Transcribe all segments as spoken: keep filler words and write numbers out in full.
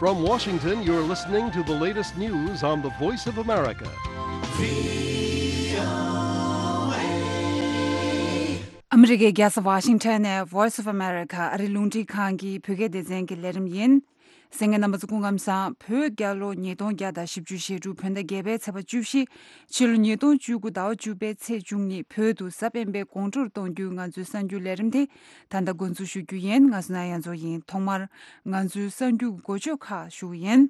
From Washington, you're listening to the latest news on the Voice of America. ཨ་མི་རི་ཀའི་རྒྱལ་ས་ཝ་ཤིང་ཊོན་ནས་Voice of America ཨ་རིའི་རླུང་འཕྲིན་ཁང་གི་བོད་སྐད་སྡེ་ཚན་གྱི་ལས་རིམ་ཡིན། གསན་མཁན་རྣམ་པ་ཚོ་སྐུ་ཁམས་བཟང་། བོད་རྒྱལ་ལོ་ཉིས་སྟོང་བརྒྱ་དང་བཞི་བཅུ་ཞེ་དྲུག་བོད་ཟླ་བརྒྱད་པའི་ཚེས་པ་བཅུ་བཞི། ཕྱི་ལོ་ཉིས་སྟོང་བཅུ་དགུ་ཟླ་བ་བཅུ་པའི་ཚེས་བཅུ་གཉིས། བོད་དུ་གཟའ་སྤེན་པའི་དགོང་དྲོར་གཏོང་རྒྱུའི་ང་ཚོའི་གསར་འགྱུར་ལས་རིམ་དེ་ད་ལྟ་འགོ་འཛུགས་ཞུ་རྒྱུ་ཡིན། ང་བསོད་ནམས་དབྱངས་མཚོ་ཡིན། ཐོག་མར་ང་ཚོའི་གསར་འགྱུར་འགོ་བརྗོད་ཁག་ཞུ་གི་ཡིན།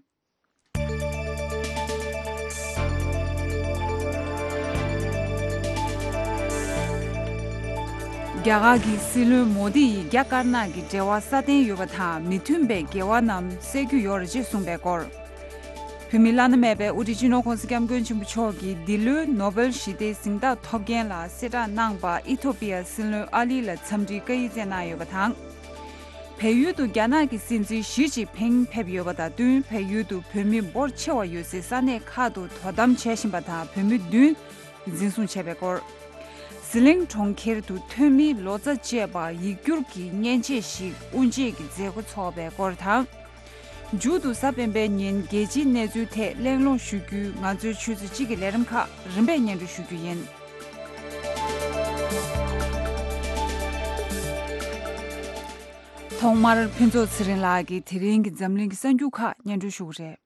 རྒྱ་གར་གྱི་སྲིད་བློན་མོ་དི་ཡིས་རྒྱ་དཀར་ནག་གི་འབྲེལ་བ་སྲ་བརྟན་ཡོད་པ་དང་། མི་མཐུན་པའི་འགལ་བ་རྣམས་སེལ་རྒྱུ་ཡོད་རེད་ཅེས་གསུངས་པའི་སྐོར། བོད་མིའི་བླ་ན་མེད་པའི་དབུ་ཁྲིད་སྤྱི་ནོར་༸གོང་ས་༸སྐྱབས་མགོན་ཆེན་པོ་མཆོག་གིས་འདི་ལོའི་ནོ་བེལ་ཞི་བདེའི་གཟེངས་རྟགས་ཐོབ་མཁན་ལ་གསལ་བསྒྲགས་གནང་བར་ཨི་ཐོ་པི་ཡ་སྲིད་བློན་ཨ་ལི་ལ་འཚམས་འདྲིའི་བཀའ་ཡིག་སྩལ་གནང་ཡོད་པ་དང་། བལ་ཡུལ་དུ་རྒྱ་ནག་གི་སྲིད་འཛིན་ཞི་ཅིན་ཕིང་ཕེབས་ཡོད་པ་དང་བསྟུན། བལ་ཡུལ་དུ་བོད་མི་འབོར་ཆེ་བ་ཡོད་སའི་ས་གནས་ཁག་ཏུ་དོ་དམ་བྱེད་བཞིན་པ་དང་། བོད་མི་བདུན་འཛིན་བཟུང་བྱས་པའི་སྐོར། ཟི་ལིང་གྲོང་ཁྱེར་དུ་ཐོན་མིའི་ལོ་ཙཱ་བཅས་པ་ཡིག་སྒྱུར་གྱི་མཉེན་ཆས་ཤིག་དབུ་འབྱེད་ཀྱི་མཛད་སྒོ་འཚོགས་པའི་སྐོར་དང་། མཇུག་ཏུ་གཟའ་སྤེན་པའི་ཉིན་རྒྱལ་སྤྱིའི་གནས་ཚུལ་ཐད་གླེང་སློང་ཞུ་རྒྱུའི་ང་ཚོའི་ཆུ་ཚོད་གཅིག་གི་ལས་རིམ་ཁག་རིམ་པས་སྙན་སྒྲོན་ཞུ་རྒྱུ་ཡིན། ཐོག་མར་ཕུན་ཚོགས་ཚེ་རིང་ལགས་ཀྱིས་དེ་རིང་གི་འཛམ་གླིང་གི་གསར་འགྱུར་ཁག་སྙན་སྒྲོན་ཞུ་གི་རེད།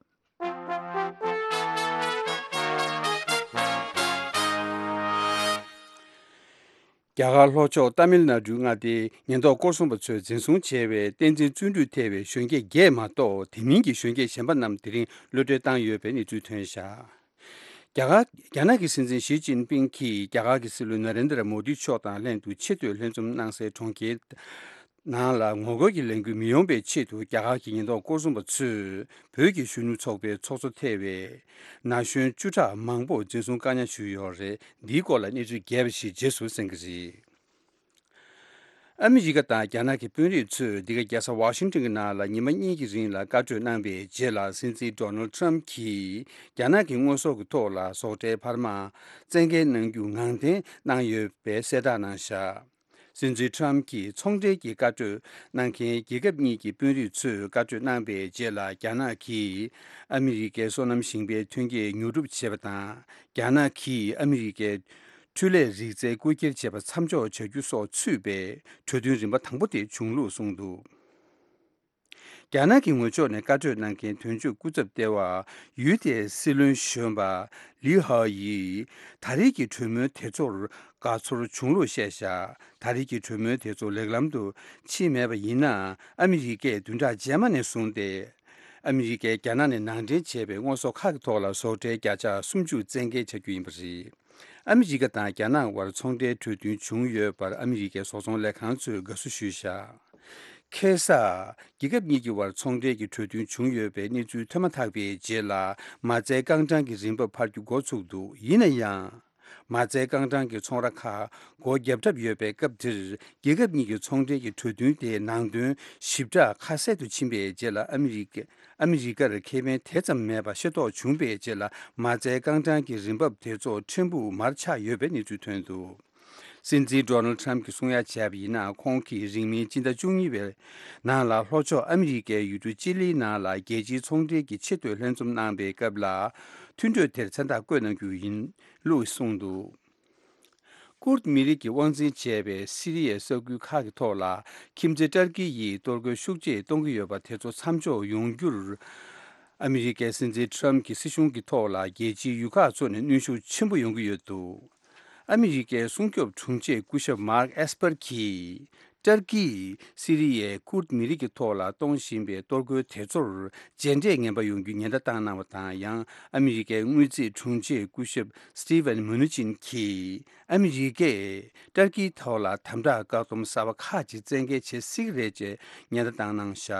རྒྱ་གར་ལྷོ་ཕྱོགས་ཏཱ་མིལ་ནཱ་ཌུའི་མངའ་སྡེའི་ཉེན་རྟོག་སྐོར་སྲུང་པ་ཚོས་འཛིན་བཟུང་བྱས་པའི་བསྟན་འཛིན་བརྩོན་འགྲུས་ཐེ་བའི་གཞོན་སྐྱེས་བརྒྱད་མ་གཏོགས། དེ་མིན་གྱི་གཞོན་སྐྱེས་གཞན་པ་རྣམས་དེ་རིང་གློད་གྲོལ་བཏང་ཡོད་པའི་གནས་ཚུལ་ཐོན་བཞག་རྒྱ་གར། རྒྱ་ནག་གི་སྲིད་འཛིན་ཞི་ཅིན་ཕིང་གིས་རྒྱ་གར་གྱི་སྲིད་བློན་ན་རེན་དྲ་མོ་དི་མཆོག་དང་ལྷན་དུ་ཆེ་བསྟོད་ལྷན་འཛོམས་གནང་སའི་གྲོང་ཁྱེར་ནང་ལ་ངོ་རྒོལ་གྱི་ལས་འགུལ་མི་ཡོང་བའི་ཆེད་དུ། རྒྱ་གར་གྱི་ཉེན་རྟོག་སྐོར་སྲུང་པ་ཚོས་བོད་ཀྱི་གཞོན་ནུ་ཚོགས་པའི་ཚོགས་གཙོ་ཐེ་བའི་ན་གཞོན་བཅུ་ཕྲག་མང་པོ་འཛིན་བཟུང་བཀག་ཉར་ཞུས་ཡོད་རེད། འདིའི་སྐོར་ལ་གནས་ཚུལ་རྒྱས་པ་ཞིག་རྗེས་སུ་གསན་གྱི་རེད། ཨ་མི་རི་ཀ་དང་རྒྱ་ནག་གི་དཔོན་རིགས་ཚོས་འདི་ག་རྒྱལ་ས་ཝ་ཤིང་ཊོན་གྱི་ནང་ལ་ཉི་མ་གཉིས་ཀྱི་རིང་ལ་བཀའ་གྲོས་གནང་བའི་རྗེས་ལ། སྲིད་འཛིན་ཌོ་ནལ་ཊམ་གྱིས་རྒྱ་ནག་གི་དངོས་ཟོག་གི་ཐོག་ལ་ཟོག་ཁྲལ་འཕར་མ་བཙན་འགེལ་གནང་རྒྱུ་ངང་འཐེན་གནང་ཡོད་པའི་གསལ་བསྒྲགས་གནང་བཞག་སྲིད་འཛིན་ཊམ་གྱིས་ཚོང་འབྲེལ་གྱི་བཀའ་གྲོས་གནང་མཁན་རྒྱལ་ཁབ་གཉིས་ཀྱི་དཔོན་རིགས་ཚོས་བཀའ་གྲོས་གནང་བའི་རྗེས་ལ། རྒྱ་ནག་གིས་ཨ་མི་རི་ཀའི་སོ་ནམ་ཞིང་པའི་ཐོན་སྐྱེད་ཉོ་སྒྲུབ་བྱས་པ་དང་། རྒྱ་ནག་གིས་ཨ་མི་རི་ཀའི་འཕྲུལ་ལས་རིག་རྩལ་རྐུ་འཁྱེར་བྱས་པ་མཚམས་འཇོག་བྱ་རྒྱུ་སོགས་ཚུད་པའི་གྲོས་མཐུན་རིམ་པ་དང་པོ་དེ་བྱུང་ལུགས་གསུངས་འདུག་རྒྱ་ནག་གི་ངོས་ཕྱོགས་ནས་བཀའ་གྲོས་གནང་མཁན་དོན་གཅོད་སྐུ་ཚབ་ལྟེ་བ་ཡུལ་དེའི་སྲིད་བློན་གཞོན་པ་ལི་ཧྭ་ཡིས་ད་རེས་ཀྱི་གྲོས་མོལ་དེ་ཚོར་དགའ་ཚོར་བྱུང་ལུགས་བཤད་བཞག་ད་རེས་ཀྱི་གྲོས་མོལ་དེ་ཚོ་ལེགས་ལམ་དུ་ཕྱིན་མེད་པ་ཡིན་ན། ཨ་མི་རི་ཀས་བདུན་ཕྲག་རྗེས་མ་ནས་བཟུང་སྟེ་ཨ་མི་རི་ཀས་རྒྱ་ནག་ནས་ནང་འདྲེན་བྱས་པའི་དངོས་ཟོག་ཁག་གི་ཐོག་ལ་ཟོག་ཁྲལ་བརྒྱ་ཆ་སུམ་ཅུ་བཙན་འགེལ་བྱ་རྒྱུ་ཡིན་པ་རེད། ཨ་མི་རི་ཀ་དང་རྒྱ་ནག་དབར་ཚོང་འབྲེལ་གྲོས་མཐུན་བྱུང་ཡོད་པར་ཨ་མི་རི་ཀའི་བཟོ་ཚོང་ལས་ཁང་ཚོས་དགའ་བསུ་ཞུས་བཞག་ཁ་སང་། རྒྱལ་ཁབ་གཉིས་ཀྱི་དབར་ཚོང་འབྲེལ་གྱི་གྲོས་མཐུན་བྱུང་ཡོད་པའི་གནས་ཚུལ་ཐོན་མ་ཐག་པའི་རྗེས་ལ། མ་རྩའི་རྐང་གྲངས་ཀྱི་རིན་འབབ་འཕར་རྒྱུ་འགོ་ཚུགས་འདུག་ཡིན་ན་ཡང་། མ་རྩའི་རྐང་གྲངས་ཀྱི་ཚོང་ར་ཁག་སྒོ་བརྒྱབ་གྲབས་ཡོད་པའི་སྐབས་འདིར། རྒྱལ་ཁབ་གཉིས་ཀྱི་ཚོང་འབྲེལ་གྱི་གྲོས་མཐུན་དེའི་ནང་དོན་ཞིབ་ཕྲ་ཁ་གསལ་དུ་ཕྱིན་པའི་རྗེས་ལ། ཨ་མི་རི་ཀ་ཨ་མི་རི་ཀར་ཁེ་ཕན་དེ་ཙམ་མེད་པ་ཤེས་རྟོགས་བྱུང་བའི་རྗེས་ལ། མ་རྩའི་རྐང་གྲངས་ཀྱི་རིན་འབབ་དེ་ཚོ་ཕྲན་བུ་མར་ཆག་ཡོད་པའི་གནས་ཚུལ་ཐོན་འདུག་སྲིད་འཛིན་ཌོ་ནལ་ཊམ་གྱིས་གསུང་ཡ་བྱས་པ་ཡིན་ན། ཁོང་གིས་རིང་མིན་སྤྱི་ཟླ་བཅུ་གཉིས་པའི་ནང་ལ་ལྷོ་ཕྱོགས་ཨ་མི་རི་ཀའི་ཡུལ་གྲུ་ཅི་ལིའི་ནང་ལ་རྒྱལ་སྤྱིའི་ཚོང་འབྲེལ་གྱི་ཆེས་མཐོའི་ལྷན་འཛོམས་གནང་པའི་སྐབས་ལ། མཐུན་གྲོས་དེར་མཚན་རྟགས་བཀོད་གནང་རྒྱུ་ཡིན་ལུགས་གསུངས་འདུག་ཀུར་མི་རིགས་ཀྱི་དབང་འཛིན་བྱས་པའི་སི་རི་ཡའི་ས་ཁུལ་ཁག་གི་ཐོག་ལ་ཁྱིམ་མཚེས་ཏར་ཀི་ཡིས་གཏོར་རྒོལ་ཤུགས་ཆེ་གཏོང་གི་ཡོད་པ་དེ་ཚོ་མཚམས་འཇོག་ཡོང་རྒྱུར། ཨ་མི་རི་ཀའི་སྲིད་འཛིན་ཊམ་གྱི་སྲིད་གཞུང་གི་ཐོག་ལ་རྒྱལ་སྤྱིའི་ཡུལ་ཁག་ཚོ་ནས་གནོན་ཤུགས་ཆེན་པོ་ཡོང་གི་ཡོད་འདུག་ཨ་མི་རི་ཀའི་སྲུང་སྐྱོབ་དྲུང་ཆེ་སྐུ་ཞབས་མཱརྐ་ཨེས་པར་གྱིས། ཏར་ཀིས་སི་རི་ཡའི་ཀུར་མི་རིགས་ཀྱི་ཐོག་ལ་གཏོང་བཞིན་པའི་གཏོར་རྒོལ་དེ་ཚོར་རྗེས་འབྲས་ངན་པ་ཡོང་རྒྱུའི་ཉེན་བརྡ་བཏང་གནང་བ་དང་། ཡང་ཨ་མི་རི་ཀའི་དངུལ་རྩིས་དྲུང་ཆེ་སྐུ་ཞབས་སི་ཏི་ཝན་མུ་ནུ་ཅིན་གྱིས། ཨ་མི་རི་ཀས་ཏར་ཀིའི་ཐོག་ལ་དམ་དྲག་བཀག་སྡོམ་གསར་པ་ཁག་ཅིག་བཙན་འགེལ་བྱེད་སྲིད་ཀྱི་རེད་ཅེས་ཉེན་བརྡ་བཏང་གནང་བཞག་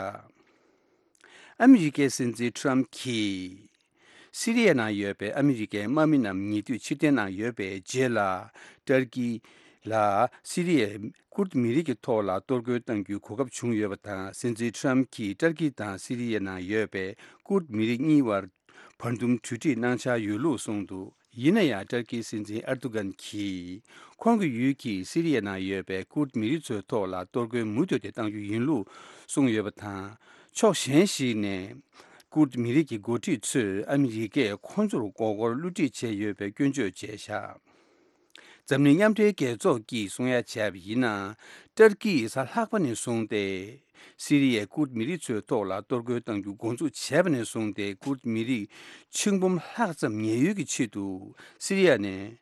ཨ་མི་རི་ཀའི་སྲིད་འཛིན་ཊམ་གྱིས། སི་རི་ཡའི་ནང་ཡོད་པའི་ཨ་མི་རི་ཀའི་དམག་མི་རྣམས་ཉེ་དུས་ཕྱིར་འཐེན་གནང་ཡོད་པའི་རྗེས་ལ། ཏར་ཀི་ལ་སི་རི་ཡའི་ཀུར་མི་རིགས་ཀྱི་ཐོག་ལ་གཏོར་རྒོལ་གཏང་རྒྱུའི་གོ་སྐབས་བྱུང་ཡོད་པ་དང་། སྲིད་འཛིན་ཊམ་གྱིས་ཏར་ཀི་དང་སི་རི་ཡའི་ནང་ཡོད་པའི་ཀུར་མི་རིགས་གཉིས་བར་བར་འདུམ་གྲོས་འགྲིག་གནང་འཆར་ཡོད་ལུགས་གསུངས་འདུག་ཡིན་ན་ཡང་ཏར་ཀིའི་སྲིད་འཛིན་ཨར་དུ་གན་གྱིས། ཁོང་གི་ཡུལ་གྱིས་སི་རི་ཡའི་ནང་ཡོད་པའི་ཀུར་མི་རིགས་ཚོའི་ཐོག་ལ་གཏོར་རྒོལ་མུ་མཐུད་དེ་གཏང་རྒྱུ་ཡིན་ལུགས་གསུངས་ཡོད་པ་དང་། ཕྱོགས་གཞན་ཞིག་ནས། ཀུར་མི་རིགས་ཀྱི་འགོ་ཁྲིད་ཚོས་ཨ་མི་རི་ཀས་ཁོང་ཚོར་མགོ་སྐོར་བསླུ་བྲིད་བྱས་ཡོད་པའི་སྐྱོན་བརྗོད་བྱས་བཞག་འཛམ་གླིང་མཉམ་འབྲེལ་རྒྱལ་ཚོགས་ཀྱིས་གསུང་ཡ་བྱས་པ་ཡིན་ན། ཏར་ཀིས་གཟའ་ལྷག་པ་ནས་བཟུང་སྟེ། སི་རི་ཡའི་ཀུར་མི་རིགས་ཚོའི་ཐོག་ལ་གཏོར་རྒོལ་གཏང་རྒྱུ་འགོ་འཛུགས་བྱས་པ་ནས་བཟུང་སྟེ། ཀུར་མི་རིགས་ཆིག་འབུམ་ལྷག་ཙམ་ཉེན་གཡོལ་གྱི་ཆེད་དུ་སི་རི་ཡ་ནས་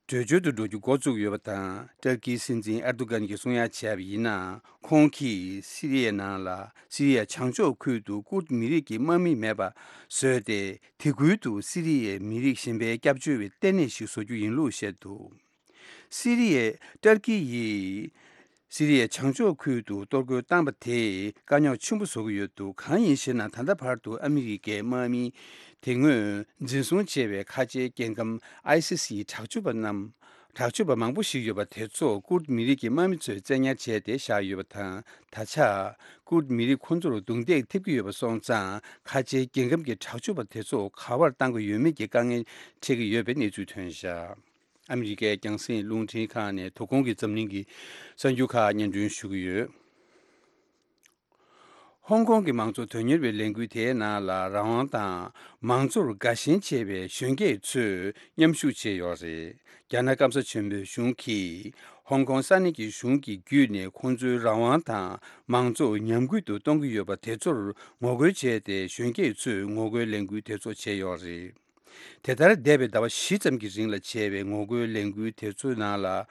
བྲོས་བྱོལ་དུ་འགྲོ་རྒྱུ་འགོ་བཙུགས་ཡོད་པ་དང་། ཏར་ཀིའི་སྲིད་འཛིན་ཨེར་དོ་གྷན་གྱིས་གསུང་ཡ་བྱས་པ་ཡིན་ན། ཁོང་གིས་སི་རི་ཡའི་ནང་ལ་སི་རི་ཡ་བྱང་ཕྱོགས་ཁུལ་དུ་ཀུར་མི་རིགས་ཀྱི་དམག་མི་མེད་པ་བཟོས་ཏེ། དེ་ཁུལ་དུ་སི་རི་ཡའི་མི་རིགས་གཞན་པའི་སྐྱབས་བཅོལ་བའི་ལྟེ་གནས་ཤིག་བཟོ་རྒྱུ་ཡིན་ལུགས་བཤད་འདུག་སི་རི་ཡའི་ཏར་ཀི་ཡིས་སི་རི་ཡའི་བྱང་ཕྱོགས་ཁུལ་དུ་གཏོར་རྒོལ་བཏང་པ་དེས་དཀའ་རྙོག་ཆེན་པོ་བཟོ་གི་ཡོད་འདུག་གང་ཡིན་ཞེ་ན། ད་ལྟ་བར་དུ་ཨ་མི་རི་ཀའི་དམག་མི་དེ་སྔོན་འཛིན་བཟུང་བྱས་པའི་ཁ་ཆེའི་རྒྱལ་ཁམས་ཨའི་སི་སི་ཡི་དྲག་སྤྱོད་པ་རྣམས། དྲག་སྤྱོད་པ་མང་པོ་ཞིག་ཡོད་པ་དེ་ཚོ་ཀུར་མི་རིགས་ཀྱི་དམག་མི་ཚོས་བཙན་ཉར་བྱས་ཏེ་བཞག་ཡོད་པ་དང་། ད་ཆ་ཀུར་མི་རིགས་ཁོ་ཚོར་རྡུང་རྡེག་ཐེབས་ཀྱི་ཡོད་པ་སོང་ཙང་། ཁ་ཆེའི་རྒྱལ་ཁམས་ཀྱི་དྲག་སྤྱོད་པ་དེ་ཚོ་ག་པར་བཏང་དགོས་ཡོད་མེད་ཀྱི་དཀའ་ངལ་འཕྲད་ཀྱི་ཡོད་པའི་གནས་ཚུལ་ཐོན་བཞག་ཨ་མི་རི་ཀའི་རྒྱང་སྲིང་རླུང་འཕྲིན་ཁང་ནས་དོ་དགོང་གི་འཛམ་གླིང་གི་གསར་འགྱུར་ཁག་སྙན་སྒྲོན་ཞུ་གི་ཡོད། ཧོང་ཀོང་གི་མང་གཙོ་དོན་གཉེར་བའི་ལས་འགུལ་དེའི་ནང་ལ་རང་དབང་དང་མང་གཙོར་དགའ་ཞེན་ཆེ་བའི་གཞོན་སྐྱེས་ཚོས་མཉམ་ཞུགས་བྱས་ཡོད་རེད། རྒྱ་ནག་སྐམ་ས་ཆེན་པོའི་གཞུང་གིས་ཧོང་ཀོང་ས་གནས་ཀྱི་གཞུང་གི་བརྒྱུད་ནས་ཁོང་ཚོའི་རང་དབང་དང་མང་གཙོ་ཉམས་རྒུད་དུ་གཏོང་གི་ཡོད་པ་དེ་ཚོར་ངོ་རྒོལ་བྱས་ཏེ། གཞོན་སྐྱེས་ཚོས་ངོ་རྒོལ་ལས་འགུལ་དེ་ཚོ་བྱས་ཡོད་རེད། དེ་ལྟར་འདས་པའི་ཟླ་བ་བཞི་ཙམ་གྱི་རིང་ལ་བྱས་པའི་ངོ་རྒོལ་ལས་འགུལ་དེ་ཚོའི་ནང་ལ།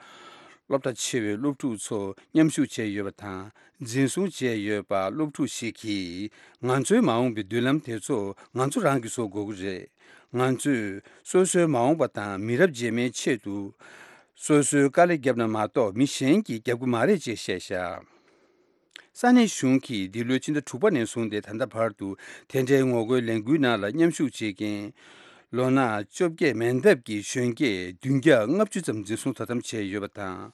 སློབ་གྲྭ་ཆེ་བའི་སློབ་ཕྲུག་ཚོ་མཉམ་ཞུགས་བྱས་ཡོད་པ་དང་། འཛིན་བཟུང་བྱས་ཡོད་པ་སློབ་ཕྲུག་ཞིག་གིས། ང་ཚོའི་མ་འོངས་པའི་མདུན་ལམ་དེ་ཚོ་ང་ཚོ་རང་གིས་བཟོ་དགོས་ཀྱི་རེད། ང་ཚོས་སོ་སོའི་མ་འོངས་པ་དང་མི་རབས་རྗེས་མའི་ཆེད་དུ། སོ་སོའི་དཀའ་ལས་བརྒྱབ་ན་མ་གཏོགས་མི་གཞན་གྱིས་བརྒྱབ་ཀྱི་མ་རེད་ཅེས་བཤད་བཞག་ས་གནས་གཞུང་གིས་འདི་ལོའི་ཕྱི་ཟླ་དྲུག་པ་ནས་བཟུང་སྟེ་ད་ལྟ་བར་དུ་དེ་འདྲའི་ངོ་རྒོལ་ལས་འགུལ་ནང་ལ་མཉམ་ཞུགས་བྱེད་མཁན། ལོ་ན་བཅོ་བརྒྱད་མན་འདབ་ཀྱི་གཞོན་སྐྱེས་བདུན་བརྒྱ་ལྔ་བཅུ་ཙམ་འཛིན་བཟུང་དོ་དམ་བྱས་ཡོད་པ་དང་།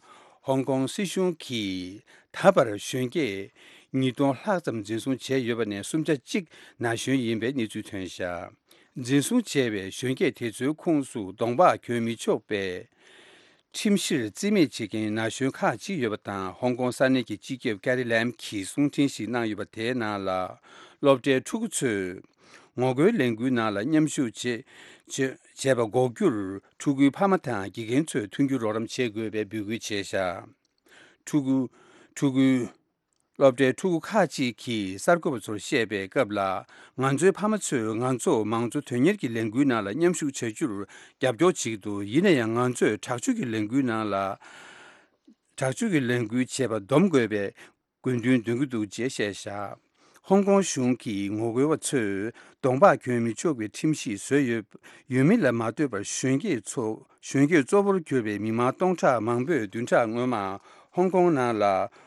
ཧོང་ཀོང་སྲིད་གཞུང་གིས་ད་བར་གཞོན་སྐྱེས་ཉིས་སྟོང་ལྷག་ཙམ་འཛིན་བཟུང་བྱས་ཡོད་པ་ནས་སུམ་ཆ་གཅིག་ན་གཞོན་ཡིན་པའི་གནས་ཚུལ་ཐོན་བཞག་འཛིན་བཟུང་བྱས་པའི་གཞོན་སྐྱེས་དེ་ཚོའི་ཁོངས་སུ་གདོང་པགས་གྱོན་མི་ཆོག་པའི་ཁྲིམས་གཞིར་རྩིས་མེད་བྱེད་མཁན་ན་གཞོན་ཁག་ཅིག་ཡོད་པ་དང་། ཧོང་ཀོང་ས་གནས་ཀྱི་སྤྱི་ཁྱབ་ཀེ་རི་ལེམ་གྱིས་གསུང་འཕྲིན་ཞིག་གནང་ཡོད་པ། དེའི་ནང་ལ་སློབ་གྲྭའི་ཕྲུ་གུ་ཚོས་ངོ་རྒོལ་ལས་འགུལ་ནང་ལ་མཉམ་ཞུགས་བྱེད་བྱེད་བྱས་པ་འགོག་རྒྱུར། ཕྲུ་གུའི་ཕ་མ་དང་དགེ་རྒན་ཚོས་མཐུན་འགྱུར་རོགས་རམ་བྱེད་དགོས་པའི་འབོད་སྐུལ་བྱས་བཞག་ཕྲུ་གུ་ཕྲུ་གུའི། སློབ་གྲྭའི་ཕྲུ་གུ་ཁག་ཅིག་གིས་གསར་འགོད་པ་ཚོར་བཤད་པའི་སྐབས་ལ། ང་ཚོའི་ཕ་མ་ཚོས་ང་ཚོ་མང་གཙོ་དོན་གཉེར་གྱི་ལས་འགུལ་ནང་ལ་མཉམ་ཞུགས་བྱ་རྒྱུར་རྒྱབ་སྐྱོར་བྱེད་ཀྱི་འདུག་ཡིན་ན་ཡང་། ང་ཚོས་དྲག་སྤྱོད་ཀྱི་ལས་འགུལ་ནང་ལ། དྲག་སྤྱོད་ཀྱི་ལས་འགུལ་བྱེད་པ་སྡོམ་དགོས་པའི་དགོས་འདུན་འདོན་གྱི་འདུག་ཅེས་བཤད་བཞག་ཧོང་ཀོང་གཞུང་གི་ངོ་རྒོལ་བ་ཚོས་གདོང་པགས་གྱོན་མི་ཆོག་པའི་ཁྲིམས་གཞི་བཟོས་ཡོད་ཡོད་མེད་ལ་མ་ལྟོས་པར། གཞོན་སྐྱེས་ཚོ་གཞོན་སྐྱེས་གཙོ་བོར་གྱུར་པའི་མི་མང་སྟོང་ཕྲག་མང་པོས་བདུན་ཕྲག་སྔོན་མ་ཧོང་ཀོང་ནང་ལ་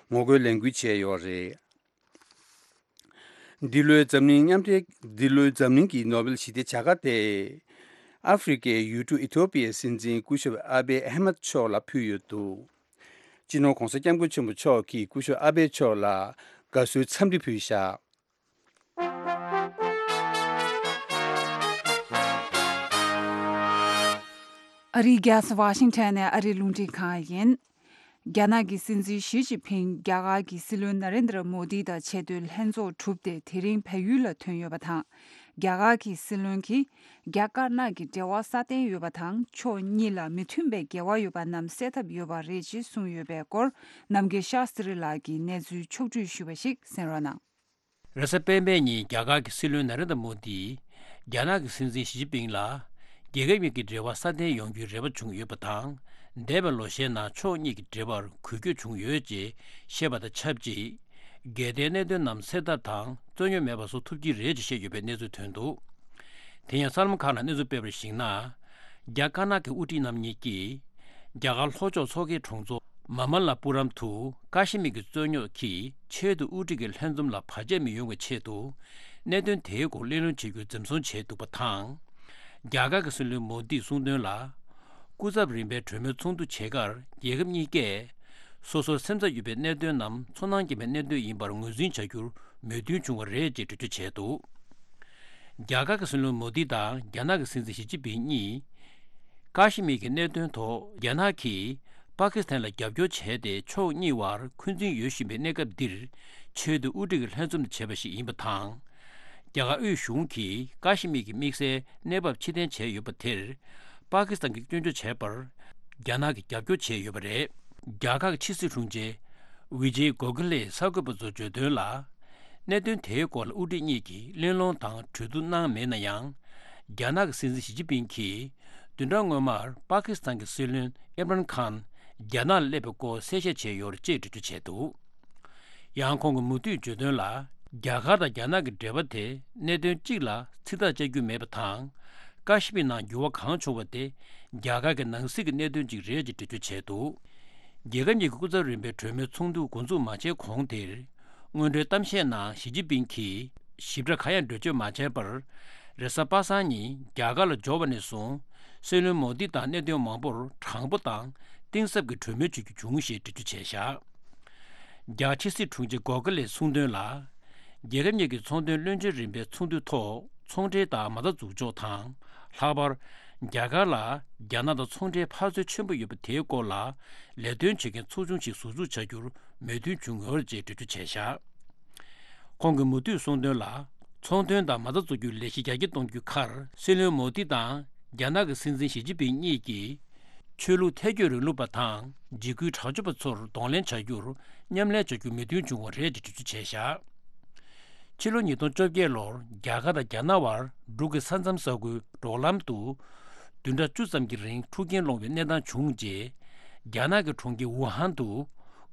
ངོ་རྒོལ་ལས་འགུལ་བྱས་ཡོད་རེད། འདི་ལོའི་འཛམ་གླིང་མཉམ་འབྲེལ། འདི་ལོའི་འཛམ་གླིང་གི་ནོ་བེལ་ཞི་བདེའི་བྱ་དགའ་དེ་ཨ་ཧྥེ་རི་ཀའི་ཡུལ་གྲུ་ཨི་ཐོ་པི་ཡའི་སྲིད་འཛིན་སྐུ་ཞབས་ཨ་བྷེ་ཨ་མད་མཆོག་ལ་ཕུལ་ཡོད་འདུག་སྤྱི་ནོར་༧གོང་ས་༧སྐྱབས་མགོན་ཆེན་པོ་མཆོག་གིས་སྐུ་ཞབས་ཨ་བྷེ་མཆོག་ལ་དགའ་བསུའི་འཚམས་འདྲི་ཕུལ་བཞག་ཨ་རིའི་རྒྱལ་ས་ཝ་ཤིང་ཊོན་ནས་ཨ་རིའི་རླུང་འཕྲིན་ཁང་ཡིན། རྒྱ་ནག་གི་སྲིད་འཛིན་ཞི་ཅིན་ཕིང་རྒྱ་གར་གྱི་སྲིད་བློན་ན་རེན་དྲ་མོ་དི་དང་ཆེས་མཐོའི་ལྷན་ཚོགས་གྲུབ་སྟེ་དེ་རིང་བལ་ཡུལ་ལ་ཐོན་ཡོད་པ་དང་། རྒྱ་གར་གྱི་སྲིད་བློན་གྱིས་རྒྱ་དཀར་ནག་གི་འབྲེལ་བ་སྲ་བརྟན་ཡོད་པ་དང་། ཕྱོགས་གཉིས་ལ་མི་མཐུན་པའི་འགལ་བ་ཡོད་པ་རྣམས་སེལ་ཐབས་ཡོད་པ་རེད་ཅེས་གསུངས་ཡོད་པའི་སྐོར། རྣམ་རྒྱལ་ཤཱ་སྟྲི་ལགས་ཀྱིས་གནས་ཚུལ་ཕྱོགས་བསྒྲིགས་ཞུས་པ་ཞིག་གསན་རོགས་གནང་། རེས་གཟའ་སྤེན་པའི་ཉིན་རྒྱ་གར་གྱི་སྲིད་བློན་ན་རེན་དྲ་མོ་དིས་རྒྱ་ནག་གི་སྲིད་འཛིན་ཞི་ཅིན་ཕིང་ལ། རྒྱལ་ཁབ་གཉིས་ཀྱི་འབྲེལ་བ་སྲ་བརྟན་ཡོང་རྒྱུའི་རེ་བ་བྱུང་ཡོད་པ་དང་། འདས་པའི་ལོ་ཤས་ནང་ཕྱོགས་གཉིས་ཀྱི་འབྲེལ་བར་འགུལ་སྐྱོད་བྱུང་ཡོད་ཅེས་བཤད་པ་དང་ཆབས་ཅིག་འགལ་ཟླའི་གནད་དོན་རྣམས་སེལ་ཐབས་དང་རྩོད་རྙོག་མེད་པ་བཟོ་ཐུབ་ཀྱི་རེད་ཅེས་བཤད་ཡོད་པའི་གནས་ཚུལ་ཐོན་འདུག་དེ་ཡང་གསར་ལམ་ཁག་ནང་གནས་ཚུལ་སྤེལ་བར་གཞིགས་ན། རྒྱ་དཀར་ནག་གི་དབུ་ཁྲིད་རྣམ་གཉིས་ཀྱིས། རྒྱ་གར་ལྷོ་ཕྱོགས་མཚོ་ཁའི་གྲོང་ཚོ་མ་མ་ལ་པུ་རམ་དུ་ཀ་ཤི་མིར་གྱི་རྩོད་རྙོག་གིས་ཆེས་མཐོའི་དབུ་ཁྲིད་ཀྱི་ལྷན་འཛོམས་ལ་བར་ཆད་མི་ཡོང་བའི་ཆེད་དུ། གནད་དོན་དེའི་སྐོར་གླེང་སློང་བྱེད་རྒྱུར་འཛེམ་ཟོན་བྱས་འདུག་པ་དང་། རྒྱ་གར་གྱི་སྲིད་བློན་མོ་དིས་གསུངས་དོན་ལ། སྐུ་ཚབ་རིམ་པའི་གྲོས་མོལ་ཚོགས་འདུ་བྱེད་ཁར་རྒྱལ་ཁབ་གཉིས་ཀས། སོ་སོར་སེམས་འཚབ་ཡོད་པའི་གནད་དོན་རྣམས་ཚོར་སྣང་སྐྱེ་བའི་གནད་དོན་ཡིན་པར་ངོས་འཛིན་བྱ་རྒྱུར་མོས་མཐུན་བྱུང་བ་རེད་ཅེས་འགྲེལ་བརྗོད་བྱས་འདུག་རྒྱ་གར་གྱི་སྲིད་བློན་མོ་དི་དང་རྒྱ་ནག་གི་སྲིད་འཛིན་ཞི་ཅིན་ཕིང་གཉིས། ཀ་ཤི་མིར་གྱི་གནད་དོན་ཐོག་རྒྱ་ནག་གིས་པ་ཀི་སི་ཐན་ལ་རྒྱབ་སྐྱོར་བྱས་ཏེ་ཕྱོགས་གཉིས་བར་འཁོན་འཛིན་ཡོད་བཞིན་པའི་གནས་སྐབས་འདིར། ཆེས་མཐོའི་དབུ་ཁྲིད་ཀྱི་ལྷན་འཛོམས་བྱས་པ་ཞིག་ཡིན་པ་དང་། རྒྱ་གར་དབུས་གཞུང་གིས་ཀ་ཤི་མིར་གྱི་དམིགས་བསལ་གནས་བབ་ཕྱིར་འཐེན་བྱས་ཡོད་པ་དེར། པ་ཀི་སི་ཐན་གྱིས་སྐྱོན་བརྗོད་བྱས་པར། རྒྱ་ནག་གིས་རྒྱབ་སྐྱོར་བྱས་ཡོད་པ་རེད། རྒྱ་གར་གྱི་ཕྱི་སྲིད་དྲུང་ཆེ་ཝི་ཇེ་གོ་ཁི་ལེས་གསར་འགོད་པ་ཚོར་བརྗོད་དོན་ལ། གནད་དོན་དེའི་སྐོར་ལ་དབུ་ཁྲིད་གཉིས་ཀྱིས་གླེང་སློང་དང་གྲོས་བསྡུར་གནང་མེད་ན་ཡང་། རྒྱ་ནག་གི་སྲིད་འཛིན་ཞི་ཅིན་ཕིང་གིས་བདུན་ཕྲག་སྔོན་མར་པ་ཀི་སི་ཐན་གྱི་སྲིད་བློན་ཨིམ་རན་ཁཱན་རྒྱ་ནག་ལ་སླེབས་པའི་སྐོར་གསལ་བཤད་བྱས་ཡོད་རེད་ཅེས་འགྲེལ་བརྗོད་བྱས་འདུག་ཡང་ཁོང་གིས་མུ་མཐུད་བརྗོད་དོན་ལ། རྒྱ་གར་དང་རྒྱ་ནག་གི་འབྲེལ་བ་དེ་གནད་དོན་གཅིག་ལ་ཚིག་ཐག་བཅད་རྒྱུ་མེད་པ་དང་། ཀ་ཤི་མིར་ནང་འགྱུར་བ་གང་བྱུང་བ་དེ་རྒྱ་གར་གྱི་ནང་སྲིད་ཀྱི་གནད་དོན་གཅིག་རེད་ཅེས་འགྲེལ་བརྗོད་བྱས་འདུག་རྒྱལ་ཁབ་གཉིས་ཀྱི་སྐུ་ཚབ་རིམ་པའི་གྲོས་མོལ་ཚོགས་འདུ་འགོ་འཛུགས་མ་བྱས་གོང་དེར། སྔོན་འགྲོའི་གཏམ་བཤད་ནང་ཞི་ཅིན་ཕིང་གིས་ཞིབ་ཕྲ་གང་ཡང་འགྲེལ་བརྗོད་མ་བྱས་པར། རེས་གཟའ་པ་སངས་ཉིན་རྒྱ་གར་ལ་འབྱོར་བ་ནས་བཟུང་། སྲིད་བློན་མོ་དི་དང་གནད་དོན་མང་པོར་དྲང་པོ་དང་གཏིང་ཟབ་ཀྱི་གྲོས་མོལ་བྱེད་རྒྱུ་བྱུང་ཞེས་འགྲེལ་བརྗོད་བྱས་བཞག་རྒྱ་ཕྱི་སྲིད་དྲུང་ཆེ་གོ་ཁི་ལེས་གསུངས་དོན་ལ། རྒྱལ་ཁབ་གཉིས་ཀྱི་ཚོང་དོན་བློན་ཆེན་རིམ་པའི་ཚོགས་འདུའི་ཐོག་ཚོང་འབྲེལ་དང་མ་རྩ་འཛུགས་ཕྱོགས་དང་། ལྷག་པར། རྒྱ་གར་ལ་རྒྱ་ནག་དང་ཚོང་འབྲེལ་འཕར་ཚད་ཆེན་པོ་ཡོད་པ་དེའི་སྐོར་ལ་ལས་དོན་བྱེད་མཁན་ཚོགས་ཆུང་ཞིག་ཟུར་འཛུགས་བྱ་རྒྱུར་མོས་མཐུན་བྱུང་ཡོད་ཅེས་འགྲེལ་བརྗོད་བྱས་བཞག་ཁོང་གིས་མུ་མཐུད་གསུངས་དོན་ལ། ཚོང་དོན་དང་མ་རྩ་འཛུགས་རྒྱུའི་ལས་གཞི་རྒྱ་སྐྱེད་གཏོང་རྒྱུའི་ཁར་སྲིད་བློན་མོ་དི་དང་རྒྱ་ནག་གི་སྲིད་འཛིན་ཞི་ཅིན་ཕིང་གཉིས་ཀྱིས། ཆོས་ལུགས་ཐལ་སྐྱོད་རིང་ལུགས་པ་དང་འཇིགས་སྐུལ་དྲག་སྤྱོད་པ་ཚོར་གདོང་ལེན་བྱ་རྒྱུར་མཉམ་ལས་བྱ་རྒྱུར་མོས་མཐུན་བྱུང་བ་རེད་ཅེས་འགྲེལ་བརྗོད་བྱས་བཞག་ཕྱི་ལོ་ཉིས་སྟོང་བཅོ་བརྒྱད་ལོར་རྒྱ་གར་དང་རྒྱ་ནག་དབར་འབྲུག་གི་ས་མཚམས་ས་ཁུལ་འབྲོག་ལམ་དུ། བདུན་ཕྲག་བཅུ་ཙམ་གྱི་རིང་འཁྲུག་རྐྱེན་སློང་བའི་གནས་སྟངས་བྱུང་རྗེས། རྒྱ་ནག་གི་གྲོང་ཁྱེར་ཝུ་ཧན་དུ།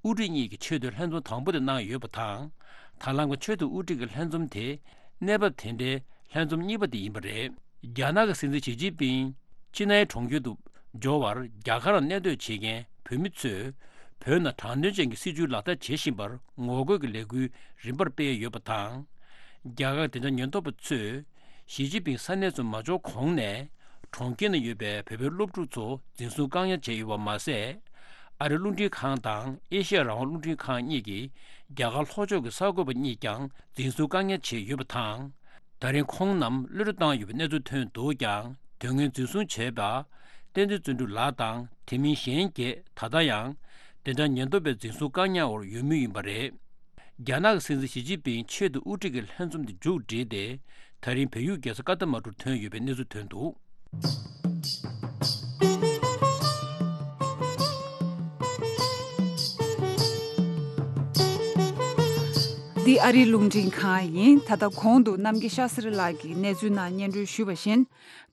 དབུ་ཁྲིད་གཉིས་ཀྱི་ཆེས་མཐོའི་ལྷན་འཛོམས་དང་པོ་དེ་གནང་ཡོད་པ་དང་། ད་ལམ་གྱི་ཆེས་མཐོའི་དབུ་ཁྲིད་ཀྱི་ལྷན་འཛོམས་དེ། གནས་བབ་དེ་འདྲའི་ལྷན་འཛོམས་གཉིས་པ་དེ་ཡིན་པ་རེད། རྒྱ་ནག་གི་སྲིད་འཛིན་ཞི་ཅིན་ཕིང་། ཅི་ནའི་གྲོང་ཁྱེར་དུ་འབྱོར་བར་རྒྱ་གར་ལ་གནས་སྡོད་བྱེད་མཁན་བོད་མི་ཚོས་བོད་ནང་དྲང་བདེན་ཅན་གྱི་སྲིད་བྱུས་ལག་བསྟར་བྱེད་བཞིན་པར་ངོ་རྒོལ་གྱི་ལས་འགུལ་རིམ་པར་སྤེལ་ཡོད་པ་དང་། རྒྱ་གར་བདེ་འཇགས་ཉེན་རྟོག་པ་ཚོས་ཞི་ཅིན་ཕིང་ས་གནས་སུ་མ་འབྱོར་གོང་ནས་གྲོང་ཁྱེར་ནང་ཡོད་པའི་བོད་པའི་སློབ་ཕྲུག་ཚོ་འཛིན་བཟུང་བཀག་ཉར་བྱས་ཡོད་པ་མ་ཟད། ཨ་རིའི་རླུང་འཕྲིན་ཁང་དང་ཨེ་ཤི་ཡ་རང་དབང་རླུང་འཕྲིན་ཁང་གཉིས་ཀྱི་རྒྱ་གར་ལྷོ་ཕྱོགས་ཀྱི་གསར་འགོད་པ་གཉིས་ཀྱང་འཛིན་བཟུང་བཀག་ཉར་བྱས་ཡོད་པ་དང་། ད་རིང་ཁོང་རྣམས་གློད་གྲོལ་བཏང་ཡོད་པའི་གནས་ཚུལ་ཐོན་འདུག་ཀྱང་། དོན་དངོས་འཛིན་བཟུང་བྱས་པ། བསྟན་འཛིན་བརྩོན་འགྲུས་ལགས་དང་དེ་མིན་གཞན་བརྒྱད་ད་ལྟ་ཡང་བདེ་འཇགས་ཉེན་རྟོག་པས་འཛིན་བཟུང་བཀག་ཉར་འོག་ཡོད་མུས་ཡིན་པ་རེད། རྒྱ་ནག་གི་སྲིད་འཛིན་ཞི་ཅིན་ཕིང་ཆེད་དུ་དབུ་ཁྲིད་ཀྱི་ལྷན་འཛོམས་དེ་མཇུག་བསྒྲིལ་ཏེ། ད་རིང་བལ་ཡུལ་རྒྱལ་ས་ཀ་ཐ་མན་གྲུར་ཐོན་ཡོད་པའི་གནས་ཚུལ་ཐོན་འདུག་འདི་ཨ་རིའི་རླུང་འཕྲིན་ཁང་ཡིན། ད་ལྟ་གོང་དུ་རྣམ་རྒྱལ་ཤཱ་སི་རི་ལགས་ཀྱིས་གནས་ཚུལ་ནང་སྙན་སྒྲོན་ཞུས་པ་བཞིན།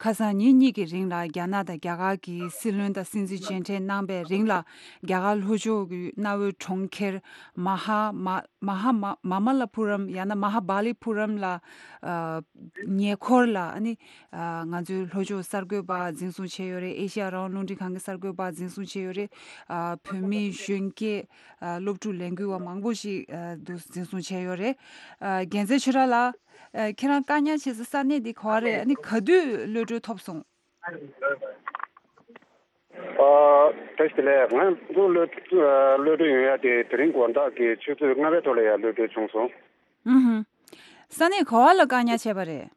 ཁ་སང་ཉིན་གཉིས་ཀྱི་རིང་ལ་རྒྱ་ནག་དང་རྒྱ་གར་གྱི་སྲིད་བློན་དང་སྲིད་འཛིན་མཇལ་འཕྲད་གནང་པའི་རིང་ལ། རྒྱ་གར་ལྷོ་ཕྱོགས་ཀྱི་གནའ་བོའི་གྲོང་ཁྱེར་མ་ཧ་མ་མ་ཧ་མ་མ་མ་ལ་པུ་རམ་ཡང་ན་མ་ཧ་བྷ་ལི་པུ་རམ་ལ། ཨ། ཉེ་འཁོར་ལ་ཨ་ནི། ཨ། ང་ཚོའི་ལྷོ་ཕྱོགས་གསར་འགོད་པ་འཛིན་བཟུང་བྱས་ཡོད་རེད། ཨེ་ཤ་ཡ་རང་དབང་རླུང་འཕྲིན་ཁང་གི་གསར་འགོད་པ་འཛིན་བཟུང་བྱས་ཡོད་རེད། ཨ། བོད་མི་གཞོན་སྐྱེས། ཨ། སློབ་ཕྲུག་ལས་འགུལ་བ་མང་པོ་ཞིག་ཨ། འདུག་འཛིན་བཟུང་བྱས་ཡོད་རེད། ཨ། རྒྱལ་མཚན་ཆོས་གྲགས་ལགས། ཨ། ཁྱེད་རང་བཀག་ཉར་བྱས་ས་ས་གནས་འདི་ག་པར་རེད། ཨ་ནི་ག་དུས་གློད་གྲོལ་ཐོབ་སོང་། ཨ། བཀྲ་ཤིས་བདེ་ལེགས། ང་ཚོ་གློད་གློད་གྲོལ་ཡོང་ཡ་དེ་དེ་རིང་དགོང་དག་གི་ཆུ་ཚོད་ལྔ་པའི་ཐོག་ལ་ཡ་གློད་གྲོལ་བྱུང་སོང་། ཨུ་ཧུ། ས་གནས་ག་པར་ལ་བཀག་ཉར་བྱས་པ་རེད།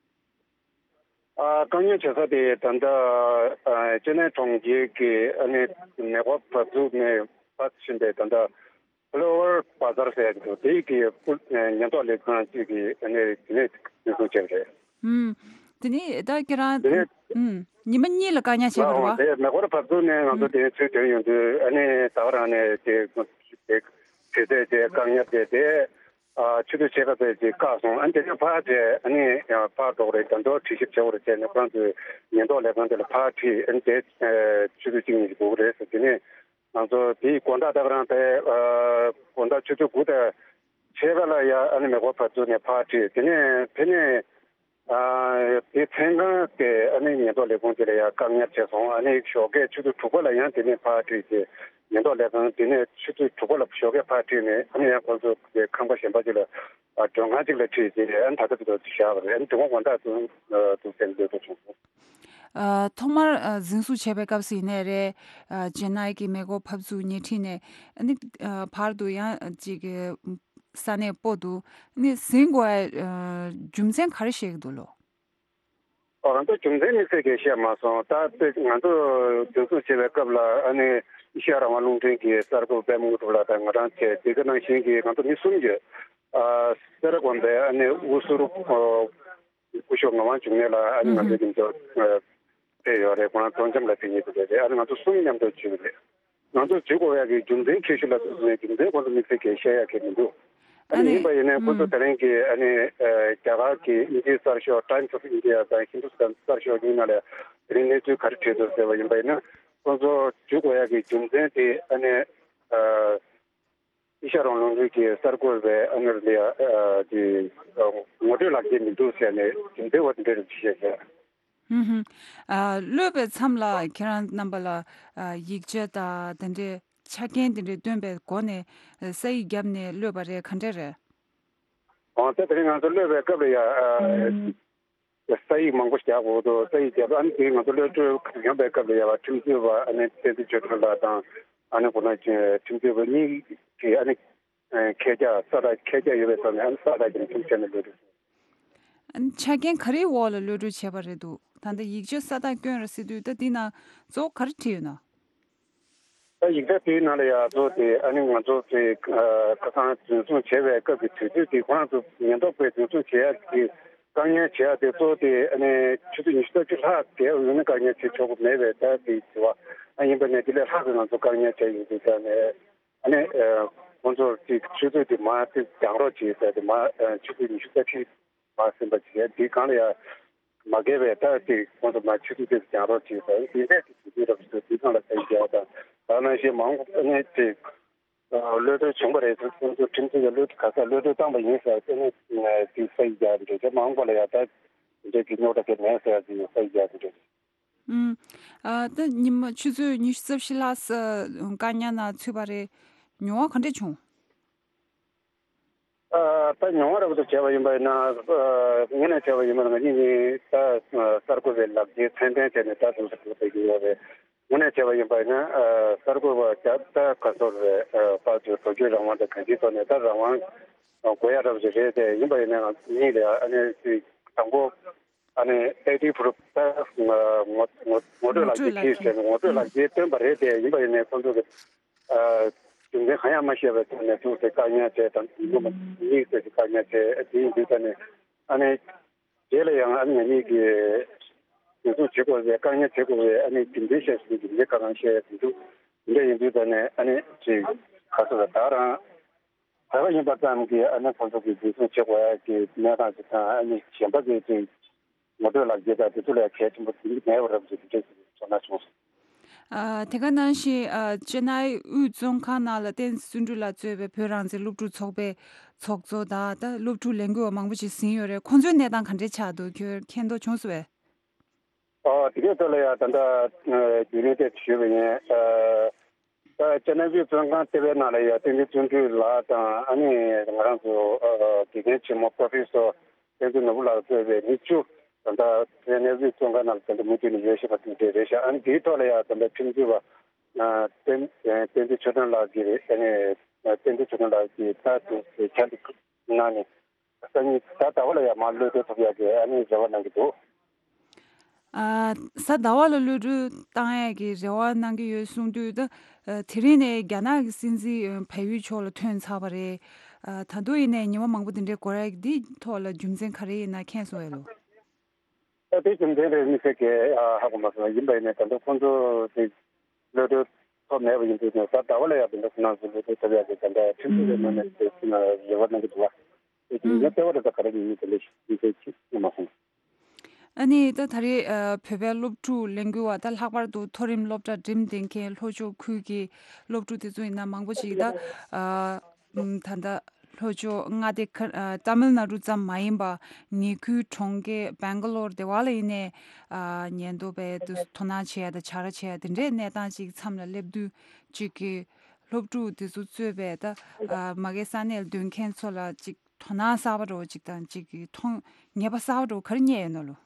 ཨ། བཀག་ཉར་བྱེད་ས་དེ་ད་ལྟ་ཨ། ཅེ་ནའི་གྲོང་ཁྱེར་གྱི་ཨ་ནི་མེ་འཁོར་བབས་ཚུགས་ནས་ཕར་ཕྱིན་པའི་ད་ལྟ་ཕ་ལོ་ཝར་བ་ཛར་ཟེར་ཡ་གི་འདུག་དེ་གི་ཉེན་རྟོག་ལས་ཁང་གཅིག་གིས་ཨ་ནི་དེ་ནས་འཛིན་བཟུང་བྱས་པ་རེད། ཨུམ། དེ་ནི་ད་ཁྱེད་རང་དེ་ནས་ཨུམ། ཉི་མ་གཉིས་ལ་བཀག་ཉར་བྱས་པ་རེད་བ། ཨོ་དེ་མེ་འཁོར་བབས་ཚུགས་ནས་ང་ཚོ་དེ་ཚུར་ཐོན་ཡོང་དུས་ཨ་ནི་ད་ག་རང་ནས་དེ་དེ་དེ་ཚེ་དེ་བཀག་ཉར་བྱས་ཏེ། ཨ། ཆུ་ཚོད་ཕྱེད་ཀ་ཙམ་ཅིག་བཀག་སོང་། ཨ་ནི་དེ་ནས་ཕར་བྱས་ཨ་ནི་ཕར་འགྲོ་གི་རེད། ད་དུང་དྲི་ཞིབ་བྱེད་དགོས་རེད་བྱས་ནས་ཁོ་རང་ཚོའི་ཉེན་རྟོག་ལས་ཁང་དེ་ལ་ཕར་ཁྲིད། ཨ་ནི་དེ་ཆུ་ཚོད་གཅིག་གཉིས་ཤིག་འགོར་གི་རེད་ཟེར། དེ་ནས་ང་ཚོ་དེའི་དགོང་དག་ད་ག་རང་དེ་ཨ། དགོང་དག་ཆུ་ཚོད་དགུ་དང་ཕྱེད་ཀ་ལ་ཡ་ཨ་ནི་མེ་འཁོར་བབས་ཚུགས་ནས་ཕར་ཁྲིད། དེ་ནས་དེ་ནས། ཨ། དེ་མཚན་གང་དེ་ཨ་ནི་ཉེན་རྟོག་ལས་ཁུངས་དེ་ལ་ཡང་བཀག་ཉར་བྱས་སོང་། ཨ་ནི་ཞོགས་ཀས་ཆུ་ཚོད་དྲུག་པ་ལ་ཡང་དེ་ནས་ཕར་ཁྲིད་དེ། ཉེན་རྟོག་ལས་ཁང་དེ་ནས་ཆུ་ཚོད་དྲུག་པ་ལ་ཞོགས་ཀས་ཕར་ཁྲིད་ནས་ཨ་ནི་ཡང་ཁོང་ཚོ་གི་ཁང་པ་གཞན་པ་ཅིག་ལ། ཨ། མགྲོན་ཁང་ཅིག་ལ་ཁྲིད་དེ་ཨ་ནི་ད་ལྟ་དེ་ཚོ་བཞག་པ་རེད། ཨ་ནི་དེ་གོང་དགོང་དག་ཏུ་ཏུ་སེམས་འདོད་དུ་བྱུང་སོང་། ཨ། ཐོག་མར་ཨ། འཛིན་བཟུང་བྱས་པའི་སྐབས་སུ་ཡིན་ནའི་རེད། ཨ། ཅེ་ནའི་གི་མེ་འཁོར་བབས་ཚུགས་ཉེ་འཁྲིས་ནས་ཨ་ནི་ཨ། བར་དུ་ཡང་ཅིག་གི་ས་གནས་སྤོ་འདུག་ནི་ཟིན་དགོས་ཨ། རྒྱུ་མཚན་ག་རེ་བཤད་ཀྱི་འདུག་ལོ། ཨོ། ང་ཚོ་རྒྱུ་མཚན་དམིགས་བསལ་གྱི་བཤད་མ་སོང་། ད་ང་ཚོ་འཛིན་བཟུང་བྱེད་པའི་སྐབས་ལ་ཨ་ནི་ཨེ་ཤ་ཡ་རང་དབང་རླུང་འཕྲིན་གྱི་གསར་འགོད་པ་པད་མ་དངོས་གྲུབ་ལགས་དང་ང་རང་བཅས་དེ་ག་ནང་བཞིན་གྱི་ང་ཚོ་མི་གསུམ་ཡོད། ཨ། སེ་ར་དགོན་པའི་ཨ་ནི་དབུ་ཟུར་ཨོ། སྐུ་ཞབས་ངག་དབང་འབྱུང་གནས་ལགས། ཨ་ནི་ང་ཚོའི་ཨུ་ཧུ། འདི་ཚོ་ཨ་ཕེབས་ཡོད་རེད། ཁོ་རང་སྟོང་འཇམ་ལ་ཕེབས་མཁན་དེ་རེད། ཨ་ནི་ང་ཚོ་གསུམ་མཉམ་དུ་བྱས་པ་རེད། ང་ཚོ་བྱེད་དགོས་ཡག་གི་རྒྱུ་མཚན་ཁྱད་ཞུ་ལ་ཐུག་ནས་རྒྱུ་མཚན་ཁོང་ཚོ་དམིགས་བསལ་གྱི་བཤད་ཡག་གི་མི་འདུག་ཨ་ཨ་ནི་ནི་ཡིན་པ་ཡིན་ནའི་ཁོང་ཚོ་ཨུམ། དེ་རིང་གི་ཨ་ནི་ཨ་རྒྱ་གར་གྱི་དབྱིན་ཇིའི་གསར་ཤོག་Times of India དང་Hindustan གསར་ཤོག་གཉིས་ནང་ལ་དེ་རིང་གནས་ཚུལ་ག་རེ་བྲིས་འདུག་ཟེར་བ་ཡིན་པ་ཡིན་ན། ཁོང་ཚོ་བྱེད་དགོས་ཡག་གི་རྒྱུ་མཚན་དེ་ཨ་ནི་ཨ་དབྱི་ཤ་རོང་ལུང་འདྲེན་གྱི་གསར་འགོད་པའི་ཨ་ནི་ལ་ཨ་དེ་ངོ་སྤྲོད་ལག་འཁྱེར་མི་འདུག་ཟེར་ནས་རྒྱུ་མཚན་བ་དེ་འདྲ་རེ་བྲིས་བཞག་ཟེར། ཧུམ་ཧུམ། ཨ་གློད་པའི་མཚམས་ལ་ཁྱེད་རང་རྣམ་པ་ལ་ཨ་ཡིག་ཆ་དང་དེ་འདྲའི་ཆ་རྐྱེན་དེ་འདྲའི་སྟོན་པའི་སྒོ་ནས་ཨ་ས་ཡིག་བརྒྱབ་ནས་གློད་པ་རེད། ག་འདྲ་རེད། ཨོ་ད་དེ་རིང་ང་ཚོ་གློད་པའི་སྐབས་ལ་ཡ་ཨ་ཨུམ། ས་ཡིག་མང་པོ་བཞག་དགོས་འདུག་ས་ཡིག་བརྒྱབ། ཨ་ནི་དེ་ང་ཚོ་གློད་གྲོལ་ཡོང་པའི་སྐབས་ལ་ཡ་བ་ཁྲིམས་རྩོད་པ་ཨ་ནི་བསྟན་འཛིན་ཆོས་སྒྲོན་ལགས་དང་ཨ་ནི་ཁོ་ན་ཁྲིམས་རྩོད་པ་གཉིས་ཀྱིས་ཨ་ནི་ཨ་ཁས་བཅགས་ས་རྟགས་ཁས་བཅགས་ཡོད་པའི་ཐོག་ནས་ཨ་ནི་ས་རྟགས་ཀྱི་ཁྲིམས་བཅད་ནས་གློད་གྲོལ། ཆ་རྐྱེན་ག་རེའི་འོག་ལ་གློད་གྲོལ་བྱས་པ་རེད་འདུག་ད་ལྟ་ཡིག་ཆ་ས་རྟགས་བསྐྱོན་ར་ཟེར་དུས་ད་འདི་ནང་གཙོ་བོ་ག་རེ་བྲིས་ཡོད་ན། ད་ཡིག་ཆ་དེའི་ནང་ལ་ཡ་གཙོ་བོ་དེ་ཨ་ནི་ང་ཚོ་དེ་ཁ་སང་འཛིན་བཟུང་བྱས་པའི་སྐབས་ཀྱི་དུས་ཚོད་དེ་ཁོ་རང་ཚོ་ཉེན་རྟོག་པས་འཛིན་བཟུང་བྱེད་ཡ་དེ་བཀག་ཉར་བྱེད་ཡ་དེ་གཙོ་བོ་དེ་ཨ་ནི་ཆུ་ཚོད་ཉི་ཤུ་རྩ་བཞི་ལྷག་བསྡད་ཡོད་ན་བཀག་ཉར་བྱེད་ཆོག་གི་མེད་པའི་ད་དེ་དེ་བ་ཨ་ཡིན་པ་ནས་དེ་ལས་ལྷག་གི་ང་ཚོ་བཀག་ཉར་བྱས་ཡོད་དུས་ད་ནས་ཨ་ནི་ཁོང་ཚོ་དེ་ཆུ་ཚོད་དེ་མ་དེ་འགྱངས་རོགས་བྱེད་ཟེར་དེ་མ་ཆུ་ཚོད་ཉི་ཤུ་རྩ་བཞི་མ་ཟིན་པ་བྱས་འདིའི་སྒང་ལ་ཡ་མ་འགལ་བའི་ད་ཅིག་ཁོང་ཚོ་མ་ཆུ་ཚོད་དེ་འགྱངས་རོགས་བྱེད་ཟེར་འདི་འདྲས་ཀྱི་དུས་ཚོད་རབ་ཏུ་འདི་སྒང་ལ་ད་རྒྱག་དང་ད་ནང་བཞིན་མང་པོ་ནས་ཅིག་གློད་གྲོལ་བྱུང་བ་རེད། ཁོང་ཚོ་ཁྲིམས་རྩོད་ཀྱི་གློད་ག་ས་གློད་གྲོལ་བཏང་པ་ཡིན་ཟེར་དེ་ནས་དེ་ས་ཡིག་རྒྱག་འདྲ་ཅིག་མང་པོ་ལ་ཡ་ད་འདྲས་ཀྱི་རྙོག་དྲ་དེ་མེད་ཟེར་ཅིག་ས་ཡིག་རྒྱག་འདྲ། ཨུམ། ཨ་ད་ཉི་མ་ཆུ་ཚོད་ཉི་ཤུ་རྩ་བཞི་ལྷག་ས་བཀག་ཉར་ནང་ཚུད་པ་རེད། མྱོང་བ་ག་འདྲས་བྱུང་། ཨ་ད་མྱོང་བ་རབ་ཏུ་བྱས་པ་ཡིན་པ་ཡིན་ན་ཨ་དངོས་གནས་བྱས་པ་ཡིན་པ་ན་ང་གཉིས་ནི་ད་གསར་འགོད་པའི་ལག་འཁྱེར་མཚན་ལྡན་བྱས་ནས་ད་དུང་ཟེར་དགོས་ཀྱི་ཡོད་རེད། དངོས་གནས་བྱས་པ་ཡིན་པ་ཡིན་ན་ཨ་གསར་འགོད་པ་རྒྱ་ད་ག་ཚོད་རེད། ཨ་དཔལ་འབྱོར་འགྲོ་སྐྱོད་རང་དབང་དང་གང་ཅིའི་ཐོག་ནས་ད་རང་དབང་དགོས་ཡ་རབ་ཅིག་རེད་དེ། ཡིན་པ་ཡིན་ན་ང་གཉིས་ལ་ཨ་ནི་དང་པོ། ཨ་ནི་ཨེ་ཌི་པུ་རུབ་ད་ངོ་ངོ་ངོ་སྤྲོད་ལག་འཁྱེར་ཁྱེར་བྱས་ནས་ངོ་སྤྲོད་ལག་འཁྱེར་བཏོན་པ་རེད་དེ། ཡིན་པ་ཡིན་ནའི་ཁོང་ཚོ་གི་ཨ་རྒྱུ་མཚན་གང་ཡང་མ་ཤེས་པའི་ཐོག་ནས་ཐུག་སྟེ་བཀག་ཉར་བྱས་དང་ཉིན་མོ་གཉིས་ཙམ་ཞིག་བཀག་ཉར་བྱས། དེ་ཡིན་དུས་ད་ནི་ཨ་ནི་རྗེས་ལ་ཡང་ཨ་ནི་ང་གཉིས་ཀྱིས་འཛིན་བཟུང་བྱེད་དགོས་པའི་བཀག་ཉར་བྱེད་དགོས་པའི་ཨ་ནི་རྒྱུ་མཚན་བཤད་སོང་། རྒྱུ་མཚན་ཁ་ནང་བཤད་ཡ་དེ་འདུག་དེ་འདྲ་ཡིན་དུས་ད་ནི་ཨ་ནི་ཅིག་ག་ཚོད་ལ་ད་རང་བོད་པ་ཡིན་པ་ཙམ་གྱིས་ཨ་ནི་ཁོང་ཚོ་གིས་འཛིན་བཟུང་བྱེད་དགོས་ཡ་གི་གནས་སྟངས་ཅིག་དང་། ཨ་ནི་གཞན་པ་གི་ཅིག་ངོ་སྤྲོད་ལག་འཁྱེར་དང་དེ་ཚོ་ལ་གལ་ཆེན་པོ་དེ་འདྲ་མེད་པ་རབ་ཅིག་དེ་འདྲ་ཞིག་ཚོར་སྣང་བྱུང་སོང་། ཨ་དེ་ག་ནང་བཞིན་ཨ་ཅེ་ནའི་དབུས་བཙོན་ཁང་ནང་ལ་བསྟན་འཛིན་བརྩོན་འགྲུས་ལགས་གཙོས་པའི་བོད་རང་བཙན་སློབ་ཕྲུག་ཚོགས་པའི་ཚོགས་གཙོ་དང་ད་སློབ་ཕྲུག་ལས་འགུལ་བ་མང་པོ་ཞིག་ཟིན་ཡོད་རེད། ཁོང་ཚོའི་གནས་སྟངས་ག་འདྲས་ཆགས་འདུག་ཁྱོད་མཁྱེན་རྟོགས་བྱུང་སོང་བས། ཨོ་དེ་གའི་ཐོག་ལ་ཡ་ད་ལྟ་རྒྱུན་ལས་དེ་ཞུས་པ་ཡིན། ཨ་ད་ཅེ་ནའི་དབུས་བཙོན་ཁང་ལྟེ་བའི་ནང་ལ་ཡ་བསྟན་འཛིན་བརྩོན་འགྲུས་ལགས་དང་། ཨ་ནི་ང་རང་ཚོ་ཨ་དགེ་རྒན་ཆེན་མོ་པོ་རོ་ཕེ་སོར་བསྟན་འཛིན་ནོར་བུ་ལགས་གཙོས་པའི་མི་བཅུ་ད་ལྟ་ཅེ་ནའི་དབུས་བཙོན་ཁང་ནང་ལ་ད་ལྟ་མུ་མཐུད་ནས་ཡོད་བཞིན་པ་དེ་འདྲ་རེད་ཤག་ཨ་ནི་དེའི་ཐོག་ལ་ཡ་ད་ལྟ་ཁྲིམས་རྩོད་པ་ཨ་བསྟན་བསྟན་འཛིན་ཆོས་སྒྲོན་ལགས་ཀྱིས་ཨ་ནི་བསྟན་འཛིན་ཆོས་སྒྲོན་ལགས་ཀྱིས་ད་དུང་ཁྱབ་གནང་ནས། སང་ཉིན་གཟའ་ཟླ་བ་ལ་ཡང་མར་གློད་གྲོལ་ཐུབ་ཡག་གི་ཨ་ནི་རེ་བ་གནང་གི་འདུག་ཨ་གཟའ་ཟླ་བ་ལ་གློད་གྲོལ་བཏང་ཡག་གི་རེ་བ་གནང་གི་ཡོད་གསུངས་དུས། ད་དེ་རིང་ནས་རྒྱ་ནག་གི་སྲིད་འཛིན་བལ་ཡུལ་ཕྱོགས་ལ་ཐོན་ཚར་བ་རེད། ད་དུང་ཡིན་ནའི་ཉི་མ་མང་པོ་དེ་འདྲའི་འགོར་ཡག་འདི་ཐོག་ལ་རྒྱུ་མཚན་ག་རེ་ཡིན་ན་མཁྱེན་སོང་བས་ལོ། ད་དེ་རྒྱུ་མཚན་རེད་མི་ཤེས་ཀི་ཧ་གོ་མ་སོང་། ཡིན་པ་ཡིན་ནའི་ད་ལྟ་ཁོང་ཚོ་དེ་གློད་གྲོལ་ཐོབ་མེད་པ་ཡིན་དུས་ནས་གཟའ་ཟླ་བ་ལ་ཡང་དེ་འདྲ་ཁོང་རྣམ་ཚོ་གློད་གྲོལ་ཐོབ་ཡག་གི་ད་ལྟ་ཁྲིམས་རྩོད་པའི་ངོས་ནས་དེ་རེ་བ་གནང་གི་འདུག་བ། དེ་རྒྱུ་མཚན་ལྟེ་བ་རེད། ད་ག་རེ་ཡིན་མིན་དེ་འདྲ་ཞིག་མི་ཤེས་ཅི་མ་སོང་། ཨ་ནི་ད་ད་རེས་ཨ་བོད་པའི་སློབ་ཕྲུག་ལས་འགུལ་བ་ད་ལྷག་པར་དུ་མཐོ་རིམ་སློབ་གྲྭ་འགྲིམས་བསྡད་མཁན་ལྷོ་ཕྱོགས་ཁུལ་གྱི་སློབ་ཕྲུག་དེ་ཚོ་ཡིན་ན་མང་པོ་ཞིག་ད་ཨ་ད་ལྟ་ལྷོ་ཕྱོགས་མངའ་སྡེ་ཁ་ཨ་ཏཱ་མིལ་ནཱ་ཌུ་ཙམ་མ་ཡིན་པ་ཉེ་ཁུལ་གྲོང་ཁྱེར་སྦེང་ག་ལོར་དེ་བ་ལ་ཡིན་ནའི་ཨ་ཉེན་རྟོག་པས་དུ་དོ་སྣང་བྱེད་ཡ་དང་བྱ་ར་བྱེད་ཡ་དེ་འདྲའི་གནས་སྟངས་ཅིག་མཚམས་ལ་སླེབས་དུས་ཅིག་གི་སློབ་ཕྲུག་དེ་ཚོ་གཙོས་པའི་ད་ཨ་མ་གི་ས་གནས་ལ་སྡོད་མཁན་ཚོ་ལ་ཅིག་དོ་སྣང་གསར་པ་འདྲ་བོ་ཅིག་དང་ཅིག་གི་མཐོང་ངེས་པ་གསར་པ་འདྲ་བོ་ག་རེ་རྙེད་ཡོད་ན་ལོ།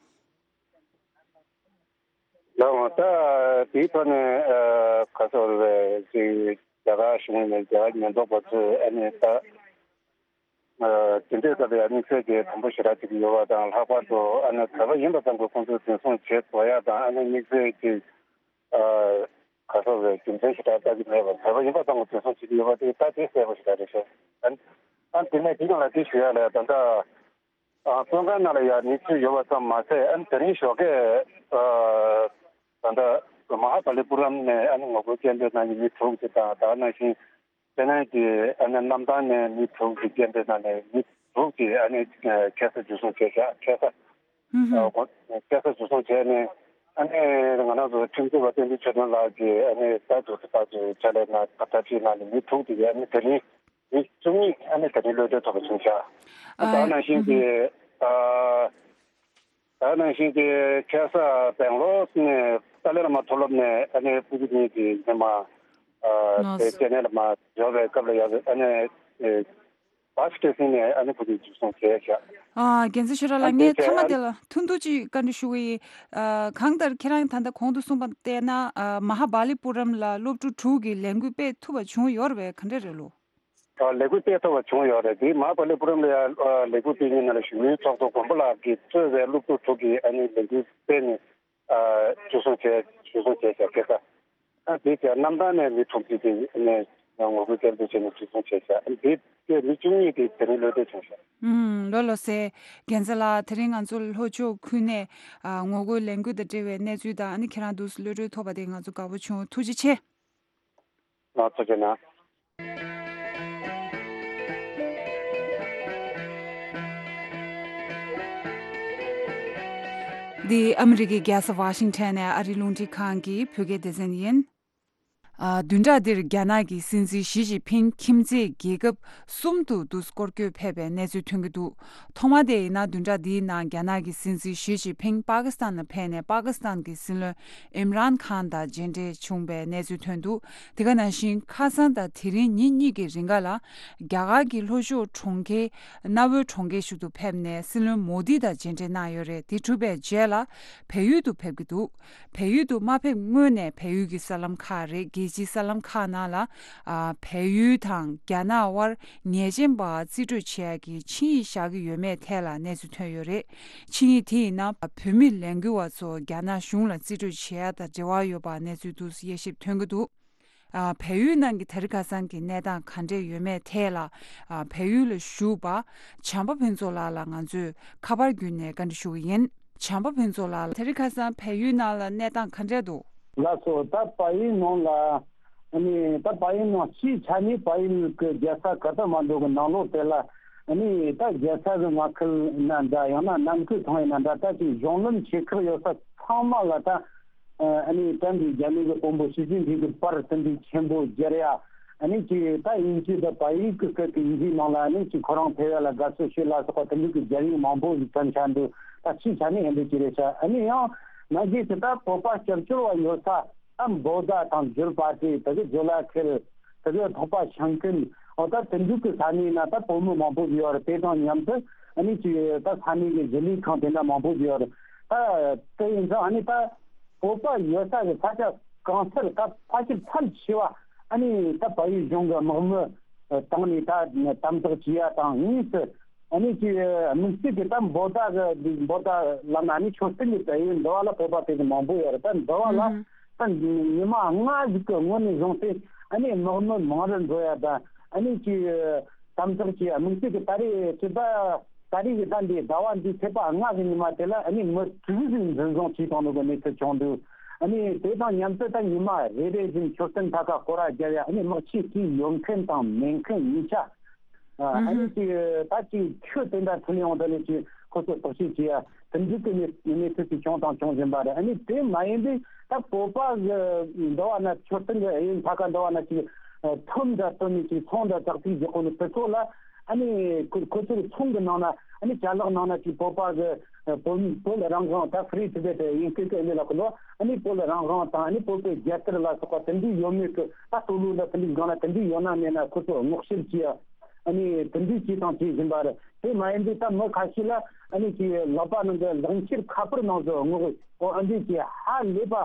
ལགས་འོང་། ད་དེའི་ཐོག་ནས་ཨ་ག་ཚོད་རེད་ཅིག་རྒྱ་གར་གཞུང་ནས་རྒྱ་གར་ཉེན་རྟོག་པ་ཚོས་ཨ་ནི་ད་ཨ་དེ་འདྲའི་སྐབས་ལ་དམིགས་བསལ་གྱི་དམ་པོ་ཞེ་དྲག་ཅིག་ཡོད་པ་དང་། ལྷག་པར་དུ་ཨ་ནི་བོད་པ་ཡིན་པ་ཙམ་གྱིས་ཁོང་ཚོས་འཛིན་བཟུང་བྱེད་དགོས་ཡ་དང་། ཨ་ནི་དམིགས་བསལ་གྱི་ཨ་ག་ཚོད་རེད་རྒྱུ་མཚན་ཞེ་དྲག་ལྟ་གི་མེད་པར་བོད་པ་ཡིན་པ་ཙམ་གྱིས་འཛིན་བཟུང་བྱེད་ཀྱི་ཡོད་པ་དེ་ད་དེ་གསལ་པོ་ཞེ་དྲག་རེད་ཤག་ཨ་ནི་ཨ་ནི་དེ་ནས་དེ་ཡང་ལ་དེ་ཞུ་ཡ་ལ་ད་ལྟ་ ཨ། བཙོན་ཁང་ནང་ལ་ཡང་མི་ཚུད་ཡོད་པ་ཙམ་མ་ཟད། ཨ་ནི་དེ་རིང་ཞོགས་ཀས་ཨ་ད་ལྟ་མ་ཧ་བ་ལི་པུ་རམ་ནས་ཨ་ནི་ངོ་རྒོལ་སྐད་འབོད་གནང་མཁན་མི་དྲུག་ཅིག་དང་། དེ་ནང་བཞིན་ཅེ་ནའི་གི་ཨ་ནི་གནམ་ཐང་ནས་མི་དྲུག་ཅིག་སྐད་འབོད་གནང་ནས་མི་དྲུག་ཅིག་ཨ་ནི་ཁ་སང་འཇུ་བཟུང་བྱས་ཤག་ཁ་སང་། ཧུམ་ཧུམ། ཨ། ཁ་སང་འཇུ་བཟུང་བྱས་ནས། ཨ་ནི་ང་རང་ཚོ་ཁྲིམས་རྩོད་པ་བསྟན་འཛིན་ཆོས་སྒྲོན་ལགས་ཀྱིས་ཨ་ནི་ད་དུ་ད་དུ་ཕྱག་ལས་གནང་། ཐབས་ཤེས་གནང་ནས་མི་དྲུག་དེ་གའི་ཨ་ནི་དེ་རིང་མི་བཅུ་གཉིས་ཨ་ནི་དེ་རིང་གློད་གྲོལ་ཐོབ་པ་བྱུང་ཤག་ཨ། ད་ནང་བཞིན་གྱི་ཨ་ད་ནང་བཞིན་གྱི་ཁ་སང་སྦེང་ལོར་ནས་ཏཱ་ལའི་བླ་མ་མཐོ་སློབ་ནས་ཨ་ནི་སྤུ་གུ་གཉིས་ཀྱི་ཉི་མ་ཨ་ལགས་དེ་སོ། ཅེ་ནའི་ལ་མ་འབྱོར་བའི་སྐབས་ལ་ཡང་ཨ་ནི་ཨེ་བ་སི་ཊེ་སི་ནས་ཨ་ནི་ཁོ་ཚོས་འཇུ་བཟུང་བྱས་ཤག་ཨ། རྒྱལ་མཚན་ཆོས་གྲགས་ལགས། ཨ་དེ་ངས་བྱས་མཐའ་མ་ཨ་དེ་ལ་ཐུང་ཐུང་ཅིག་བཀའ་འདྲི་ཞུ་གི་ཡིན། ཨ། གང་ལྟར་ཁྱེད་རང་ད་ལྟ་གོང་དུ་གསུངས་པ་བལྟས་ན། ཨ། མ་ཧ་བ་ལི་པུ་རམ་ལ་སློབ་ཕྲུག་དྲུག་གིས་ལས་འགུལ་སྤེལ་ཐུབ་པ་བྱུང་ཡོད་རེད་པས། ག་འདྲས་རེད་ལོ། ཨ། ལས་འགུལ་སྤེལ་ཐུབ་པ་བྱུང་ཡོད་རེད། དེ་མ་ཧ་བ་ལི་པུ་རམ་ལ་ཡང་ཨ་ལས་འགུལ་སྤེལ་མཁན་ནང་ལ་བཞུགས་མོལ་ཚོགས་གཙོ་མགོན་པོ་ལགས་ཀྱིས་གཙོས་པའི་སློབ་ཕྲུག་དྲུག་གིས་ཨ་ནི་ལས་འགུལ་སྤེལ་ནས། ཨ། འཇུ་བཟུང་བྱས། འཇུ་བཟུང་བྱས་ཤག་ཁ་སང་། ཨ། དེ་བྱས་གནམ་ཐང་ནས་མི་དྲུག་ཅིག་དེ་ནས་ངོ་རྒོལ་སྐད་འབོད་བྱས་ནས་འཇུ་བཟུང་བྱས་ཤག་ཨ། དེ་བྱས་མི་བཅུ་གཉིས་དེ་དེ་རིང་གློད་གྲོལ་བྱུང་ཤག་ཨུམ། ལགས་ལགས་སོ། རྒྱལ་མཚན་ལགས། དེ་རིང་ང་ཚོ་ལྷོ་ཕྱོགས་ཁུལ་ནས། ཨ། ངོ་རྒོལ་ལས་འགུལ་དང་འབྲེལ་བའི་གནས་ཚུལ་དང་། ཨ་ནི་ཁྱེད་རང་འདུག་སེ་གློད་གྲོལ་ཐོབ་པ་དེ་ང་ཚོ་དགའ་པོ་བྱུང་། ཐུགས་རྗེ་ཆེ། ལགས་ཐུགས་རྗེ་གནང་། འདི་ཨ་མི་རི་ཀའི་རྒྱལ་ས་ཝ་ཤིང་ཊོན་ནས་ཨ་རིའི་རླུང་འཕྲིན་ཁང་གི་བོད་སྐད་སྡེ་ཚན་ཡིན། ཨ། བདུན་ཕྲག་འདིར་རྒྱ་ནག་གི་སྲིད་འཛིན་ཞི་ཅིན་ཕིང་ཁྱིམ་མཚེས་རྒྱལ་ཁབ་གསུམ་དུ་འདུག་སེ་སྐོར་སྐྱོད་ཕེབས་པའི་གནས་ཚུལ་ཐོན་གྱི་འདུག་ཐོག་མ་དེ་ཡིན་ན་བདུན་ཕྲག་འདིའི་ནང་རྒྱ་ནག་གི་སྲིད་འཛིན་ཞི་ཅིན་ཕིང་པ་ཀི་སི་ཐན་ལ་ཕེབས་ནས་པ་ཀི་སི་ཐན་གྱི་སྲིད་བློན་ཨིམ་རཱན་ཁཱན་དང་མཇལ་འཕྲད་བྱུང་བའི་གནས་ཚུལ་ཐོན་འདུག་དེ་ག་ནང་བཞིན་ཁ་སང་དང་དེ་རིང་ཉིན་གཉིས་ཀྱི་རིང་ག་ལ་རྒྱ་གར་གྱི་ལྷོ་ཕྱོགས་གྲོང་ཁྱེར་གནའ་བོའི་གྲོང་ཁྱེར་ཞིག་ཏུ་ཕེབས་ནས་སྲིད་བློན་མོ་དི་དང་མཇལ་འཕྲད་གནང་ཡོད་རེད། དེ་གྲུབ་པའི་རྗེས་ལ་བལ་ཡུལ་དུ་ཕེབས་ཀྱི་འདུག་བལ་ཡུལ་དུ་མ་ཕེབས་སྔོན་ནས་བལ་ཡུལ་གྱི་གསར་ལམ་ཁག་རེད། རྒྱལ་སྤྱིའི་གསར་ལམ་ཁག་ནང་ལ། ཨ། བལ་ཡུལ་དང་རྒྱ་ནག་དབར་ཉེས་ཅན་པ་རྩིས་སྤྲོད་བྱེད་ཡག་གི་ཆིངས་ཡིག་བཞག་གི་ཡོད་མེད་ཐད་ལ་གནས་ཚུལ་ཐོན་ཡོད་རེད། ཆིངས་ཡིག་དེ་ཡིན་ན་བོད་མི་ལས་འགུལ་བ་ཚོ་རྒྱ་ནག་གཞུང་ལ་རྩིས་སྤྲོད་བྱེད་ཡག་དང་འབྲེལ་བ་ཡོད་པ་གནས་ཚུལ་འདུག་སེ་དབྱེ་ཞིབ་ཐོན་གྱི་འདུག་ཨ། བལ་ཡུལ་ནང་གི་དེ་རིང་ཁ་སང་གི་གནས་སྟངས་ག་འདྲས་ཡོད་མེད་ཐད་ལ། ཨ། བལ་ཡུལ་ལ་བཞུགས་པ་བྱམས་པ་ཕུན་ཚོགས་ལགས་ལ་ང་ཚོས་ཁ་པར་བརྒྱུད་ནས་བཀའ་འདྲི་ཞུ་གི་ཡིན། བྱམས་པ་ཕུན་ཚོགས་ལགས། དེ་རིང་ཁ་སང་བལ་ཡུལ་ནང་ལ་གནས་སྟངས་ག་འདྲས་འདུག་ལགས་སོ། ད་བལ་ཡུལ་ནང་ལ་ཨ་ནི་ད་བལ་ཡུལ་ནང་སྤྱིའི་ཆ་ནས་བལ་ཡུལ་གྱི་རྒྱལ་ས་ཀ་ཐ་མན་ཌུ་གི་ནང་ལོགས་དེ་ལ་ཨ་ནི་ད་རྒྱལ་ས་གི་མངའ་ཁུལ་ཡིན་ན་འདྲ། ཡང་ན་ནང་ཁུལ་ཁང་ཡིན་ན་འདྲ། ད་ཅིག་གཞུང་ལམ་ཆེ་ཁག་ཡོད་ས་ཚང་མ་ལ་ད་ཨ་ནི་ད་འདི་རྒྱ་མི་གི་དཔོན་པོ་ཞི་ཅིན་ཕིང་གི་པར་དེ་འདྲའི་ཆེན་པོ་སྦྱར་ཡ། ཨ་ནི་ཅིག་ད་དབྱིན་ཇི་དང་བལ་ཡུལ་གི་སྐད་ཀྱི་ཡི་གེའི་ནང་ལ་ཨ་ནི་ཅིག་ཁོ་རང་ཕེབས་ཡ་ལ་དགའ་བསུ་ཞུ་ལ་སོགས་པ་དེ་འདྲའི་གི་སྦྱར་ཡིག་མང་པོ་ཞིག་ཐོན་ཆ་འདུག་ད་སྤྱིའི་ཆ་ནས་ཨེ་འདྲ་ཅིག་རེད་ཤག་ཨ་ནི་ཡང་ན་གཞས་དེ་ད་བོད་པ་སྐྱབས་བཅོལ་བ་ཡོད་ས་ད་འབོད་སྒྲ་དང་འགྱུར་བ་དེ་དེ་གི་ཇོ་ལ་ཁེལ། དེ་གི་ཐོག་པ་ཤང་ཀུན། འོ་ད་དེ་འདྲའི་གི་ས་གནས་ན་ད་བོད་མི་མང་པོ་ཞིག་ཡོད་རེད། དེ་དང་མཉམ་དུ་ཨ་ནི་ཅིག་ད་ས་གནས་གི་གཞིས་ལུས་ཁང་དེ་འདྲ་མང་པོ་ཞིག་ཡོད་རེད། ད་དེ་ཡིན་ཙང་ཨ་ནི་ད་བོད་པ་ཡོད་ས་གི་ས་ཆ་གང་སར་ད་ཕལ་ཆེར་ཕལ་ཆེ་བ་ཨ་ནི་ད་བལ་ཡུལ་གཞུང་གི་དམག་མི་བཏང་ནས་ད་དམ་དྲག་བྱེད་ཡ་དང་། གཉིས་སུ་ཨ་ནི་ཅིག་དམིགས་བསལ་གྱི་ད་འབོད་སྒྲ་གི་འབོད་སྒྲ་ལབ་ན་ཨ་ནི་མཆོད་རྟེན་གྱི་ད་ཡུལ་འདི་བ་ལ་བོད་པ་དེ་གི་མང་པོ་ཡོད་རེད། ད་འདི་བ་ལ་ད་ཉི་མ་ལྔ་ཟིག་གི་སྔོན་ནས་བཟུང་སྟེ་ཨ་ནི་དམག་མི་མང་རུ་འགྲོ་ཡ་དང་། ཨ་ནི་ཅིག་དམ་དྲག་གི་དམིགས་བསལ་གྱི་ད་རེས་ཚེས་པ་ད་རེས་ཀྱི་ད་འདི་ཟླ་བ་འདིའི་ཚེས་པ་ལྔ་གི་ཉི་མ་དེ་ལ་ཨ་ནི་མི་དྲུག་ཟིག་འཛིན་བཟུང་བྱས་བཏང་འདུག་གི་གནས་ཚུལ་བྱུང་འདུག་ཨ་ནི་དེ་དང་མཉམ་དུ་ད་ཉི་མ་རེ་རེ་བཞིན་མཆོད་རྟེན་མཐའ་ཁ་སྐོར་ར་རྒྱབ་ཡ། ཨ་ནི་དམག་ཆས་དེའི་ཡོད་མཁན་དང་མེད་མཁན་གཉིས་ཆ། ཨ་ནི་ཅིག་ད་ཅིག་ཁྱོད་དེ་འདྲ་ཐུག་ཡོང་དེ་ནས་ཅིག་ཁོ་ཚོ་བརྟག་དཔྱད་བྱེད་ཡ། དེ་འདྲའི་གི་གནས་གནས་ཚུལ་ཅིག་བྱུང་དང་འབྱུང་བཞིན་པ་རེད། ཨ་ནི་དེ་མ་ཡིན་པའི་ད་བོད་པ་གི་འདི་བ་ན་མཆོད་རྟེན་གི་ཨེ་ཡིན་ད་ག་འདི་བ་ན་ཅིག་ཐུམ་འདྲ་བཏོན་ནས་ཅིག་ཚོང་འདྲ་ཙག་ཙིག་རྒྱག་གོ་ནི་དེ་ཚོ་ལ་ཨ་ནི་ཁོ་ཁོ་ཚོའི་ཚོང་གི་ནང་ན་ཨ་ནི་ཅ་ལག་ནང་ན་ཅིག་བོད་པ་གི་བོད་བོད་རང་དབང་ད་Free Tibet ཡིན་སྐད་ཀྱི་ཨ་ནི་ལ་ཁོ་ལོ་ཨ་ནི་བོད་རང་དབང་དང་ཨ་ནི་བོད་པའི་རྒྱལ་དར་ལ་སོགས་པ་དེ་འདྲའི་ཡོད་མེད་ཀྱི་ད་ལྟོ་ལོ་ལ་དེ་འདྲའི་སྒང་ལ་དེ་འདྲའི་ཡོད་ན་མེད་ན་ཁོ་ཚོ་སྔོག་བཤེར་བྱེད་ཡ། ཨ་ནི་དེ་འདྲའི་བྱས་དང་བྱེད་བཞིན་པ་རེད། དེ་མ་ཡིན་དུས་ད་མི་ཁ་ཤས་ལ་ཨ་ནི་ཀྱི་ལག་པ་ནང་གི་ལག་འཁྱེར་ཁ་པར་ནང་དུ་སྔོག་ཨོ་ཨ་འདྲའི་ཀྱི་ཧ་ལས་པ།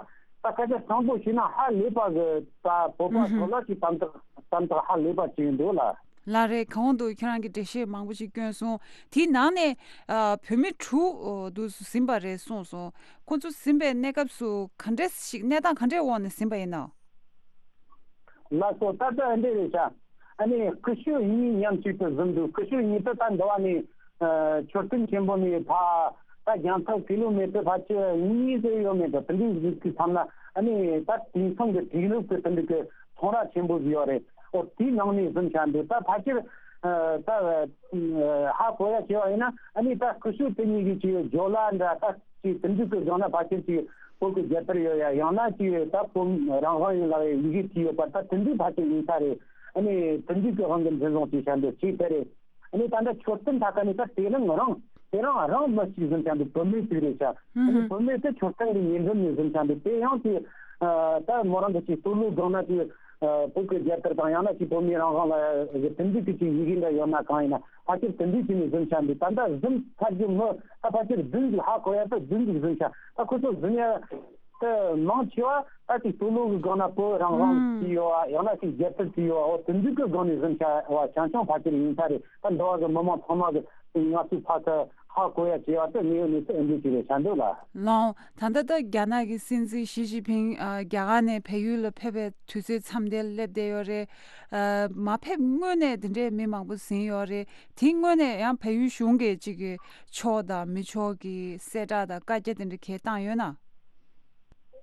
ད་སྐད་ཆ་དྲང་པོ་བཤད་ན་ཧ་ལས་པ་གི་ད་བོད་པ་ཚོ་ལ་ཀྱི་དམ་དྲག་དམ་དྲག་ཧ་ལས་པ་ཅིག་འདུག་ལ། ལགས་རེད། གོང་དུ་ཁྱེད་རང་གིས་འགྲེལ་བཤད་མང་པོ་ཞིག་བསྐྱོན་སོང་། དེའི་ནང་ནས་ཨ་བོད་མི་དྲུག་འདུག་ཟིན་པ་རེད་གསུངས་སོང་། ཁོ་ཚོ་ཟིན་པའི་གནས་སྐབས་སུ་ག་འདྲས་ཤིག་གནས་སྟངས་ག་འདྲས་འོག་ནས་ཟིན་པ་ཡིན་ནམ། ལགས་སོ། ད་ལྟ་འདི་རེད་ཤག་ཨ་ནི་སྐུ་ཞབས་གཉིས་མཉམ་གཅིག་ཏུ་བཟུང་འདུག་སྐུ་ཞབས་གཉིས་དེ་ད་འདི་བ་ནས་ མཆོད་རྟེན་ཆེན་པོ་ནས་ཕར་ད་རྒྱང་ཐག་ཀི་ལོ་མི་ཊར་ཕལ་ཆེར་གཉིས་ཙམ་ཡོད་མེད་དོ། དེ་འདྲའི་གཟིགས་དུས་ཙམ་ན་ཨ་ནི་ད་དེང་སང་གི་དེང་རབས་ཀྱི་དེ་འདྲའི་གི་ཚོང་ར་ཆེན་པོ་ཟིག་ཡོད་རེད། ཨོ་དེའི་ནང་ནས་གཟིམ་བྱ་འདུག་ད་ཕལ་ཆེར་ད་ཧ་གོ་ཡ་བྱས་པ་ཡིན་ན་ཨ་ནི་ད་སྐུ་ཞབས་དེ་གཉིས་ཀྱི་ཅིག་ཇོ་ལ་འདྲ་ད་ཅིག་དེ་འདྲའི་གི་སྒང་ན་ཕལ་ཆེར་ཅིག་བོད་ཀྱི་རྒྱལ་དར་ཡོད་ཡ། ཡང་ན་ཅིག་ད་བོད་རང་དབང་ཡིན་ལབ་ཡ་ཡི་གེ་བྲིས་ཡོད་པ་ད་དེ་འདྲའི་ཕལ་ཆེར་ཡིན་ས་རེད། ཨ་ནི་དེ་འདྲའི་གི་དབང་གིས་འཛིན་བཟུང་བྱས་བྱ་འདུག་ཅིག་དེ་རེད། ཨ་ནི་ད་ལྟ་མཆོད་རྟེན་ཐད་ཀ་ནས་ད་དེ་རིང་རང་དེ་རིང་རང་མི་གཅིག་གཟིམ་བྱ་འདུག་བུད་མེད་ཅིག་རེད་ཤག་ཨ་ནི་བུད་མེད་དེ་མཆོད་རྟེན་གྱི་ཉེ་འགྲམ་ནས་གཟིམ་བྱ་འདུག་དེ་ཡང་དེ་ད་མོ་རང་གི་ཅིག་སྟོད་ལུང་སྒང་ན་དེ་བོད་ཀྱི་རྒྱལ་དར་དང་ཡང་ན་ཅིག་བོད་མིའི་རང་དབང་ལ་དེ་འདྲའི་གི་ཅིག་ཡི་གེ་འདྲ་ཡོད་ན་གང་ཡིན་ན་ཕལ་ཆེར་དེ་འདྲའི་ཅིག་ནས་གཟིམ་བྱ་འདུག་ད་ལྟ་གཟིམ་ཚར་རྒྱུ་མི་ད་ཕལ་ཆེར་བདུན་ཅིག་ཧ་གོ་ཡ་ད་བདུན་ཅིག་གཟིམ་ཤག་ད་ཁོ་ཚོ་གཟིམ་ཡ། དེ་མང་ཆེ་བ་ད་ཅིག་སྟོད་ལུང་གི་སྒང་ན་བོད་རང་དབང་ཅིག་ཡོད་བ། ཡང་ན་ཅིག་རྒྱལ་དར་ཅིག་ཡོད་བ། འོ་དེ་འདྲའི་གི་སྒང་ནས་གཟིམ་བྱ་བ་ཆུང་ཆུང་ཕལ་ཆེར་ཡིན་ས་རེད། ད་འགྲོ་བ་གི་མི་མང་ཚང་མ་གི་ང་ཚོའི་ཕ་ས་ཧ་གོ་ཡ་བྱས་པ་དེ་དངོས་ཡོད་གནས་ཚུལ་འདི་ཅིག་རེད་བྱ་འདུག་ལ། ལགས། ད་ལྟ་ད་རྒྱ་ནག་གི་སྲིད་འཛིན་ཞི་ཅིན་ཕིང་ཨ་རྒྱ་གར་ནས་བལ་ཡུལ་ལ་ཕེབས་པའི་དུས་ཚོད་མཚམས་དེར་སླེབས་བསྡད་ཡོད་རེད། ཨ་མ་ཕེབས་སྔོན་ནས་དེ་འདྲའི་མི་མང་པོ་ཟིན་ཡོད་རེད། དེའི་སྔོན་ནས་ཡང་བལ་ཡུལ་གཞུང་གིས་ཅིག་གི་ཆོག་དང་མི་ཆོག་གི་གསལ་བསྒྲགས་དང་བཀའ་རྒྱ་དེ་འདྲ་གས་བཏང་ཡོད་ན།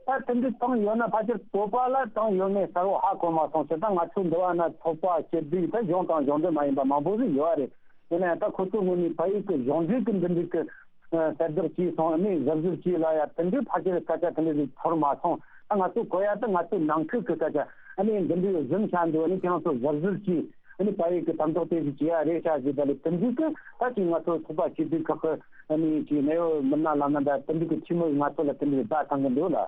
ད་དེ་འདྲ་བཏང་ཡོད་ན་ཕལ་ཆེར་བོད་པ་ལ་བཏང་ཡོད་མེད་གསལ་བོ་ཧ་གོ་མ་སོང་ཞེ་ད། ང་ཚོ་འདི་བ་ན་ཚོགས་པ་སྐྱིད་སྡུག་ད་གཞུང་དང་གཞུང་འབྲེལ་མ་ཡིན་པ་མང་པོ་ཞིག་ཡོད་རེད། ཡིན་ན་ཡང་ད་ཁོ་ཚོ་ངོས་ནས་བལ་ཡུལ་གྱི་གཞུང་འབྲེལ་གྱི་འདི་འདྲ་གི་གསལ་བསྒྲགས་བྱས་སོང་། ཨ་ནི་གཟབ་གཟབ་བྱས་ལ་ཡ་དེ་འདྲའི་ཕལ་ཆེར་སྐད་ཆ་དེ་འདྲ་ཞིག་ཚོར་མ་སོང་། ད་ང་ཚོ་གོ་ཡ་ད་ང་ཚོའི་ནང་ཁུལ་གྱི་སྐད་ཆ་ཨ་ནི་འདི་འདྲའི་གཟིམ་བྱ་འདུག་ཨ་ནི་ཁྱེད་རང་ཚོ་གཟབ་གཟབ་བྱས། ཨ་ནི་བལ་ཡུལ་གྱི་དམ་ཐོག་དེ་ཞིག་བྱེད་ཡ་རེད་ཤག་ཅེས་ད་ལས་དེ་འདྲའི་གི་ད་ཅིག་ང་ཚོ་ཚོགས་པ་སྐྱིད་སྡུག་ཁག་གི་ཨ་ནི་ཅིག་གནས་བབ་མི་སྣ་བླ་ན་ད་དེ་འདྲའི་གི་ཐུགས་མི་ང་ཚོ་ལ་དེ་འདྲའི་བརྡ་བཏང་གི་འདུག་ལ།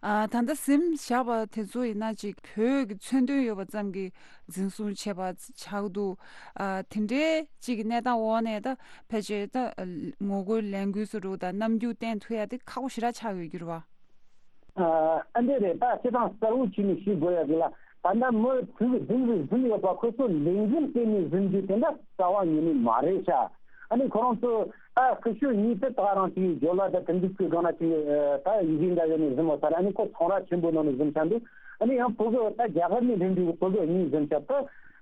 ཨ་ད་ལྟ་གཟིམ་བཞག་པ་དེ་ཚོ་ཡིན་ན་ཅིག་བོད་ཀྱི་མཚོན་དོན་ཡོད་པ་ཙམ་གྱིས་འཛིན་བཟུང་བྱས་པ་ཆགས་འདུག་ཨ་དེ་འདྲའི་ཅིག་གི་གནས་སྟངས་འོག་ནས་ད་ཕལ་ཆེར་ད་ངོ་རྒོལ་ལས་འགུལ་བཟོ་འདྲ་དང་རྣམ་འགྱུར་བསྟན་ཐུབ་ཡ་དེ་ཁག་པོ་ཞེ་དྲག་ཆགས་ཡོད་རྒྱུ་རེད་བ། ཨ་འདྲ་རེད། ད་སྤྱིར་བཏང་གསལ་བོ་བྱས་ནས་ཤེས་དགོས་ཡ་གི་ལ། ད་ལྟ་མི་དྲུག་བདུན་ཟིག་འཛིན་ཡོད་པ་ཁོ་ཚོ་ལས་འགུལ་སྤེལ་ནས་འཛིན་རྒྱུ་དེ་འདྲ་རྩ་བ་ཉིད་ནས་མ་རེད་ཤག་ཨ་ནི་ཁོ་རང་ཚོ་ད་སྐུ་ཞབས་གཉིས་དེ་ད་རང་ཅིག་ཇོ་ལ་ད་དེ་འདྲ་ཚོའི་སྒང་ན་ཅིག་ད་ཡི་གེ་འདྲ་ཡོད་ནས་འཛིན་མ་ཚར། ཨ་ནི་ཁོ་ཚོང་ར་ཆེན་པོ་ནང་ནས་འཛིན་ཤག་འདུག་ཨ་ནི་ཡང་བོད་གི་ད་རྒྱ་གར་ནས་སླེབས་འདུག་བོད་གི་གཉིས་འཛིན་ཤག་ད་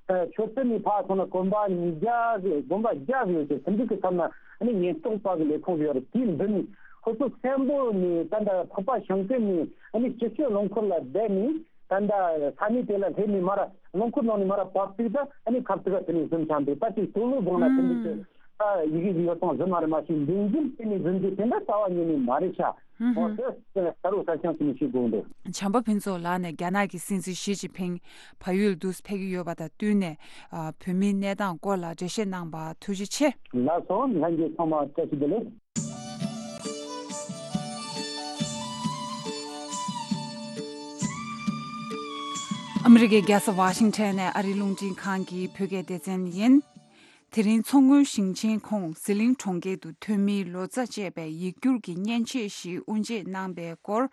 མཆོད་རྟེན་ནས་ཕར་སོང་ན་དགོན་པ་ཉིས་བརྒྱ་ཟིག་དགོན་པ་བརྒྱ་ཟིག་ཡོད་ཅིག་དེ་འདྲ་གི་ཚབ་ན་ཨ་ནི་ཉེན་རྟོག་པ་གི་ལས་ཁུངས་ཡོད་རེད། དེའི་མདུན་ནས་ཁོ་ཚོ་བཙན་པོ་ནས་ད་ལྟ་འཕགས་པ་ཞིང་ཀུན་ནས་ཨ་ནི་སྤྱི་སྤྱོད་རླངས་འཁོར་ལ་བསྡད་ནས། ད་ལྟ་ས་གནས་དེ་ལ་སླེབས་ནས་མར་རླངས་འཁོར་ནང་ནས་མར་བབས་དུས་ད་ཨ་ནི་ཁ་ཐུག་ག་དེ་ནས་འཛིན་ཆགས་འདུག་ད་ཅིག་སྟོད་ལུང་སྒང་ལ་དེ་འདྲ་ཅིག་ད་ཡི་གེ་ཡོད་སྟངས་ཟིན་མ་རེད། མ་གཞི་འདུག་འཛིན་དེ་ནས་འཛིན་རྒྱུ་དེ་འདྲ་རྩ་བ་ཉིད་ནས་མ་རེད་ཤག་འོ་དེ་ས་རུ་ས་ཆང་དེ་ནས་ཤེས་དགོས་འདུག་བྱམས་པ་ཕུན་ཚོགས་ལགས་ནས་རྒྱ་ནག་གི་སྲིད་འཛིན་ཞི་ཅིན་ཕིང་བལ་ཡུལ་དུ་ཕེབས་ཀྱི་ཡོད་པ་དང་བསྟུན་ནས་ཨ་བོད་མིའི་གནས་སྟངས་སྐོར་ལ་འགྲེལ་བཤད་གནང་བར་ཐུགས་རྗེ་ཆེ། ལགས་སོ། ལྷན་རྒྱས་ཚང་མ་བཀྲ་ཤིས་བདེ་ལེགས། ཨ་མི་རི་ཀའི་རྒྱལ་ས་ཝ་ཤིང་ཊོན་ནས་ཨ་རིའི་རླུང་འཕྲིན་ཁང་གི་བོད་སྐད་སྡེ་ཚན་ཡིན། དེ་རིང་མཚོ་སྔོན་ཞིང་ཆེན་ཁོངས་ཟི་ལིང་གྲོང་ཁྱེར་དུ་ཐོན་མིའི་ལོ་ཙཱ་ཅེས་པའི་ཡིག་སྒྱུར་གྱི་མཉེན་ཆས་ཤིག་དབུ་འབྱེད་གནང་པའི་སྐོར།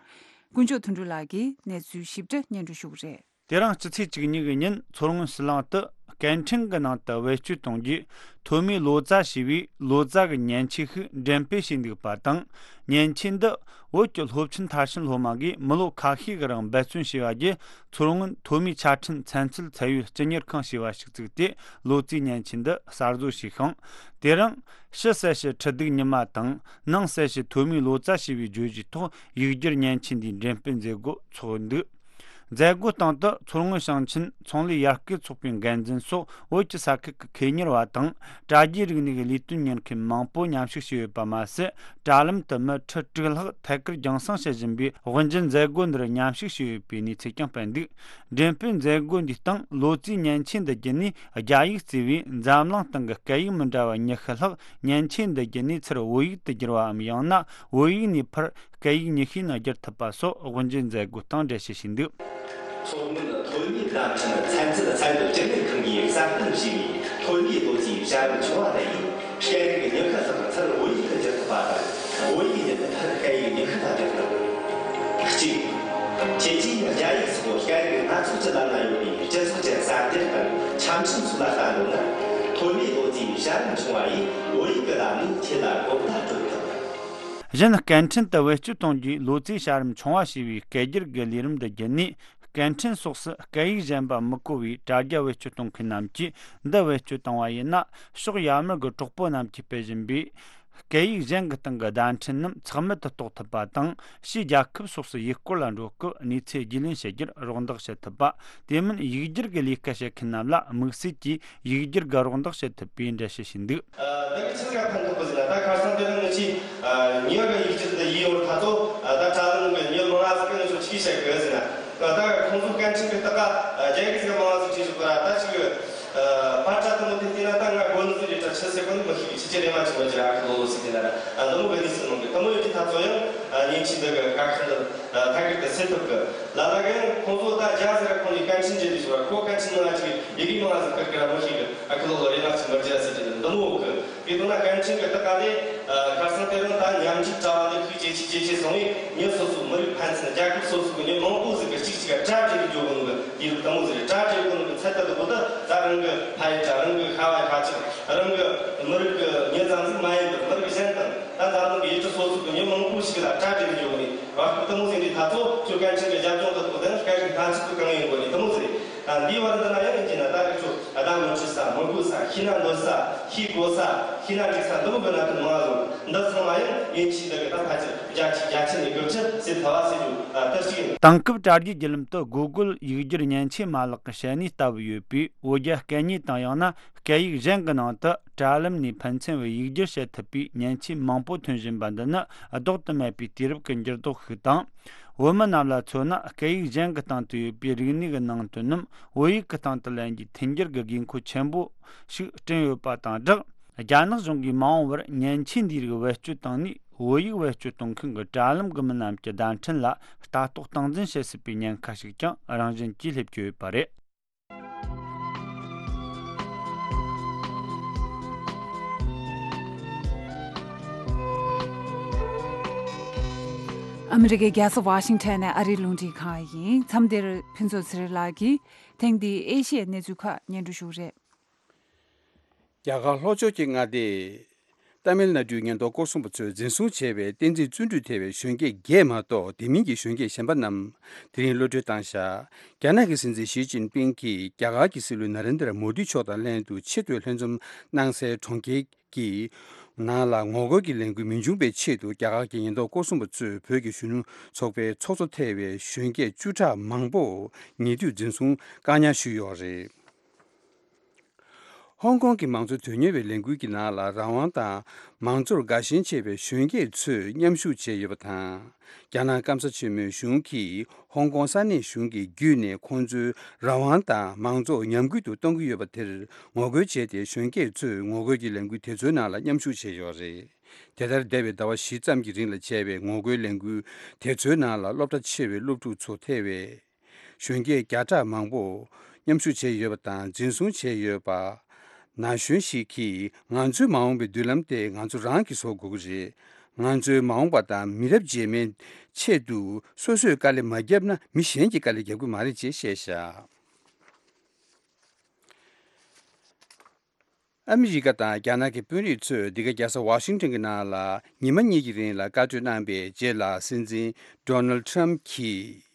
དཀོན་མཆོག་དོན་གྲུབ་ལགས་ཀྱིས་གནས་ཚུལ་ཞིབ་ཕྲ་སྙན་སྒྲོན་ཞུ་གི་རེད། དེ་རིང་སྤྱི་ཚེས་བཅུ་གཉིས་ཀྱི་ཉིན་མཚོ་སྔོན་ཕྱི་གླིང་དུ་སྐད་འཕྲིན་གྱི་ནང་དུ་བེད་སྤྱོད་གཏོང་རྒྱུའི་ཐོན་མིའི་ལོ་ཙཱ་ཞེས་པའི་ལོ་ཙཱ་གི་མཉེན་ཆས་ཤིག་འགྲེམས་སྤེལ་བྱས་འདུག་པ་དང་། མཉེན་ཆས་འདི་བོད་ཀྱི་སློབ་ཆེན་མཐར་ཕྱིན་སློབ་མ་གིས་མི་ལོ་ཁ་ཤས་ཀྱི་རིང་འབད་བརྩོན་བྱས་པ་བརྒྱུད། མཚོ་སྔོན་ཐོན་མིའི་ཆ་འཕྲིན་ཚན་རྩལ་ཚད་ཡོད་སྤྱི་གཉེར་ཁང་ཞེས་པ་ཞིག་བཙུགས་ཏེ། ལོ་ཙཱའི་མཉེན་ཆས་འདི་གསར་བཟོ་བྱས་ཤིང་། དེ་རིང་ཕྱི་གསལ་བྱེད་ཁྲི་གདུགས་ཉི་མ་དང་ནང་གསལ་བྱེད་ཐོན་མིའི་ལོ་ཙཱ་ཞེས་པའི་བརྗོད་གཞིའི་ཐོག་ཡིག་སྒྱུར་མཉེན་ཆས་འདིའི་འགྲེམས་སྤེལ་མཛད་སྒོ་འཚོགས་འདུག་མཛད་སྒོའི་སྟེང་དུ་མཚོ་སྔོན་ཞིང་ཆེན་ཚོང་ལས་ཡར་སྐུལ་ཚོགས་པའི་འགན་འཛིན་སོགས་བོད་ཀྱི་ས་ཁུལ་གྱི་ཁེ་གཉེར་བ་དང་། དྲ་རྒྱའི་རིག་གནས་ཀྱི་ལས་དོན་གཉེར་མཁན་མང་པོ་མཉམ་ཞུགས་བྱས་ཡོད་པ་མ་ཟད། དྲ་ལམ་དུ་མི་ཁྲི་དྲུག་ལྷག་ཐད་ཀར་རྒྱང་སྲིང་བྱེད་བཞིན་པའི་དབུ་འབྱེད་མཛད་སྒོ་འདིར་མཉམ་ཞུགས་བྱས་ཡོད་པའི་གནས་ཚུལ་ཀྱང་སྤེལ་འདུག་འགྲེམས་སྤེལ་མཛད་སྒོ་འདིའི་སྟེང་ལོ་ཙཱའི་མཉེན་ཆས་འདི་བརྒྱུད་ནས་རྒྱ་ཡིག་གཙོས་པའི་འཛམ་གླིང་སྟེང་གི་སྐད་ཡིག་མི་འདྲ་བ་ཉི་ཤུ་ལྷག་མཉེན་ཆས་འདི་བརྒྱུད་ནས་ཚུར་བོད་ཡིག་ཏུ་བསྒྱུར་བའམ། ཡང་ན་བོད་ཡིག་ནས་ཕར་སྐད་ཡིག་ཉི་ཤུའི་ནང་བསྒྱུར་ཐུབ་པ་སོགས་དབུ་འབྱེད་མཛད་སྒོའི་སྟེང་འགྲེལ་བཤད་བྱས་འདུག་མཚོ་སྔོན་ཐོན་མིའི་བརྡ་འཕྲིན་ཚན་རྩལ་ཚད་ཡོད་སྤྱི་གཉེར་ཁང་གིས་གསར་གཏོད་བྱས་པའི་ཐོན་མིའི་ལོ་ཙཱའི་བྱ་རིམ་ཆུང་བ་དེ་ཡིས། སྐད་རིགས་ཉི་ཤུ་ལྷག་ཚུར་བོད་ཡིག་ཏུ་བསྒྱུར་ཐུབ་པ་དང་། བོད་ཡིག་ནས་ཕར་སྐད་ཡིག་ཉི་ཤུ་ལ་བསྒྱུར་ཐུབ། གཅིག་ཁྱེད་ཀྱིས་རྒྱ་ཡིག་སོགས་སྐད་རིགས་སྣ་ཚོགས་ཀྱི་ལམ་ན་ཡོད་པའི་སྤྱི་ཚོགས་ཀྱི་གསར་འགྱུར་དང་ཆ་འཕྲིན་སོགས་ལ་ལྟ་འདོད་ན། ཐོན་མིའི་ལོ་ཙཱའི་བྱ་རིམ་ཆུང་བ་ཡིས་བོད་ཡིག་གི་ལམ་ནས་ཁྱེད་ལ་གོ་བརྡ་སྤྲོད་ཐུབ། གཞན་སྐད་འཕྲིན་དུ་བེད་སྤྱོད་གཏོང་རྒྱུའི་ལོ་ཙཱའི་བྱ་རིམ་ཆུང་བ་ཞེས་པའི་སྐད་སྒྱུར་གྱི་ལས་རིམ་འདི་བརྒྱུད་ནས། སྐད་འཕྲིན་སོགས་སུ་སྐད་ཡིག་གཞན་པ་མི་གོ་བའི་དྲ་རྒྱ་བེད་སྤྱོད་གཏོང་མཁན་རྣམས་ཀྱིས་འདི་བེད་སྤྱོད་བཏང་བ་ཡིན་ན། ཕྱོགས་ཡར་མར་གྱི་གྲོགས་པོ་རྣམས་ཀྱིས་སྤེལ་བཞིན་པའི་སྐད་ཡིག་གཞན་གྱི་སྟེང་གི་བརྡ་འཕྲིན་རྣམས་ཚང་མེད་དུ་གཏོང་ཐུབ་པ་དང་། ཕྱིའི་རྒྱལ་ཁབ་སོགས་སུ་ཡུལ་སྐོར་ལ་འགྲོ་སྐབས་གནས་ཚུལ་རྒྱུས་ལོན་བྱེད་རྒྱུར་རོགས་འདེགས་བྱེད་ཐུབ་པ། དེ་མིན་ཡིག་སྒྱུར་གྱི་ལས་ཀ་བྱེད་མཁན་རྣམས་ལ་དམིགས་བསལ་གྱིས་ཡིག་སྒྱུར་གྱི་རོགས་འདེགས་བྱེད་ཐུབ་པའི་འགྲེལ་བཤད་ཞུས་འདུག། ད་གི་ཆི་ཟིག་ཕན་ཐོགས་པ་ཟེར་ན། ད་ཁ་སང་དེ་རིང་ངེད་ཀྱིས་ཉེ་གི་ཡིག་སྒྱུར་འདི་ཡིན་ཡོད་ད་ཚོ། ད་དྲ་ལམ་གི་ཉེ་མང་ང་ཟིག་གི་ངེད་ཚོ་ཆི་གི་བཤད་གི་ཟེར་ན། ད་ཁོང་ཚོ་སྐད་འཕྲིན་གི་ལྟ་ག་རྒྱ་ཡིག་ཟིག་མང་ང་ཟིག་བྲིས་བཞག་གི་ར། ད་ཅིག་ཕར་དྲ་དེ་མོ་དེ་བལྟས་ན་ད་ང་གོ་ནི་ཟིག་རེད་དྲ་ཆི་ཟེར་གོ་ནི་མི་ཤེས་གི། ཕྱི་རྒྱལ་རེད་མ་ཆི་མོ་ཅི་ར་ཨ་ཁུ་ལོ་ལོ་ཟིག་བལྟས་ན་ར། ཨ་འདི་མོ་གི་གནས་ཚུལ་མང་གི། དེ་མོ་ཡོད་དུས་ད་ཚོ་ཡང་ཉེ་ཆར་འདི་གི་དཀའ་ཁག་འདི་ཐད་ཀར་དུ་སེལ་ཐུབ་གི། ལ་ལ་གིས་ཁོང་ཚོ་ད་རྒྱ་ཟེར་ར་ཁོང་གི་སྐད་འཕྲིན་འབྲེལ་དུས་ཟེར་བ། ཁོ་སྐད་འཕྲིན་ནང་ཅིག་ཡི་གེ་མང་ང་ཟིག་བསྐུར་གི་ར་མི་ཤེས་གི། ཨ་ཁུ་ལོ་ལོ་རེད་མ་ཆི་མོ་ཅི་ར་ཟེར་གི། འདི་མོ་གི། དེ་དོན་ན་སྐད་འཕྲིན་གྱི་ལྟ་ག་ལས། ཨ། ཁ་སང་དེ་རིང་ད་ཉམས་ཞིབ་དྲ་བ་འདི་ཤུགས་ཇེ་ཆེ་ཇེ་ཆེ་སོང་བས། མི་སོ་སོའི་མི་རིགས་ཕན་ཚུན། རྒྱལ་ཁབ་སོ་སོ་གི་མི་མང་པོ་ཟིག་གིས་གཅིག་གཅིག་ག་དྲ་འབྲེལ་གི་འགྱོ་གོ་ནོ་གི། དུས་རབས་དེ་མོ་ཟིག་རེད། དྲ་འབྲེལ་གོ་ནོ་གི་ཚད་ད་དུ་གོ་ད། ད་རང་གི་ཕ་ཡུལ་དྲ། རང་གི་ཤ་བ་ཁ་ཆག་རང་གི་མི་རིགས་གི་མི་ཙམ་ཟིག་མ་ཡིན་པར་མི་རིགས་གཞན་དང་། ད་འཛམ་གླིང་གི་ཡུལ་གྲུ་སོ་སོ་གི་མི་མང་པོ་ཞིག་ལ་དྲ་འབྲེལ་གི་འགྱོ་གོ་ནི་བར་སྐབས་དེ་མོ་ཟིག་རེད། ད་ཚོ་ཁྱོད་སྐད་འཕྲིན་གི་རྒྱབ་ལྗོངས་ད་དུ་གོ་ད། སྐད་འཕྲིན་སྣ་ཚོགས་གང་ཡིན་གོ་ནི་དེ་མོ་ཟིག་རེད། ཨ། འདིའི་བར་འདི་ན་ཡང་ཡིན་གྱི་ན། ད་རེས་ཚོ་ཨ་ད་མི་འཁྲིད་ས་མི་དགོས་ས། ཤི་ན་འདོད་ས། ཤི་དགོས་ས། ཤི་ན་འགྲིག་ས་འདི་མོ་གི་གནད་དོན་མང་ང་ཟིག་འདི་ཚང་མ་ཡང་ཉེ་ཆར་འདི་གི་ད་ཕལ་ཆེར་བརྒྱ་ཆ་བརྒྱ་ཆ་ནས་དགུ་བཅུ་ཟིག་ཕལ་བ་ཟེར་རྒྱུ། ཨ། དེ་གཅིག་ཡིན། དེང་སྐབས་དྲ་རྒྱའི་བརྒྱུད་ལམ་དུ་Google་ཡིག་སྒྱུར་མཉེན་ཆས་མ་ལག་གི་བཤད་ནུས་ལྟ་བུ་ཡོད་པས། བོད་རྒྱ་སྐད་གཉིས་དང་ཡང་ན་སྐད་ཡིག་གཞན་གྱི་ནང་དུ་དྲ་ལམ་ནས་ཕན་ཚུན་བར་ཡིག་སྒྱུར་བྱེད་ཐུབ་པའི་མཉེན་ཆས་མང་པོ་ཐོན་བཞིན་པ་འདི་ནི་ལྡོག་ཏུ་མེད་པའི་དུས་རབས་ཀྱི་འགྱུར་ལྡོག་ཞིག་དང་། བོད་མི་རྣམས་ལ་མཚོན་ན། སྐད་ཡིག་གཞན་གྱི་སྟེང་དུ་ཡོད་པའི་རིག་གནས་ཀྱི་ནང་དོན་རྣམས་བོད་ཡིག་གི་སྟེང་དུ་ལེན་རྒྱུའི་མཐུན་འགྱུར་གྱི་དགོས་མཁོ་ཆེན་པོ་ཞིག་བསྐྲུན་ཡོད་པ་དང་སྦྲགས། རྒྱ་ནག་གཞུང་གིས་མ་འོངས་པར་མཉེན་ཆས་འདིའི་རིགས་བེད་སྤྱོད་བཏང་ནས། བོད་ཡིག་བེད་སྤྱོད་གཏོང་མཁན་གྱི་དྲ་ལམ་གྱི་མི་རྣམས་ཀྱི་བརྡ་འཕྲིན་ལ་ལྟ་རྟོག་སྟངས་འཛིན་བྱེད་སྲིད་པའི་ཉེན་ཁ་ཞིག་ཀྱང་རང་བཞིན་གྱིས་སླེབས་ཀྱི་ཡོད་པ་རེད། ཨ་མི་རི་ཀའི་རྒྱལ་ས་ཝ་ཤིང་ཊོན་ནས་ཨ་རིའི་རླུང་འཕྲིན་ཁང་ཡིན། མཚམས་འདིར་ཕུན་ཚོགས་ཚེ་རིང་ལགས་ཀྱིས་དེང་འདིའི་ཨེ་ཤི་ཡའི་གནས་ཚུལ་ཁག་སྙན་སྒྲོན་ཞུ་གི་རེད། རྒྱ་གར་ལྷོ་ཕྱོགས་ཀྱི་མངའ་སྡེ་ཏཱ་མིལ་ནཱ་ཌུའི་ཉེན་རྟོག་སྐོར་སྲུང་པ་ཚོས་འཛིན་བཟུང་བྱས་པའི་བསྟན་འཛིན་བརྩོན་འགྲུས་ཐེ་བའི་གཞོན་སྐྱེས་བརྒྱད་མ་གཏོགས། དེ་མིན་གྱི་གཞོན་སྐྱེས་གཞན་པ་རྣམས་དེ་རིང་གློད་གྲོལ་བཏང་བཞག། རྒྱ་ནག་གི་སྲིད་འཛིན་ཞི་ཅིན་ཕིང་གིས་རྒྱ་གར་གྱི་སྲིད་བློན་ནཱ་རེན་དྲ་མོ་དི་མཆོག་དང་ལྷན་དུ་ཆེས་མཐོའི་ལྷན་འཛོམས་གནང་སའི་གྲོང་ཁྱེར་གྱི་ནང་ལ་ངོ་རྒོལ་གྱི་ལས་འགུལ་མི་འབྱུང་བའི་ཆེད་དུ། རྒྱ་གར་གྱི་ཉེན་རྟོག་སྐོར་སྲུང་པ་ཚོས་བོད་ཀྱི་གཞོན་ནུ་ཚོགས་པའི་ཚོགས་གཙོ་ཐེ་བའི་གཞོན་སྐྱེས་བཅུ་ཕྲག་མང་པོ་ཉེ་དུས་འཛིན་བཟུང་བཀག་ཉར་ཞུས་ཡོད་རེད། ཧོང་ཀོང་གི་མང་གཙོ་དོན་གཉེར་བའི་ལས་འགུལ་གྱི་ནང་ལ་རང་དབང་དང་མང་གཙོར་དགའ་ཞེན་ཆེ་བའི་གཞོན་སྐྱེས་ཚོས་མཉམ་ཞུགས་བྱས་ཡོད་པ་དང་། རྒྱ་ནག་སྐམ་ས་ཆེན་མོའི་གཞུང་གིས་ཧོང་ཀོང་ས་གནས་གཞུང་གི་བརྒྱུད་ནས་ཁོང་ཚོའི་རང་དབང་དང་མང་གཙོ་ཉམས་རྒུད་དུ་གཏོང་གི་ཡོད་པ་དེར་ངོ་རྒོལ་བྱས་ཏེ། གཞོན་སྐྱེས་ཚོས་ངོ་རྒོལ་གྱི་ལས་འགུལ་དེ་ཚོའི་ནང་ལ་མཉམ་ཞུགས་བྱས་ཡོད་རེད། དེ་ལྟར། འདས་པའི་ཟླ་བ་བཞི་ཙམ་གྱི་རིང་ལ་བྱས་པའི་ངོ་རྒོལ་ལས་འགུལ་དེ་ཚོའི་ནང་ལ་སློབ་གྲྭ་ཆེ་བའི་སློབ་ཕྲུག་ཚོ་ཐེ་བའི་གཞོན་སྐྱེས་བརྒྱ་ཕྲག་མང་པོ་མཉམ་ཞུགས་བྱས་ཡོད་པ་དང་། འཛིན་བཟུང་བྱས་ཡོད་པ། ན་གཞོན་ཞིག་གིས། ང་ཚོའི་མ་འོངས་པའི་མདུན་ལམ་དེ་ང་ཚོ་རང་གིས་བཟོ་དགོས་ཀྱི་རེད། ང་ཚོའི་མ་འོངས་པ་དང་མི་རབས་རྗེས་མའི་ཆེད་དུ་སོ་སོས་དཀའ་ལས་མ་བརྒྱབ་ན། མི་གཞན་གྱིས་དཀའ་ལས་རྒྱབ་ཀྱི་མ་རེད་ཅེས་བཤད་བཞག། ཨ་མི་རི་ཀ་དང་རྒྱ་ནག་གི་དཔོན་རིགས་ཚོས་འདི་ག་རྒྱལ་ས་ཝ་ཤིང་ཊོན་གྱི་ནང་ལ་ཉི་མ་གཉིས་ཀྱི་རིང་ལ་བཀའ་གྲོས་གནང་པའི་རྗེས་ལ། སྲིད་འཛིན་ཌོ་ནལ་ཌི་ཊརམ་ཕི་གིས་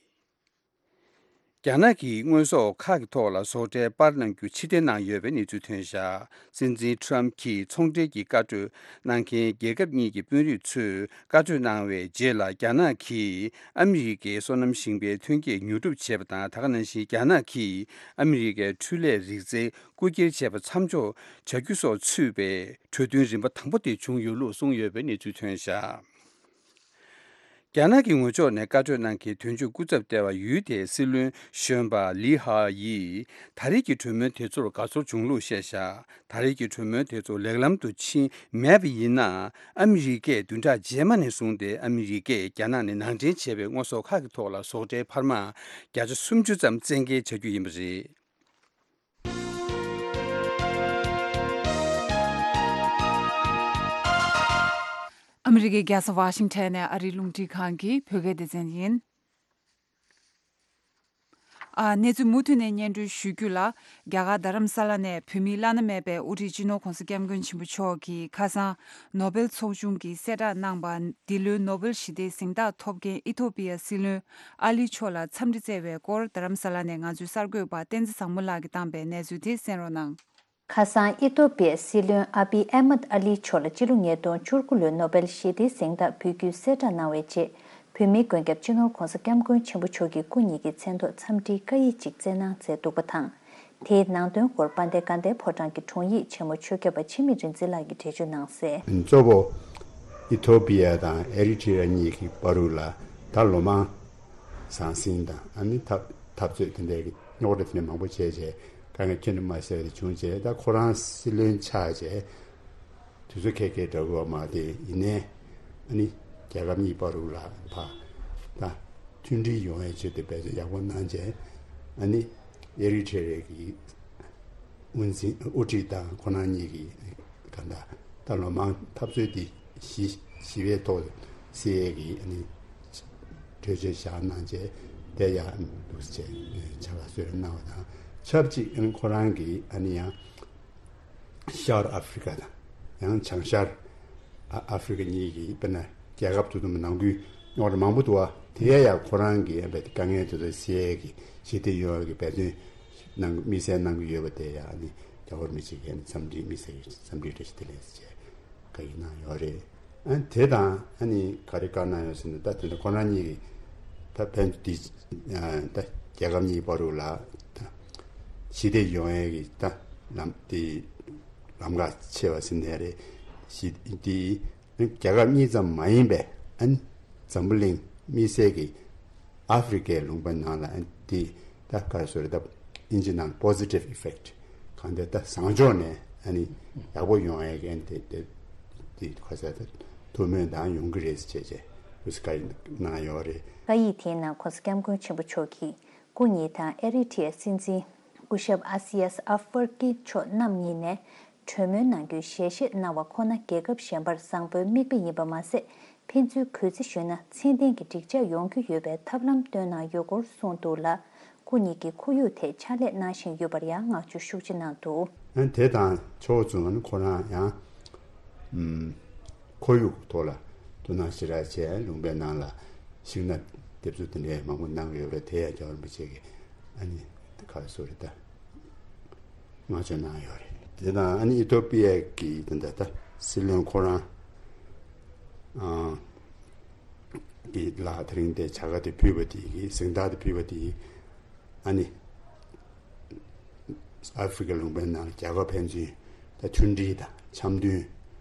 རྒྱ་ནག་གིས་དངོས་ཟོག་ཁག་གི་ཐོག་ལ་ཟོག་ཁྲལ་སྤར་གནང་རྒྱུ་ཕྱིར་འཐེན་གནང་ཡོད་པའི་གནས་ཚུལ་ཐོན་བཞག། སྲིད་འཛིན་ཊརམ་ཕི་གིས་ཚོང་འབྲེལ་གྱི་བཀའ་གྲོས་གནང་མཁན་རྒྱལ་ཁབ་གཉིས་ཀྱི་དཔོན་རིགས་ཚོས་བཀའ་གྲོས་གནང་བའི་རྗེས་ལ། རྒྱ་ནག་གིས་ཨ་མི་རི་ཀའི་སོ་ནམ་ཞིང་པའི་ཐོན་སྐྱེད་ཉོ་སྒྲུབ་བྱས་པ་དང་། ད་ག་ནང་བཞིན་རྒྱ་ནག་གིས་ཨ་མི་རི་ཀའི་འཕྲུལ་ལས་རིག་རྩལ་རྐུ་འཁྱེར་བྱས་པ་མཚམས་འཇོག་བྱ་རྒྱུ་སོགས་ཚུད་པའི་གྲོས་མཐུན་རིམ་པ་དང་པོ་དེ་བྱུང་ཡོད་ལུགས་གསུངས་ཡོད་པའི་གནས་ཚུལ་ཐོན་བཞག། རྒྱ་ནག་གི་ངོས་ཕྱོགས་ནས་བཀའ་གྲོས་གནང་མཁན་དོན་གཅོད་སྐུ་ཚབ་ལྟེ་བ་ཡུལ་དེའི་སྲིད་བློན་གཞོན་པ་ལི་ཧྭ་ཡིས། ད་རེས་ཀྱི་གྲོས་མོལ་དེ་ཚོར་དགའ་ཚོར་བྱུང་ལུགས་བཤད་བཞག། ད་རེས་ཀྱི་གྲོས་མོལ་དེ་ཚོ་ལེགས་ལམ་དུ་ཕྱིན་མེད་པ་ཡིན་ན། ཨ་མི་རི་ཀས་བདུན་ཕྲག་རྗེས་མ་ནས་བཟུང་སྟེ་ཨ་མི་རི་ཀས་རྒྱ་ནག་ནས་ནང་འདྲེན་བྱས་པའི་དངོས་ཟོག་ཁག་གི་ཐོག་ལ་ཟོག་ཁྲལ་འཕར་མ་བརྒྱ་ཆ་སུམ་ཅུ་ཙམ་བཙན་འགེལ་བྱ་རྒྱུ་ཡིན་པ་རེད། ཨ་མི་རི་ཀའི་རྒྱལ་ས་ཝ་ཤིང་ཊོན་ནས་ཨ་རིའི་རླུང་འཕྲིན་ཁང་གི་བོད་སྐད་སྡེ་ཚན་ཡིན། ཨ། གནས་ཚུལ་མུ་མཐུད་ནས་སྙན་སྒྲོན་ཞུ་རྒྱུ་ལ། རྒྱ་གར་རྡ་རམ་ས་ལ་ནས་བོད་མིའི་བླ་ན་མེད་པའི་དབུ་ཁྲིད་སྤྱི་ནོར་༧གོང་ས་༧སྐྱབས་མགོན་ཆེན་པོ་མཆོག་གིས་ཁ་སང་ནོ་བེལ་ཚོགས་ཆུང་གིས་གསལ་བསྒྲགས་གནང་བ། འདི་ལོའི་ནོ་བེལ་ཞི་བདེའི་གཟེངས་རྟགས་ཐོབ་མཁན་ཨི་ཐོ་པི་ཡ་སྲིད་བློན་ཨ་ལི་མཆོག་ལ་འཚམས་འདྲི་བསྩལ་བའི་སྐོར། རྡ་རམ་ས་ལ་ནས་ང་ཚོའི་གསར་འགོད་པ་བསྟན་འཛིན་བཟང་མོ་ལགས་ཀྱིས་བཏང་པའི་གནས་ཚུལ་དེ་གསན་རོགས་གནང་། ཁ་སང་ཨི་ཐོ་པི་ཡའི་སྲིད་བློན་ཨ་བི་ཨེ་མད་ཨ་ལི་མཆོག་ལ་སྤྱི་ལོ་ཉིས་སྟོང་བཅུ་དགུ་ལོའི་ནོ་བེལ་ཞི་བདེའི་གཟེངས་རྟགས་ཕུལ་རྒྱུའི་གསལ་བསྒྲགས་གནང་བའི་རྗེས། བོད་མིའི་མགོན་སྐྱབས་སྤྱི་ནོར་༧གོང་ས་༧སྐྱབས་མགོན་ཆེན་པོ་མཆོག་གིས་སྐུ་ཉིད་ཀྱི་མཚན་ཐོག་འཚམས་འདྲིའི་བཀའ་ཡིག་ཅིག་བསྩལ་གནང་མཛད་འདུག་པ་དང་། དེའི་ནང་དོན་སྐོར་དཔལ་ལྡན་དགའ་ལྡན་ཕོ་བྲང་གི་དྲུང་ཡིག་ཆེན་མོ་ཆོས་སྐྱབས་པ་འཆི་མེད་རིག་འཛིན་ལགས་ཀྱིས་འགྲེལ་བརྗོད་གནང་གསལ། གཙོ་བོ་ཨི་ཐོ་པི་ཡ་དང་ཨེ་རི་ཊི་རི་ཡ་གཉིས་ཀྱི་བར་དུ་ལ་ད་ལོ་མང་ཟང་ཟིང་དང་། ཨ་ནི་འཐབ་འཐབ་རྩོད་དེ་འདྲའི་རྙོག་དྲ་དེ་འདྲ་མང་པོ་བྱས་རྗེས་དཀའ་ངལ་ཁྱོན་ནས་མ་སེལ་བ་དེ་བྱུང་རྗེས། ད་ཁོ་རང་སྲིད་བློན་ཆགས་རྗེས་དུས་ཚོད་ཁེལ་ཁེལ་འདྲ་བོ་མ་རེད། ཡིན་ནའི་ཨ་ནི་རྒྱལ་ཁབ་གཉིས་བར་དུ་ལ་ཕ་ད་མཐུན་སྒྲིལ་ཡོང་བའི་ཆེད་དུ་འབད་བརྩོན་ཡག་པོ་གནང་རྗེས། ཨ་ནི་ཨེ་རི་ཊི་རི་ཡ་གི་དབུ་འཛིན་དབུ་ཁྲིད་དང་ཁོ་རང་གཉིས་ཀྱིས་གང་ལྟར་ད་ལོ་མང་འཐབ་རྩོད་འདི་ཞི་ཞི་བའི་ཐོག་སེལ་ཡས་ཀྱི་ཨ་ནི་གྲོས་ཆོད་བཞག་གནང་རྗེས། དེ་ཡང་འདུག་སེ་བྱས་ཕྱག་ལ་གསོལ་རས་གནང་བ་དང་ཆབས་ཅིག་ཨ་ནི་ཁོ་རང་གིས་ཨ་ནི་ཡང་ཤར་ཨ་ཧྥི་རི་ཀ་དང་ཡང་བྱང་ཤར་ཨ་ཨ་ཧྥི་རི་ཀ་གཉིས་ཀྱི་དཔེར་ན་རྒྱལ་ཁབ་དེ་ཚོ་ནང་ཁུལ་རྙོག་དྲ་མང་པོ་འདུག་བ། དེ་ཡང་ཁོ་རང་གིས་ཨ་ནི་དཀའ་ངལ་དེ་ཚོ་སེལ་ཡས་ཀྱི་ཞི་བདེ་ཡོང་ཡས་ཀྱི་འབད་བརྩོན་གནང་དམིགས་བསལ་གནང་གི་ཡོད་པ་དེ་ཡང་ཨ་ནི་རྒྱལ་བ་རིན་པོ་ཆེ་གིས་ཨ་ནི་འཚམས་འདྲི་དམིགས་བསལ་གྱི་འཚམས་འདྲི་བཀྲ་ཤིས་བདེ་ལེགས་ཟེར་བྱས། བཀའ་ཡིག་གནང་ཡོད་རེད། ཨ་དེ་དང་ཨ་ནི་ག་རེ་བཀའ་གནང་ཡོད་ཟེར་ན། ད་དེ་འདྲ་ཁོ་རང་གཉིས་ཀྱིས་ད་ཕན་ཚུན་འདི་ད་རྒྱལ་ཁབ་གཉིས་བར་དུ་ལ་ད་ཞི་བདེ་ཡོང་ཡས་ཀྱི་ད་ལམ་དེ་ལམ་ཁ་ཕྱེ་བ་ཟེར་ནའི་རེད། ཞི་དེ་རྒྱལ་ཁབ་གཉིས་ཙམ་མ་ཡིན་པའི་ཨ་ནི་འཛམ་བུ་གླིང་དམིགས་བསལ་གྱི་ཨ་ཧྥི་རི་ཀའི་ལུང་པ་ནང་ལ་ཨ་ནི་དེ་ད་ག་རེ་ཟེར་རེད། ད་ཨིན་ཇི་ནང་positive effect གང་ལྟར་ད་བཟང་ཕྱོགས་ནས་ཨ་ནི་ཡག་པོ་ཡོང་ཡས་ཀྱི་ཨ་ནི་དེ་དེ་དེ་ཁ་ས་ད་ཐུགས་སྨོན་དང་ཡོང་གི་རེད་ཟེར་བྱས་བྱས་འདུག་སེ་བཀའ་ཡིག་གནང་ཡོད་རེད། བཀའ་ཡིག་དེའི་ནང་༧གོང་ས་༧སྐྱབས་མགོན་ཆེན་པོ་མཆོག་གིས་སྐུ་ཉིད་དང་ཨེ་རི་ཊི་ཡའི་སྲིད་འཛིན་སྐུ་ཞབས་ཨ་སི་ཡས་ཨ་ཧྥར་ཀི་མཆོག་རྣམ་གཉིས་ནས་གྲོས་མོལ་གནང་རྒྱུའི་ཞལ་བཞེས་གནང་བ་ཁོ་ན་རྒྱལ་ཁབ་གཞན་པར་བཟང་པོའི་མིག་དཔེ་ཡིན་པ་མ་ཟད། ཕན་ཚུན་གུས་བརྩི་ཞུས་ན་ཚད་ལྡན་གྱི་འགྲིག་འཇགས་ཡོང་རྒྱུ་ཡོད་པའི་ཐབས་ལམ་བཏོན་གནང་ཡོད་སྐོར་གསུངས་འདུག་ལ། སྐུ་ཉིད་ཀྱིས་ཁོར་ཡུག་ཐད་ཕྱག་ལས་གནང་བཞིན་ཡོད་པར་ཡང་བསྔགས་བརྗོད་ཤུགས་ཆེ་གནང་འདུག། ཨ་དེ་དང་ཕྱོགས་མཚུངས་ཁོ་རང་ཡང་ཨུམ་ཁོར་ཡུག་ཐོག་ལ་ཐུགས་སྣང་ཞེ་དྲག་བྱས། ལུང་པའི་ནང་ལ་ཤིང་ནགས་འདེབས་འཛུགས་དེ་འདྲའི་མང་པོ་གནང་གི་ཡོད་པས། དེ་ཡང་རྒྱལ་བ་རིན་པོ་ཆེ་གིས་ཨ་ནི་ག་རེ་ཟེར་རེད། ད་བསྔགས་བརྗོད་གནང་ཡོད་རེད། དེ་དང་ཨ་ནི་ཨི་ཐོ་པི་ཡ་གི་དེ་འདྲ་ད་སྲིད་བློན་ཁོ་རང་ཨ་གི་ལ་དེ་རིང་དེ་བྱ་དགའ་དེ་ཕུལ་བ་དེ་གི་གཟེངས་རྟགས་དེ་ཕུལ་བ་དེ་ཨ་ནི་ཨ་ཧྥི་རི་ཀ་ལུང་པའི་ནང་ལ་རྒྱལ་ཁབ་ཕན་ཚུན་ད་མཐུན་སྒྲིལ་དང་འཆམ་མཐུན་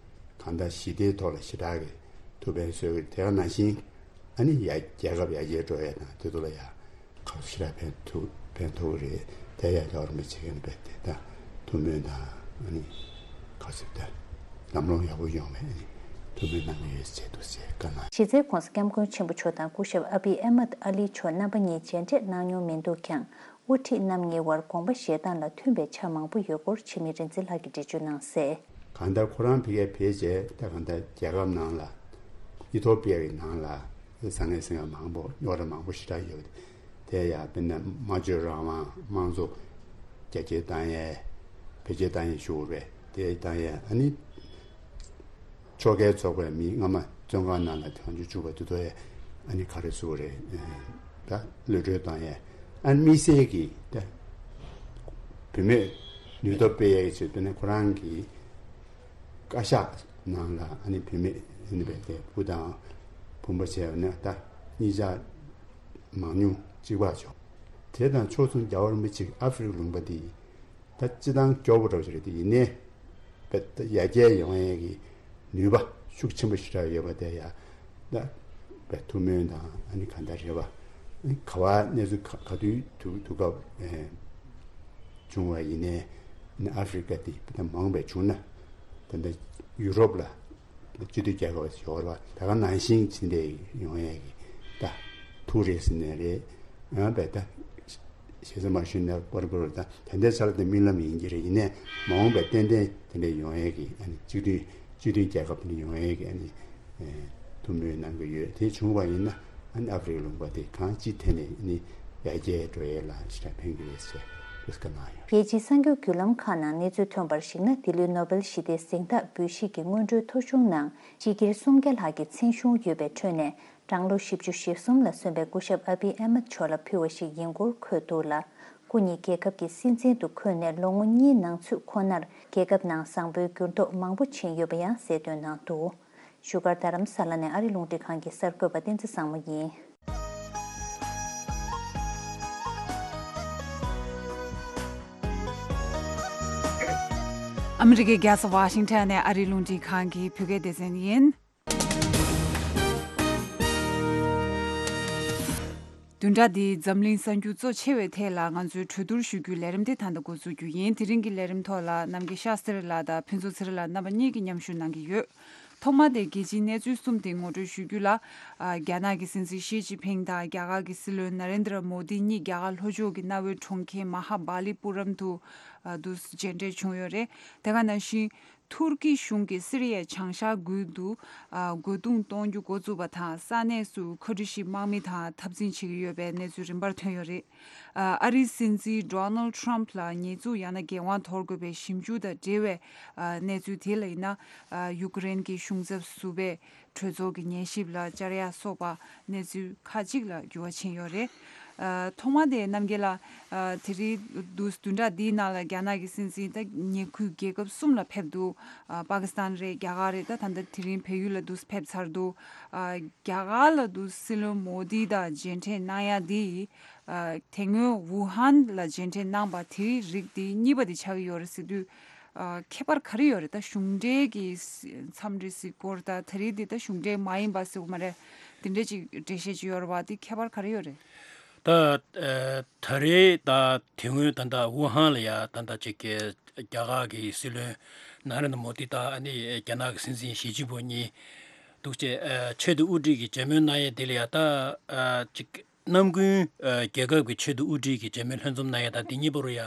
གང་ལྟར་ཞི་བདེའི་ཐོག་ལ་ཞེ་དྲག་གི་ཐུགས་ཕན་གསོས་ཀྱི་རེད། དེ་ག་ནང་བཞིན་ཨ་ནི་ཡ་རྒྱལ་ཁབ་ཡར་རྒྱས་འགྲོ་ཡས་དང་དེ་ཚོ་ལ་ཡ་ཁ་ཞེ་དྲག་ཕན་ཐོགས་ཕན་ཐོགས་ཀྱི་རེད། དེ་ཡ་རྒྱལ་བ་རིན་པོ་ཆེ་གིས་ནི་རྦད་དེ་ད་ཐུགས་སྨོན་དང་ཨ་ནི་ག་ཟེར་ད་ལམ་ལྷོང་ཡག་པོ་ཡོང་བའི་ཨ་ནི་ཐུགས་སྨོན་གནང་གི་ཡོད་ཟེར་འདུག་ཟེར་བཀའ་གནང་། གཞི་རྩའི་༧གོང་ས་༧སྐྱབས་མགོན་ཆེན་པོ་མཆོག་དང་སྐུ་ཞབས་ཨ་བི་ཨེ་མད་ཨ་ལི་མཆོག་རྣམ་པ་གཉིས་མཇལ་འཕྲད་གནང་མྱོང་མི་འདུག་ཀྱང་། དབུ་ཁྲིད་རྣམ་གཉིས་དབར་དགོངས་པ་བཞེས་སྟངས་ལ་མཐུན་པའི་ཆ་མང་པོ་ཡོད་སྐོར་འཆི་མེད་རིག་འཛིན་ལགས་ཀྱིས་འགྲེལ་བརྗོད་གནང་གསལ། གང་ལྟར་ཁོ་རང་ཕ་གིར་ཕེབས་རྗེས་ད་གང་ལྟར་རྒྱལ་ཁབ་ནང་ལ་ཨི་ཐོ་པི་ཡ་གི་ནང་ལ་བཟང་ངན་ཟེར་མཁན་མང་པོ་རྙོག་དྲ་མང་པོ་ཞེ་དྲག་ཡོད། དེ་ཡང་དཔེར་ན་སྨྲ་བརྗོད་རང་དབང་། དམངས་གཙོ་རྒྱ་སྐྱེད་བཏང་ཡས་བེད་སྤྱོད་བཏང་ཡས་ཞུ་དགོས་པས། དེ་བཏང་ཡས་ཨ་ནི་ཕྱོགས་འགལ་ཚོགས་པའི་མི་སྔ་མ་བཙོན་ཁང་ནང་ལ་དོན་རྐྱེན་བྱུང་བ་དེ་ཚོ་ཡང་ཨ་ནི་ག་རེ་ཟེར་དགོས་རེད། ད་གློད་གྲོལ་བཏང་ཡས། ཨ་ནི་དམིགས་བསལ་གྱིས་ད་བུད་མེད་ནུས་སྟོབས་སྤེལ་ཡས་ཀྱི་ཆེད་དུ་ནི་ཁོ་རང་གི་བཀའ་ཤག་ནང་ལ་ཨ་ནི་བུད་མེད་ཨ་ནི་རྦད་དེ་བུ་དང་བུ་མོ་བྱས་པ་ན་ད་གཉིས་ཆ་མང་ཉུང་གཅིག་པ་བྱུང་། དེ་དང་ཕྱོགས་མཚུངས་རྒྱལ་བ་རིན་པོ་ཆེ་ཨ་ཧྥི་རི་ཀ་ལུང་པ་འདི་ད་སྤྱི་བཏང་སྐྱོ་པོ་འདྲ་བོ་ཞིག་རེད། དེ་ཡིན་ནའི་རྦད་དེ་ཡར་རྒྱས་ཡོང་ཡས་ཀྱི་ནུས་པ་ཤུགས་ཆེན་པོ་ཞེ་དྲག་ཡོད་པ་དེ་ཡང་ད་རྦད་ཐུགས་སྨོན་དང་ཨ་ནི་གང་ལྟར་རེད་པ། ཨ་ནི་ག་པར་གནས་ཚུལ་ག་ག་དུས་དུས་དུས་སྐབས་ཨེ་བྱུང་བ་ཡིན་ནའི་ཨ་ནི་ཨ་ཧྥི་རི་ཀ་དེ་ད་མང་པས་བྱུང་ན་ད་ལྟ་ཡུ་རོབ་ལ་སྤྱི་མཐུན་རྒྱལ་ཁབ་ཡོད་རེད་པ། ད་ག་ནང་བཞིན་ཕྱིན་ཏེ་ཡོང་ཡས་ཀྱི་ད་ཐུགས་རེ་ཟིན་ནས་རེད། ཡང་རྦད་ད་ཞེ་ས་མ་ཞུས་ན་པར་པར་ད་ད་ལྟའི་ཆར་དེ་རྨི་ལམ་ཡིན་གྱི་རེད། ཡིན་ནའི་མ་འོངས་པའི་ཏན་ཏན་དེ་འདྲ་ཡོང་ཡས་ཀྱི་ཨ་ནི་སྤྱི་མཐུན་སྤྱི་མཐུན་རྒྱལ་ཁབ་དེ་འདྲ་ཡོང་ཡས་ཀྱི་ཨ་ནི་ཨེ་ཐུགས་སྨོན་གནང་གི་ཡོད། དེ་བྱུང་བ་ཡིན་ན་ཨ་ནི་ཨ་ཧྥི་རི་ཀ་ལུང་པ་དེ་གང་ཅི་ཐད་ནས་ཨ་ནི་ ཡར་རྒྱས་འགྲོ་ཡས་ལ་ཞེ་དྲག་ཕན་གྱི་རེད་ཟེར་བཀའ་གནང་ཡོད། རྒྱལ་སྤྱིའི་གསར་འགྱུར་བརྒྱུད་ལམ་ཁག་ནང་གནས་ཚུལ་ཐོན་པར་གཞིགས་ན། འདི་ལོའི་ནོ་བེལ་ཞི་བདེའི་གཟེངས་རྟགས་འབུལ་བཞེས་ཀྱི་སྔོན་འགྲོའི་ཐོ་གཞུང་ནང་སྤྱི་སྒེར་སུམ་བརྒྱ་ལྷག་གི་མཚན་གཞུང་ཡོད་པའི་ཁྲོད་ནས། གྲངས་ལོ་བཞི་བཅུ་ཞེ་གསུམ་ལ་སོན་པའི་སྐུ་ཞབས་ཨ་བི་ཨ་མད་མཆོག་ལ་ཕུལ་བ་ཞིག་ཡིན་སྐོར་འཁོད་འདུག་ལ། སྐུ་ཉིད་རྒྱལ་ཁབ་ཀྱི་སྲིད་འཛིན་དུ་འཁོད་ནས་ལོ་ངོ་གཉིས་ནང་ཚུད་ཁོ་ནར། རྒྱལ་ཁབ་ནང་བཟང་པོའི་འགྱུར་ལྡོག་མང་པོ་ཕྱིན་ཡོད་པ་ཡང་གསལ་སྟོན་གནང་འདུག་བཞུགས་སྒར་རྡ་རམ་ས་ལ་ནས་ཨ་རི་རླུང་འཕྲིན་ཁང་གི་གསར་འགོད་པ་བསྟན་འཛིན་བཟང་མོ་ཡིན། ཨ་མི་རི་ཀའི་རྒྱལ་ས་ཝ་ཤིང་ཊོན་ནས་ཨ་རིའི་རླུང་འཕྲིན་ཁང་གི་བོད་སྐད་སྡེ་ཚན་ཡིན། བདུན་ཕྲག་འདིའི་འཛམ་གླིང་གསར་འགྱུར་གཙོ་ཆེ་བའི་ཐད་ལ་ང་ཚོས་གྲོས་བསྡུར་ཞུ་རྒྱུའི་ལས་རིམ་དེ་ད་ལྟ་འགོ་འཛུགས་རྒྱུ་ཡིན། དེ་རིང་གི་ལས་རིམ་ཐོག་ལ་རྣམ་རྒྱལ་ཤཱསྟྲི་ལགས་དང་ཕུན་ཚོགས་ཚེ་རིང་ལགས་རྣམ་པ་གཉིས་ཀྱིས་མཉམ་ཞུགས་གནང་གི་ཡོད། ཐོག་མ་དེ་རྒྱལ་སྤྱིའི་གནས་ཚུལ་གསུམ་དེ་ངོ་སྤྲོད་ཞུ་རྒྱུ་ལ། ཨ། རྒྱ་ནག་གི་སྲིད་འཛིན་ཞི་ཅིན་ཕིང་དང་རྒྱ་གར་གྱི་སྲིད་བློན་ན་རེན་དྲ་མོ་དི་གཉིས་རྒྱ་གར་ལྷོ་ཕྱོགས་ཀྱི་གནའ་བོའི་གྲོང་ཁྱེར་མ་ཧ་སྦ་ལི་པུ་རམ་དུ། ཨ། དུ་མཇལ་འཕྲད་བྱུང་ཡོད་རེད། དེ་ག་ནང་བཞིན། ཐུར་ཀི་གཞུང་གིས་སི་རི་ཡའི་བྱང་ཤར་ཁུལ་དུ། ཨ། རྒོལ་རྡུང་གཏོང་རྒྱུ་འགོ་བཙུགས་པ་དང་། ས་གནས་སུ་ཁ་བསྒྲིགས་ཤིག་དམག་མི་དང་འཐབ་འཛིང་བྱེད་ཀྱི་ཡོད་པའི་གནས་ཚུལ་རིམ་པར་ཐོན་ཡོད་རེད། ཨ། ཨ་རིའི་སྲིད་འཛིན་ཌོ་ནལ་ཊམ་ལ་ཉེས་འཛུགས་ཡང་ན་འགན་དབང་དོར་དགོས་པའི་ཞིབ་འཇུག་དང་འབྲེལ་བའི། ཨ། གནས་ཚུལ་དེ་ལ་ཡིན་ན། ཨ། ཡུཀ་རེན་གྱི་གཞུང་ཚབ་ཟུར་པས་གྲོས་ཚོགས་ཀྱི་ཉན་ཞིབ་ལ་བཅར་ཡ་སོགས་པ་གནས་ཚུལ་ཁག་ཅིག་ལ་འགྱུར་བ་ཕྱིན་ཡོད་རེད། ཨ། ཐོག་མ་དེ་རྣམ་རྒྱལ་ལགས། ཨ། དེ་རིང་དུས་བདུན་ཕྲག་འདིའི་ནང་ལ་རྒྱ་ནག་གི་སྲིད་འཛིན་ད་ཉེ་ཁུལ་རྒྱལ་ཁབ་གསུམ་ལ་ཕེབས་འདུག་ཨ། པ་ཀི་སི་ཐན་རེད། རྒྱ་གར་རེད། ད་ད་ལྟ་དེ་རིང་བལ་ཡུལ་ལ་དུས་ཕེབས་ཚར་འདུག་ཨ། རྒྱ་གར་ལ་དུས་སྲིད་བློན་མོ་དི་དང་མཇལ་འཕྲད་གནང་ཡ་དེ། ཨ། དེ་སྔོན་ཝུ་ཧན་ལ་མཇལ་འཕྲད་གནང་པ་དེའི་རིགས་དེ་གཉིས་པ་དེ་ཆགས་ཀྱི་ཡོད་རེད་ཟེར་དུས། ཨ། ཁྱད་པར་ག་རེ་ཡོད་རེད། ད་གཞུང་འབྲེལ་གྱི་འཚམས་འདྲི་ཟེར་སྐོར་དང་། ད་རེས་འདི་ད་གཞུང་འབྲེལ་མ་ཡིན་པ་ཟེར་བ་མ་རེད། དེ་འདྲས་ཅིག་འགྲེལ་བཤད་ཅིག་ཡོད་རེད་བ། དེ་ཁྱད་པར་ག་རེ་ཡོད་རེད། ད། ཨ། ད་རེས་ད་དེ་སྔོན་ད་ལྟ་ཝུ་ཧན་ལ་ཡ་ད་ལྟ་ཅིག་གི་རྒྱ་གར་གྱི་སྲིད་བློན་ན་རེན་དྲ་མོ་དི་དང་། ཨ་ནི་རྒྱ་ནག་གི་སྲིད་འཛིན་ཞི་ཅིན་ཕིང་གཉིས་འདུག་བྱས། ཨ། ཆེས་མཐོའི་དབུ་ཁྲིད་ཀྱི་མཇལ་མོལ་གནང་ཡས་དེ་ལ་ཡ་ད། ཨ། ཅིག་གནམ་དགུན། ཨ། རྒྱལ་ཁབ་ཀྱི་ཆེས་མཐོའི་དབུ་ཁྲིད་ཀྱི་མཇལ་མོལ་ལྷན་འཛོམས་གནང་ཡས་དང་དེ་གཉིས་བར་དུ་ཡ་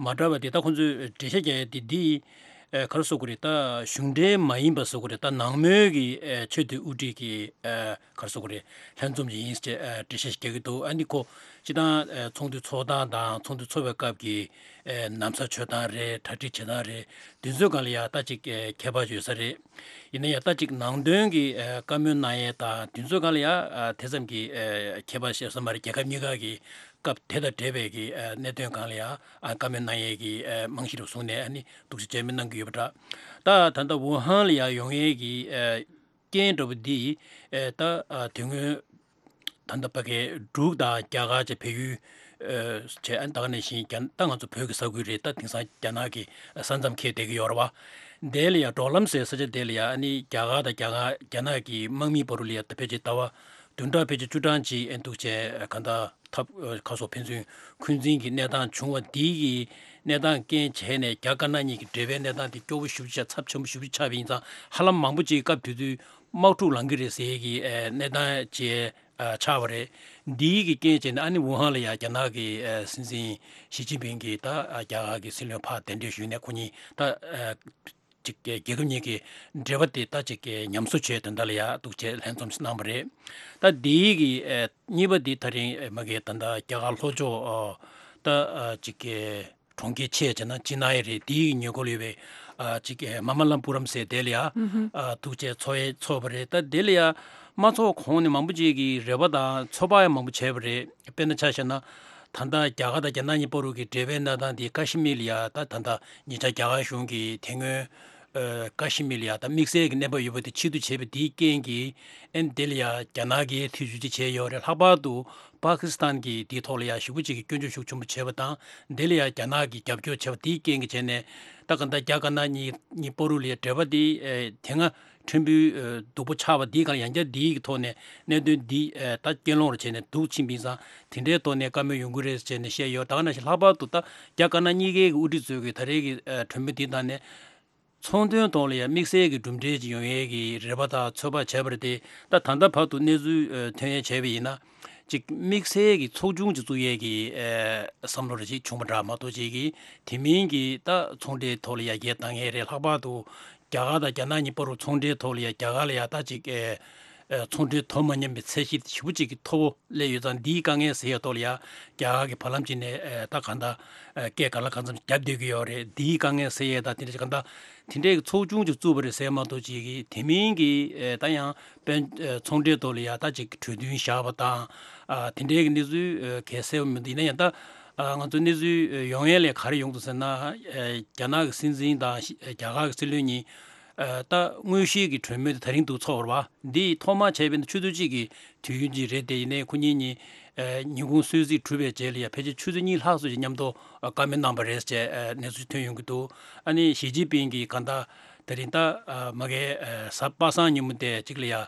མ་འདྲ་བ་དེ། ད་ཁོང་ཚོས་འགྲེལ་བཤད་རྒྱག་ཡས་དེ་འདི། ཨ། ག་རེ་ཟེར་དགོས་རེད། ད་གཞུང་འབྲེལ་མ་ཡིན་པ་ཟེར་དགོས་རེད། ད་ནང་མོལ་གྱི། ཨ། ཆེས་མཐོའི་དབུ་ཁྲིད་ཀྱི། ཨ། ག་རེ་ཟེར་དགོས་རེད། ལྷན་འཛོམས་ཅིག་ཡིན་ཟེར། ཨ། འགྲེལ་བཤད་ཞིག་རྒྱག་གི་འདུག་ཨ་ནི་ཁོ་སྤྱིར་བཏང་། ཨ། ཚོགས་འདུ་ཚོགས་སྟངས་དང་ཚོགས་འདུ་ཚོགས་པའི་སྐབས་ཀྱི། ཨ། ན་བཟའ་མཆོད་སྟངས་རེད། གྲ་སྒྲིག་བྱེད་སྟངས་རེད། དེ་ཚོའི་སྒང་ལ་ཡ་ད་ཅིག་ཨ། ཁྱད་པར་ཡོད་ས་རེད། ཡིན་ན་ཡང་ད་ཅིག་ནང་དོན་གྱི། ཨ། བཀའ་མོལ་གནང་ཡས་དང་དེ་ཚོའི་སྒང་ལ་ཡ། ཨ། དེ་ཙམ་གྱི། ཨ། ཁྱད་པར་ཡོད་ས་མ་རེད། རྒྱལ་ཁབ་གཉིས་ཀ་གི་སྐབས་དེ་དང་འབྲེལ་བའི་གི། ཨ། གནད་དོན་སྒང་ལ་ཡ། ཨ། བཀའ་མོལ་གནང་ཡས་ཀྱི། ཨ། རྨང་གཞི་རུ་བཟུང་ནས། ཨ་ནི་འདུག་སེ་མཇལ་མོལ་གནང་གི་ཡོད་པ་འདྲ། ད་ད་ལྟ་ཝུ་ཧན་ལ་ཡ་ཡོང་ཡས་ཀྱི། ཨ། རྐྱེན་འདྲ་བོ་འདི། ཨ། ད། ཨ། དེ་སྔོན་ད་ལྟ་ཕ་གིའི་འབྲུག་དང་རྒྱ་གར་བཅས་བལ་ཡུལ། ཨ། བྱས། ཨ། ད་ག་ནང་བཞིན་རྒྱ། ད་ང་ཚོ་བོད་ཀྱི་ས་ཁུལ་རེད། ད་དེང་སང་རྒྱ་ནག་གི་ས་མཚམས་འཁེལ་བསྡད་ཀྱི་ཡོད་རེད་བ། དེ་ལ་ཡ་འབྲོག་ལམ་ཟེར་ས་ཆ་དེ་ལ་ཡ། ཨ་ནི་རྒྱ་གར་དང་རྒྱ་གར། རྒྱ་ནག་གི་དམག་མིའི་བར་དུ་ལ་ཡ་ད་ཕལ་ཆེར་ཟླ་བ་བདུན་ཕྲག་ཕལ་ཆེར་བཅུ་གྲངས་ཅིག་ཨེ་འདུག་བྱས། གང་ལྟར་འཐབ། ཨ། ཁ་སོགས་ཕན་ཚུན་འཁོན་འཛིན་གྱི་གནས་སྟངས་བྱུང་བ་འདི་གི་གནས་སྟངས་རྐྱེན་བྱས་ནས་རྒྱ་དཀར་ནག་གཉིས་ཀྱི་འབྲེལ་བའི་གནས་སྟངས་དེ་སྐྱོ་བོ་ཞེ་པོ་ཅིག་ཆགས། ཚབས་ཆེན་པོ་ཞེ་པོ་ཅིག་ཆགས་པ་ཡིན་ཙང་། ཧ་ལམ་མང་པོ་ཅིག་སྐབས་དེ་དུས་དམག་འཁྲུག་ལང་གི་རེད་ཟེར་གྱི། ཨ། གནས་སྟངས་ཅིག་ཨ། ཆགས་པ་རེད། འདིའི་གི་རྐྱེན་བྱས་ནས་ཨ་ནི་ཝུ་ཧན་ལ་ཡ་རྒྱ་ནག་གི། ཨ། སྲིད་འཛིན་ཞི་ཅིན་ཕིང་གིས་ད། ཨ། རྒྱ་གར་གྱི་སྲིད་བློན་ཕར་གདན་འདྲེན་ཞུས་ནས་ཁོ་གཉིས་ད། ཨ། ཅིག་གི་རྒྱལ་ཁབ་གཉིས་ཀྱི་འབྲེལ་བ་དེ་ད་ཅིག་གི་ཉམས་གསོ་བྱས། དེ་འདྲ་ལ་ཡ་འདུག་བྱས་ལྷན་འཛོམས་གནང་བ་རེད། ད་འདིའི་གི། ཨ། གཉིས་པ་འདི་ད་རིང་མ་གི་ད་ལྟ་རྒྱ་གར་ལྷོ་ཕྱོགས། ཨ། ད། ཨ། ཅིག་གི་གྲོང་ཁྱེར་ཆེ་བྱས་ན་ཅི་ན་ཡི་རེད། དེའི་ཉེ་འཁོར་ལ་ཡོད་པའི། ཨ། ཅིག་གི་མ་མ་ལ་པུ་རམ་ཟེར་དེ་ལ་ཡ། ཨ། འདུག་བྱས་ཚོགས་ཡས་ཚོགས་པ་རེད། ད་དེ་ལ་ཡ་མ་ཚོགས་གོང་ནས་མང་པོ་ཅིག་གིས་རེ་བ་དང་ཚོད་དཔག་ཡང་མང་པོ་བྱས་པ་རེད། དཔེར་ན་ཆ་བཞག་ན། ད་ལྟ་རྒྱ་གར་དང་རྒྱ་ནག་གཉིས་བར་དུ་གི་འབྲེལ་བའི་གནས་སྟངས་དེ་ཀ་ཤི་མིར་ལ་ཡ། ད་ད་ལྟ་ཉེ་ཆར་རྒྱ་གར་གཞུང་གིས་དེ་སྔོན། ཨ། ཀ་ཤི་མིར་ལ་ཡ་ད་དམིགས་བསལ་གྱི་གནས་བབ་ཡོད་པ་དེ་ཕྱིར་བསྡུ་བྱས་པ་དེའི་རྐྱེན་གྱིས། ཨ་ནི་དེ་ལ་ཡ་རྒྱ་ནག་གིས་ཐེ་བྱུས་ཅིག་བྱས་ཡོད་རེད། ལྷག་པར་དུ་པ་ཀི་སི་ཐན་གྱིས་དེའི་ཐོག་ལ་ཡ་ཞེ་པོ་ཅིག་གི་སྐྱོན་བརྗོད་ཤུགས་ཆེན་པོ་བྱས་པ་དང་། དེ་ལ་ཡ་རྒྱ་ནག་གིས་རྒྱབ་སྐྱོར་བྱས་པ་དེའི་རྐྱེན་གྱིས་བྱས་ནས། ད་ག་ད་རྒྱ་དཀར་ནག་གཉིས་གཉིས་བར་དུ་ལ་ཡ་འབྲེལ་བ་དེ། ཨ། དེ་སྔ་ཕྲན་བུ། ཨ། སྡུག་པོ་ཆགས་པ་དེའི་སྒང་ཡང་བསྐྱར་དེའི་ཐོག་ནས་གནད་དོན་འདི། ཨ། ད་རྐྱེན་སློང་རུ་བྱས་ནས་སྡུག་ཕྱིན་པ་ཡིན་ཙང་། དེ་འདྲའི་ཐོག་ནས་བཀའ་མོལ་ཡོང་གི་རེད་ཟེར་ནས་བཤད་ཡོད། ད་ག་ནང་བཞིན་ལྷག་པར་དུ་ད་རྒྱ་དཀར་ནག་གཉིས་ཀའི་གི་དབུ་ཁྲིད་ཚོས་གི་ད་རེས་ཀྱི། ཨ། གྲོས་མོལ་འདིའི་ཐོག་ནས་ཚོང་དོན་ཐོག་ལ་ཡང་དམིགས་བསལ་གྱི་གྲུབ་འབྲས་ཅིག་ཡོང་ཡས་ཀྱི་རེ་བ་དང་ཚོད་དཔག་བྱས་པ་རེད་དེ། ད་ད་ལྟ་བར་དུ་གནས་ཚུལ། ཨ། ཐོན་ཡས་བྱས་པ་ཡིན་ན། ཅིག་དམིགས་བསལ་གྱི་ཚོགས་ཆུང་ཅིག་བཙུགས་ཡས་ཀྱི། ཨ། བསམ་བློ་རེ་ཅིག་བྱུང་བ་འདྲ་མ་གཏོགས། ཅིག་གི་དེ་མིན་གྱི་ད་ཚོང་འབྲེལ་ཐོག་ལ་ཡ་རྒྱས་བཏང་ཡས་རེད། ལྷག་པར་དུ་རྒྱ་གར་དང་རྒྱ་ནག་གཉིས་བར་དུ་ཚོང་འབྲེལ་ཐོག་ལ་ཡ་རྒྱ་གར་ལ་ཡ་ད་ཅིག་ཨེ། ཚོང་འབྲེལ་དོ་མ་མཉམ་པའི་ཚད་གཞི་ཞེ་པོ་ཅིག་གི་མཐོ་པོ་སླེབས་ཡོད་ཙང་། འདིའི་དཀའ་ངལ་སེལ་ཡས་ཐོག་ལ་ཡ་རྒྱ་གར་གྱིས་བར་ལམ་ཅིག་ནས་ད་གང་ལྟར་སྐད་ག་ལ་གང་འཚམ་བརྒྱབ་བསྡད་ཀྱི་ཡོད་རེད། འདིའི་དཀའ་ངལ་སེལ་ཡས་ད་དེ་འདྲ་གང་ལྟར་དེ་འདྲའི་གི་ཚོགས་ཆུང་ཅིག་བཙུགས་པ་རེད་ཟེར་མ་གཏོགས། ཅིག་གི་དེ་མིན་གྱི་ད་ཡང་དཔལ་ཚོང་འབྲེལ་ཐོག་ལ་ཡ་ད་ཅིག་གྲོས་མཐུན་བཞག་པ་དང་། དེ་འདྲའི་གི་གནས་ཚུལ་གལ་གསལ་བ་མི་འདུག་ཡིན་ན་ཡང་ད་ང་ཚོ་གནས་ཚུལ་ཡོང་ཡས་ལས་ག་རེ་ཡོང་འདུག་ཟེར་ན། རྒྱ་ནག་གི་སྲིད་འཛིན་དང་རྒྱ་གར་གྱི་སྲིད་བློན་གཉིས། ད་དངོས་གཞིའི་གི་གྲོས་མོལ་དེ་ད་རིང་འདུག་ཚོགས་པ་རེད་པ། འདི་ཐོག་མ་བྱས་པའི་ཆུ་ཚོད་གཅིག་གི་དུས་ཡུན་ཅིག་རེད་དེ། ཡིན་ནའི་ཁོ་གཉིས་གཉིས་ཉིན་གུང་གསོལ་ཚིགས་གྲུབ་པའི་རྗེས་ལ་ཡ་ཕལ་ཆེར་ཆུ་ཚོད་གཉིས་ལྷག་ཙམ་ཞིག་མཉམ་དུ་བཀའ་མོལ་གནང་པ་རེད་ཅེས་གནས་ཚུལ་ཐོན་ཡོང་གི་འདུག་ཨ་ནི་ཞི་ཅིན་ཕིང་གིས་གང་ལྟར་ད་རིང་ད་མ་གི་གཟའ་པ་སངས་ཉིན་མོ་དེ་གཅིག་ལ་ཡ་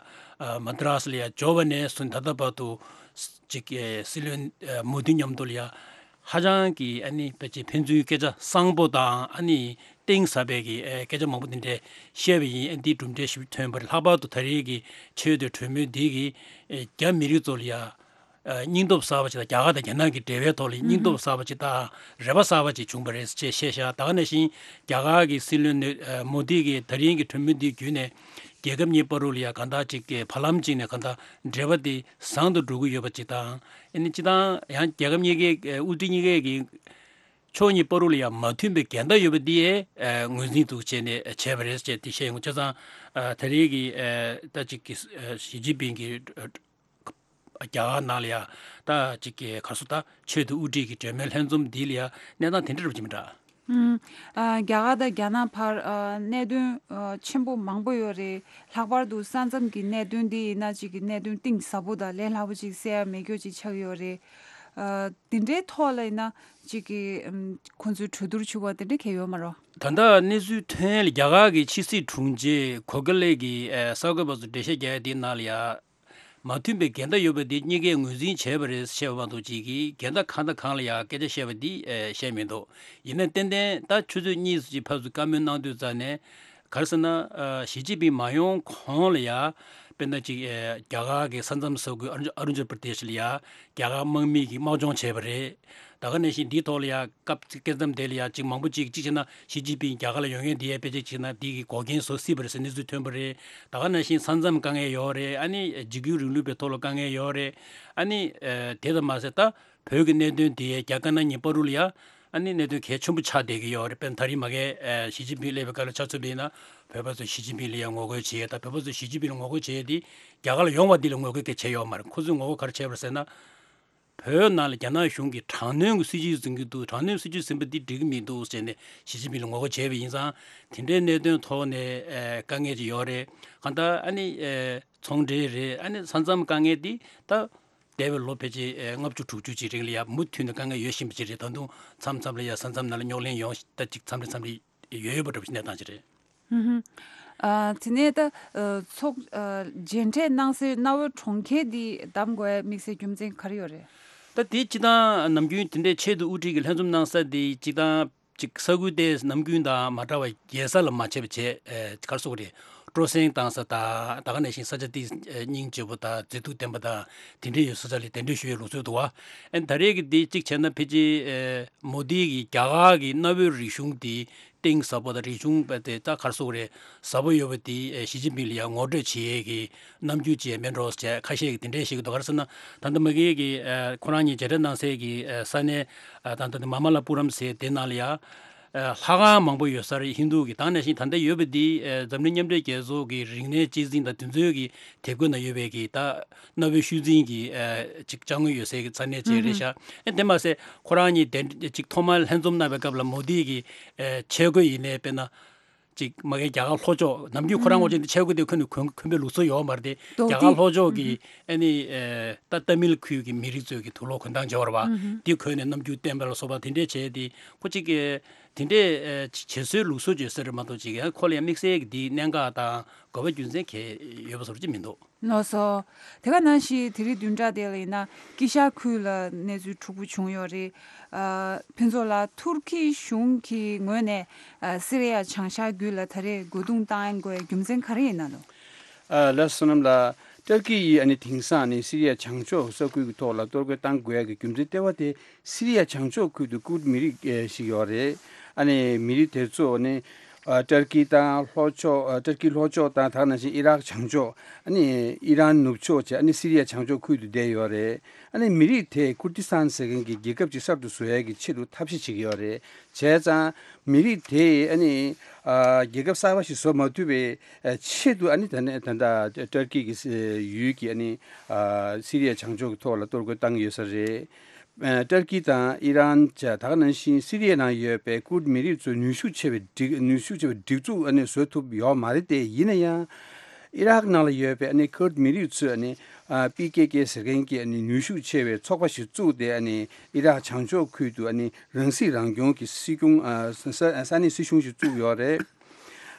མ་དི་རཱས་ལ་ཡ་འབྱོར་བ་ནས་བཟུང་ད་ལྟ་བར་དུ་ཅིག་སྲིད་བློན་མོ་དི་མཉམ་དུ་ལ་ཡ་ཧ་ཅང་གི་ཨ་ནི་ཕལ་ཆེར་ཕན་ཚུན་སྐད་ཆ་བཟང་པོ་དང་། ཨ་ནི་གཏིང་ཟབ་པའི་གི་ཨེ་སྐད་ཆ་མང་པོ་དེ་འདྲས་བཤད་པ་ཡིན། ཨ་འདིའི་གྲུབ་འབྲས་ཞིག་ཐོན་པ་རེད། ལྷག་པར་དུ་ད་རེས་ཀྱི་ཆེས་མཐོའི་གྲོས་མོལ་འདི་གིས་ཨེ་རྒྱ་མི་རིགས་ཚོ་ལ་ཡ་ཨེ་སྙིང་སྟོབས་གསར་པ་ཞིག་དང་། རྒྱ་གར་དང་རྒྱ་ནག་གི་འབྲེལ་བའི་ཐོག་ལ་སྙིང་སྟོབས་གསར་པ་ཞིག་དང་རེ་བ་གསར་པ་ཞིག་བྱུང་པ་རེད་ཅེས་བཤད་ཤག་ད་ག་ནང་བཞིན་རྒྱ་གར་གྱི་སྲིད་བློན་ནི་ཨེ་མོ་དི་གིས་ད་རིང་གི་གྲོས་མོལ་འདི་བརྒྱུད་ནས་རྒྱལ་ཁབ་གཉིས་བར་དུ་ལ་ཡ་གང་ལྟར་ཅིག་གི་བར་ལམ་ཅིག་ནས་གང་ལྟར་འབྲེལ་བ་དེ་བཟང་དུ་འགྲོ་གི་ཡོད་པ་ཅིག་དང་། ཨ་ནི་སྤྱིར་བཏང་ཡང་རྒྱལ་ཁབ་གཉིས་ཀའི་ཨེ་དབུ་ཁྲིད་གཉིས་ཀའི་གི་ཕྱོགས་གཉིས་བར་དུ་ལ་ཡང་མ་མཐུན་པའི་འགལ་ཟླ་ཡོད་པ་འདི་ཨེ་ངོས་འཛིན་འདུག་བྱས་ནས་བྱས་པ་རེད་ཅེས་དེ་བཤད་ཡོང་། བྱས་ཙང་ཨ་ད་རེས་ཀྱི་ཨེ་ད་ཅིག་གི་ཨེ་ཞི་ཅིན་ཕིང་གི་ཨ་རྒྱ་གར་ནང་ལ་ཡ་ད་ཅིག་གི་ག་རེ་ཟེར། ད་ཆེས་མཐོའི་དབུ་ཁྲིད་ཀྱི་གྲོས་མོལ་ལྷན་འཛོམས་འདི་ལ་ཡ་གནས་སྟངས་དེ་འདྲ་རུ་ཅིག་མི་འདྲ། ཨུམ། ཨ་རྒྱ་གར་དང་རྒྱ་ནག་བར་ཨ་གནད་དོན་ཨ་ཆེན་པོ་མང་པོ་ཡོད་རེད། ལྷག་པར་དུ་ས་མཚམས་ཀྱི་གནད་དོན་འདི་ཡིན་ན་ཅིག་གི་གནད་དོན་གཏིང་ཟབ་པོ་དང་ལས་སླ་པོ་ཅིག་སེལ་ཡ་མེད་རྒྱུ་ཅིག་ཆགས་ཡོད་རེད། ཨ་དེ་འདྲའི་ཐོག་ལ་ཡིན་ན་ཅིག་གི་ཨམ་ཁོང་ཚོའི་གྲོས་བསྡུར་བྱུང་བ་དེ་འདྲ་གང་ཡང་ཡོད་མ་རེད། ད་ལྟ་གནས་ཚུལ་ཐོན་ཡས་ལ་རྒྱ་གར་གྱི་ཕྱི་སྲིད་དྲུང་ཆེ་གྷོ་ཁེ་ལེ་གིས་ཨ་གསར་འགོད་པ་ཚོར་འགྲེལ་བཤད་རྒྱག་ཡས་དེའི་ནང་ལ་ཡ། མ་མཐུན་པའི་འགལ་ཟླ་ཡོད་པ་དེ་གཉིས་ཀས་ངོས་འཛིན་བྱས་པ་རེད་ཟེར་བཤད་པ་མ་གཏོགས། ཅིག་གིས་འགལ་ཟླ་གང་དང་གང་ལ་ཡང་སྐད་ཆ་བཤད་པ་འདི་ཨེ་བཤད་མི་འདུག་ཡིན་ན་ཏན་ཏན་ད་ཆུ་ཚོད་གཉིས་ཙམ་ཅིག་ཕར་ཚུར་བཀའ་མོལ་གནང་དུས་ཙམ་ནས། ག་རེ་ཟེར་ན། ཨ་ཞི་ཅིན་ཕིང་མ་ཡོང་གོང་ལ་ཡ། དཔེར་ན་ཅིག་ཨེ་རྒྱ་གར་གྱི་ས་མཚམས་ས་ཁུལ་ཨ་རུ་ཨ་རུ་ཅལ་པར་དེ་ཤི་ལ་ཡ་རྒྱ་གར་དམག་མི་གིས་དམག་སྦྱོང་བྱས་པ་རེད། ད་ག་ནང་བཞིན་འདིའི་ཐོག་ལ་ཡ་སྐབས་སྐབས་མཚམས་དེ་ལ་ཡ་ཅིག་མང་པོ་ཅིག་ཅིག་བྱས་ན་ཞི་ཅིན་ཕིང་རྒྱ་གར་ལ་ཡོང་མཁན་དེ་ཡ་དཔེ་ཅིག་བྱས་ན་འདི་གི་འགོག་རྐྱེན་བཟོ་སྲིད་པ་རེད་ཟེར་གནས་ཚུལ་ཐོན་པ་རེད། ད་ག་ནང་བཞིན་ས་མཚམས་དཀའ་ངལ་ཡོད་རེད། ཨ་ནི་འཇིགས་སྐུལ་རིང་ལུགས་པའི་ཐོག་ལ་དཀའ་ངལ་ཡོད་རེད། ཨ་ནི་ཨ་དེ་ཙམ་མ་ཟད་ད་བོད་ཀྱི་གནད་དོན་དེ་ཡ་རྒྱ་དཀར་ནག་གཉིས་བར་དུ་ལ་ཡ་ཨ་ནི་གནད་དོན་གལ་ཆེན་པོ་ཆགས་བསྡད་ཀྱི་ཡོད་རེད། དཔེར་ན་ད་རིང་མ་གི་ཨ་ཞི་ཅིན་ཕིང་སླེབས་པའི་སྐབས་ལ་ཆ་མཚོན་པ་ཡིན་ན། བོད་པ་ཚོས་ཞི་ཅིན་ཕིང་ལ་ཡ་ངོ་རྒོལ་བྱེད་ཡས་དང་། བོད་པ་ཚོས་ཞི་ཅིན་ཕིང་ལ་ངོ་རྒོལ་བྱེད་ཡས་དེ་རྒྱ་གར་ལ་ཡོང་བ་འདི་ལ་ངོ་རྒོལ་གལ་ཆེ་ཡོད་མ་རེད། ཁོ་ཚོས་ངོ་རྒོལ་ག་རེ་བྱས་པ་རེད་ཟེར་ན། བོད་ནང་ལ་རྒྱ་ནག་གཞུང་གིས་དྲག་གནོན་གྱི་སྲིད་བྱུས་འཛིན་གྱི་འདུག་དྲག་གནོན་སྲིད་བྱུས་འཛིན་པ་འདི་འགྲིག་གི་མི་འདུག་ཟེར་ནས་ཞི་ཅིན་ཕིང་ལ་ངོ་རྒོལ་བྱས་པ་ཡིན་ཙང་། དེ་འདྲའི་གནད་དོན་ཐོག་ནས་ཨེ་དཀའ་ངལ་ཅིག་ཡོད་རེད། གང་ལྟར་ཨ་ནི་ཨེ་ཚོང་འབྲེལ་རེད། ཨ་ནི་ས་མཚམས་དཀའ་ངལ་འདི་ད་འདས་པའི་ལོ་ཕལ་ཆེར་ཨེ་ལྔ་བཅུ་དྲུག་ཅུ་ཅིག་རིང་ལ་ཡ་མུ་མཐུད་ནས་དཀའ་ངལ་ཡོད་བཞིན་པ་ཅིག་རེད། ད་དུང་མཚམས་མཚམས་ལ་ཡ་ས་མཚམས་ནང་ལ་རྙོག་གླེང་ཡོང་ད་ཅིག་མཚམས་རེ་མཚམས་རེ་ཡོད་ཡོད་པ་འདྲ་པོ་ཞིག་གནས་སྟངས་ཅིག་རེད། ཨུ་ཧུ། ཨ་དེ་ནས་ད་ཨ་ཚོགས་ཨ་མཇལ་འཕྲད་གནང་སའི་གནའ་བོའི་གྲོང་ཁྱེར་འདི་བདམས་དགོས་ཡ་དམིགས་བསལ་རྒྱུ་མཚན་ག་རེ་ཡོད་རེད། ད་དེ་སྤྱིར་བཏང་ནམ་རྒྱུན་དེ་འདྲའི་ཆེས་མཐོའི་དབུ་ཁྲིད་ཀྱི་ལྷན་འཛོམས་གནང་ས་དེ་སྤྱིར་བཏང་ཅིག་ས་ཁུལ་དེ་ནམ་རྒྱུན་དང་མ་འདྲ་བ་རྒྱལ་ས་ལ་མ་བྱས་པ་བྱས། ཨེ་ག་རེ་ཟེར་དགོས་རེད། སྤྲོ་གསེང་བཏང་ས་དང་། ད་ག་ནང་བཞིན་ས་ཆ་དེ་ཨེ་སྙིང་རྗེ་པོ་དང་མཛེས་སྡུག་ལྡན་པ་དང་དེ་འདྲའི་ཡོད་ས་ཆ་ལ་གདན་འདྲེན་ཞུ་ཡའི་ལུགས་སྲོལ་འདུག་བ། ཨེ་ད་རེས་ཀྱི་དེ་གཅིག་བྱས་ན་ཕལ་ཆེར་ཨེ་མོ་དི་གིས་རྒྱ་གར་གྱི་གནའ་བོའི་རིག་གཞུང་དེ་གཏིང་ཟབ་པོ་དང་། རིག་གཞུང་དེ་ད་ག་རེ་ཟེར་དགོས་རེད། ཟབ་པོ་ཡོད་པ་དེ་ཨེ་ཞི་ཅིན་ཕིང་ལ་ཡང་ངོ་སྤྲོད་བྱེད་ཡས་ཀྱི་རྣམ་འགྱུར་ཅིག་མེད་འགྲོ་ཟེར་ཁ་ཤས་ཀྱིས་དེ་འདྲས་བཤད་ཀྱི་འདུག་ག་རེ་ཟེར་ན། ད་ལྟ་མ་གིའི་གི་ཨེ་ཁོ་རང་གཉིས་མཇལ་འཕྲད་གནང་སའི་གི་ཨེ་ས་གནས་ཨེ་ད་ལྟ་དེ་མ་མ་ལ་པུ་རམ་ཟེར་དེ་ནང་ལ་ཡ་ཨེ་ལྷ་ཁང་མང་པོ་ཡོད་ས་རེད། ཧིན་རྡུ་གི། ད་ག་ནང་བཞིན་ད་ལྟ་ཡོད་པ་དེ་ཨེ་འཛམ་གླིང་མཉམ་འབྲེལ་རྒྱལ་ཚོགས་ཀྱི་རིག་གནས་གཅེས་འཛིན་དང་དེ་ཚོའི་གི་དེབ་སྒོ་ན་ཡོད་པའི་གི་ད་གནའ་བོའི་ཤུལ་འཛིན་གྱི་ཨེ་ཅིག་ཅ་དངོས་ཡོད་སའི་གི་ས་གནས་ཅིག་རེད་ཤག་ཨེ་དེ་མ་ཟད་ཁོ་རང་གཉིས་དེ་ཅིག་ཐོག་མར་ལྷན་འཛོམས་གནང་བའི་སྐབས་ལ་མོ་དི་གི་ཨེ་ཆས་གོས་ཡིན་ནའི་དཔེར་ན་ཅིག་མ་གི་རྒྱ་གར་ལྷོ་ཕྱོགས། ནམ་རྒྱུན་ཁོ་རང་ངོ་ཅན་དེ་ཆས་གོས་དེ་གོན་ནས་གོན་གོན་པའི་ལུགས་སྲོལ་ཡོད་མ་རེད་དེ། རྒྱ་གར་ལྷོ་ཕྱོགས་ཀྱི་ཨེ་ནི་ཨེ་ད་ཏ་མིལ་ཁུལ་གྱི་མི་རིགས་ཚོའི་གི་དུག་ལོག་གོན་སྟངས་སྦྱོར་བ་དེ་གོན་ནས་རྣམ་འགྱུར་བསྟན་པ་ལ་སོགས་པ་དེ་འདྲས་བྱས་ཏེ། ཁོ་ཅིག་གི་དེ་འདྲས་ཨེ་བྱེད་སྲོལ་ལུགས་སྲོལ་བརྗོད་ས་རེད་མ་གཏོགས། ཅིག་ཡང་ཁོ་ལ་ཡང་དམིགས་བསལ་གྱི་དེའི་གནད་འགག་དང་དགོས་པ་རྒྱུ་མཚན་གང་ཡོད་པ་བཟོ་འདྲ་ཅིག་མི་འདུག་ལགས་སོ། དེ་ག་ནང་བཞིན་དེ་རིང་བདུན་ཕྲག་དེ་ལ་ཡིན་ན་དཀྱིལ་ཤར་ཁུལ་ལ་གནས་ཚུལ་འཁྲུག་པོ་བྱུང་ཡོད་རེད། ཨ་ཕུན་ཚོགས་ལགས། ཐུར་ཁེ་གཞུང་གི་ངོས་ནས་ཨ་སི་རི་ཡ་བྱང་ཤར་རྒྱུད་ལ་ད་རེས་རྒོལ་རྡུང་བཏང་དགོས་རྒྱུ་མཚན་ག་རེ་ཡིན་ན་ལོ། ཨ་ལགས་སོ། བསོད་ནམས་ལགས། ཏུར་ཀི་ཡིས་ཨ་ནི་དེང་སང་ཨ་ནི་སི་རི་ཡ་བྱང་ཕྱོགས་ས་ཁུལ་གྱི་ཐོག་ལ་གཏོར་རྒོལ་བཏང་དགོས་ཡ་གི་རྒྱུ་མཚན་ལྟེ་བ་དེ་སི་རི་ཡ་བྱང་ཕྱོགས་ཁུལ་དུ་ཀུར་མི་རིགས་ཨེ་ཞིག་ཡོད་རེད། ཨ་ནི་མི་རིགས་དེ་ཚོ་ཨ་ནི་ ཨ་ཏར་ཀི་དང་ལྷོ་ཕྱོགས། ཨ་ཏར་ཀི་ལྷོ་ཕྱོགས་དང་དེ་ནང་བཞིན་ཨི་རག་བྱང་ཕྱོགས། ཨ་ནི་ཨི་རན་ནུབ་ཕྱོགས་བཅས། ཨ་ནི་སི་རི་ཡ་བྱང་ཕྱོགས་ཁུལ་དུ་བསྡད་ཡོད་རེད། ཨ་ནི་མི་རིགས་དེ་ཀུར་ཏི་སྟན་ཟེར་མཁན་གྱི་རྒྱལ་ཁབ་ཅིག་གསར་དུ་བཟོ་ཡས་ཀྱི་ཆེད་དུ་ཐབས་ཤེས་བྱེད་ཀྱི་ཡོད་རེད། བྱས་ཙང་མི་རིགས་དེ་ཨ་ནི་ཨ་རྒྱལ་ཁབ་གསར་པ་ཞིག་བཟོ་མ་ཐུབ་པའི་ཨ་ཆེད་དུ། ཨ་ནི་ད་ནས་ད་ལྟ་ཏར་ཀི་གི་ཡུལ་གྱི་ཨ་ནི་ཨ་སི་རི་ཡ་བྱང་ཕྱོགས་ཀྱི་ཐོག་ལ་གཏོར་རྒོལ་བཏང་གི་ཡོད་ས་རེད། ཨ་ཏར་ཀི་དང་ཨི་རན་བཅས། དེ་ག་ནང་བཞིན་སི་རི་ཡའི་ནང་ཡོད་པའི་ཀུར་མི་རིགས་ཚོས་ནུས་ཤུགས་ཆེ་བའི་སྒྲིག་ནུས་ཤུགས་ཆེ་བའི་སྒྲིག་འཛུགས་ཨ་ནི་བཟོ་ཐུབ་ཡོད་མ་རེད་དེ། ཡིན་ན་ཡང་ཨི་རག་ནང་ལ་ཡོད་པའི་ཨ་ནི་ཀུར་མི་རིགས་ཚོས་ཨ་ནི་ཨ་པི་ཀེ་ཀེ་ཟེར་མཁན་གྱི་ཨ་ནི་ནུས་ཤུགས་ཆེ་བའི་ཚོགས་པ་ཞིག་བཙུགས་ཏེ། ཨ་ནི་ཨི་རག་བྱང་ཕྱོགས་ཁུལ་དུ་ཨ་ནི་རང་སྲིད་རང་སྐྱོང་གི་སྲིད་སྐྱོང་། ཨ་ས་ས་ས་གནས་སྲིད་གཞུང་ཞིག་བཙུགས་ཡོད་རེད།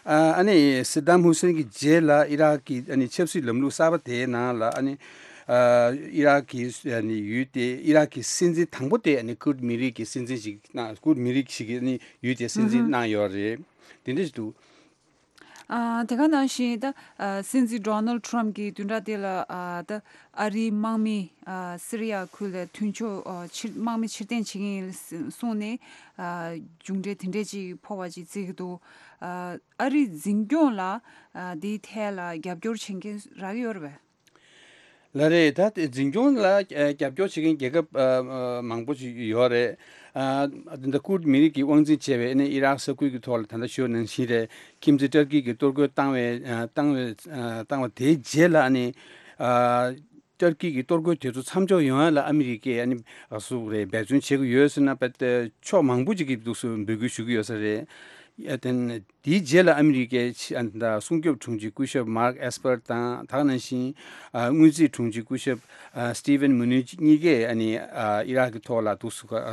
ཨ་ཨ་ནི་སི་དམ་ཧུ་སེན་གྱི་རྗེས་ལ་ཨི་རག་གི་ཨ་ནི་ཆབ་སྲིད་ལམ་ལུགས་གསར་པ་དེའི་ནང་ལ་ཨ་ནི་ཨ་ཨི་རག་གི་ཨ་ནི་ཡུལ་དེ། ཨི་རག་གི་སྲིད་འཛིན་དང་པོ་དེ་ཨ་ནི་ཀུར་མི་རིགས་ཀྱི་སྲིད་འཛིན་ཞིག་གནང་། ཀུར་མི་རིགས་ཤིག་གིས་ཨ་ནི་ཡུལ་དེ་སྲིད་འཛིན་ཧུམ་ཧུམ། གནང་ཡོད་རེད། དེ་འདྲ་ཞིག་འདུག། ཨ་དེ་ག་ནང་བཞིན་ད་ཨ་སྲིད་འཛིན་ཌོ་ནལ་ཊམ་གྱིས་བདུན་ཕྲག་དེ་ལ་ཨ་ད་ཨ་རིའི་དམག་མི་ཨ་སི་རི་ཡ་ཁུལ་ལ་མཐུན་ཕྱོགས་ཨ་ཕྱིར་དམག་མི་ཕྱིར་འཐེན་བྱེད་ཀྱི་ཡིན་གསུངས་ནས། ཨ་མཇུག་འབྲས་དེ་འདྲས་ཅིག་ཕོག་པ་ཅིག་བརྩི་གི་འདུག། ཨ་ཨ་རིའི་འཛིན་སྐྱོང་ལ་ཨ་འདིའི་ཐད་ལ་རྒྱབ་སྐྱོར་བྱེད་མཁན་རག་གི་ཡོད་རེད་པས། ལགས་རེད། ད་དེ་འཛིན་སྐྱོང་ལ་ཨ་རྒྱབ་སྐྱོར་བྱེད་མཁན་རྒྱལ་ཁབ་ཨ་ཨ་མང་པོ་ཞིག་ཡོད་རེད། ཨ་ད་ལྟ་ཀུར་མི་རིགས་ཀྱི་དབང་འཛིན་བྱས་པའི་ཨ་ནི་ཨི་རག་ས་ཁུལ་གྱི་ཐོག་ལ་ད་ལྟ་ཞུས་ནང་བཞིན་རེད། ཁྱིམ་མཚེས་ཏར་ཀི་གིས་གཏོར་རྒོལ་བཏང་བའི་ཨ་བཏང་བའི་ཨ་བཏང་བ་དེའི་རྗེས་ལ་ཨ་ནི་ཨ་ཏར་ཀི་གི་གཏོར་རྒོལ་དེ་ཚོ་མཚམས་འཇོག་ཡོང་ཡ་ལ་ཨ་མི་རི་ཀས་ཨ་ནི་ཨ་སུ་རེད། འབད་བརྩོན་བྱེད་ཀྱི་ཡོད་ཟེར་ན། ཕྱོགས་མང་པོ་ཅིག་གིས་འདུག་སེ་འབོད་སྐུལ་ཞུ་གི་ཡོད་ས་རེད། ཨ་དེ་དེའི་རྗེས་ལ་ཨ་མི་རི་ཀའི་ཕྱི་ཨ་ད་སྲུང་སྐྱོབ་དྲུང་ཆེ་སྐུ་ཞབས་མཱརྐ་ཨེས་པར་དང་། དེ་ག་ནང་བཞིན་ཨ་དངུལ་རྩིས་དྲུང་ཆེ་སྐུ་ཞབས་ཨ་སི་ཊི་ཝན་མུ་ནུ་ཆི་གཉིས་ཀས་ཨ་ནི་ཨ་ཨི་རག་གི་ཐོག་ལ་འདུག་སེ་ཨ་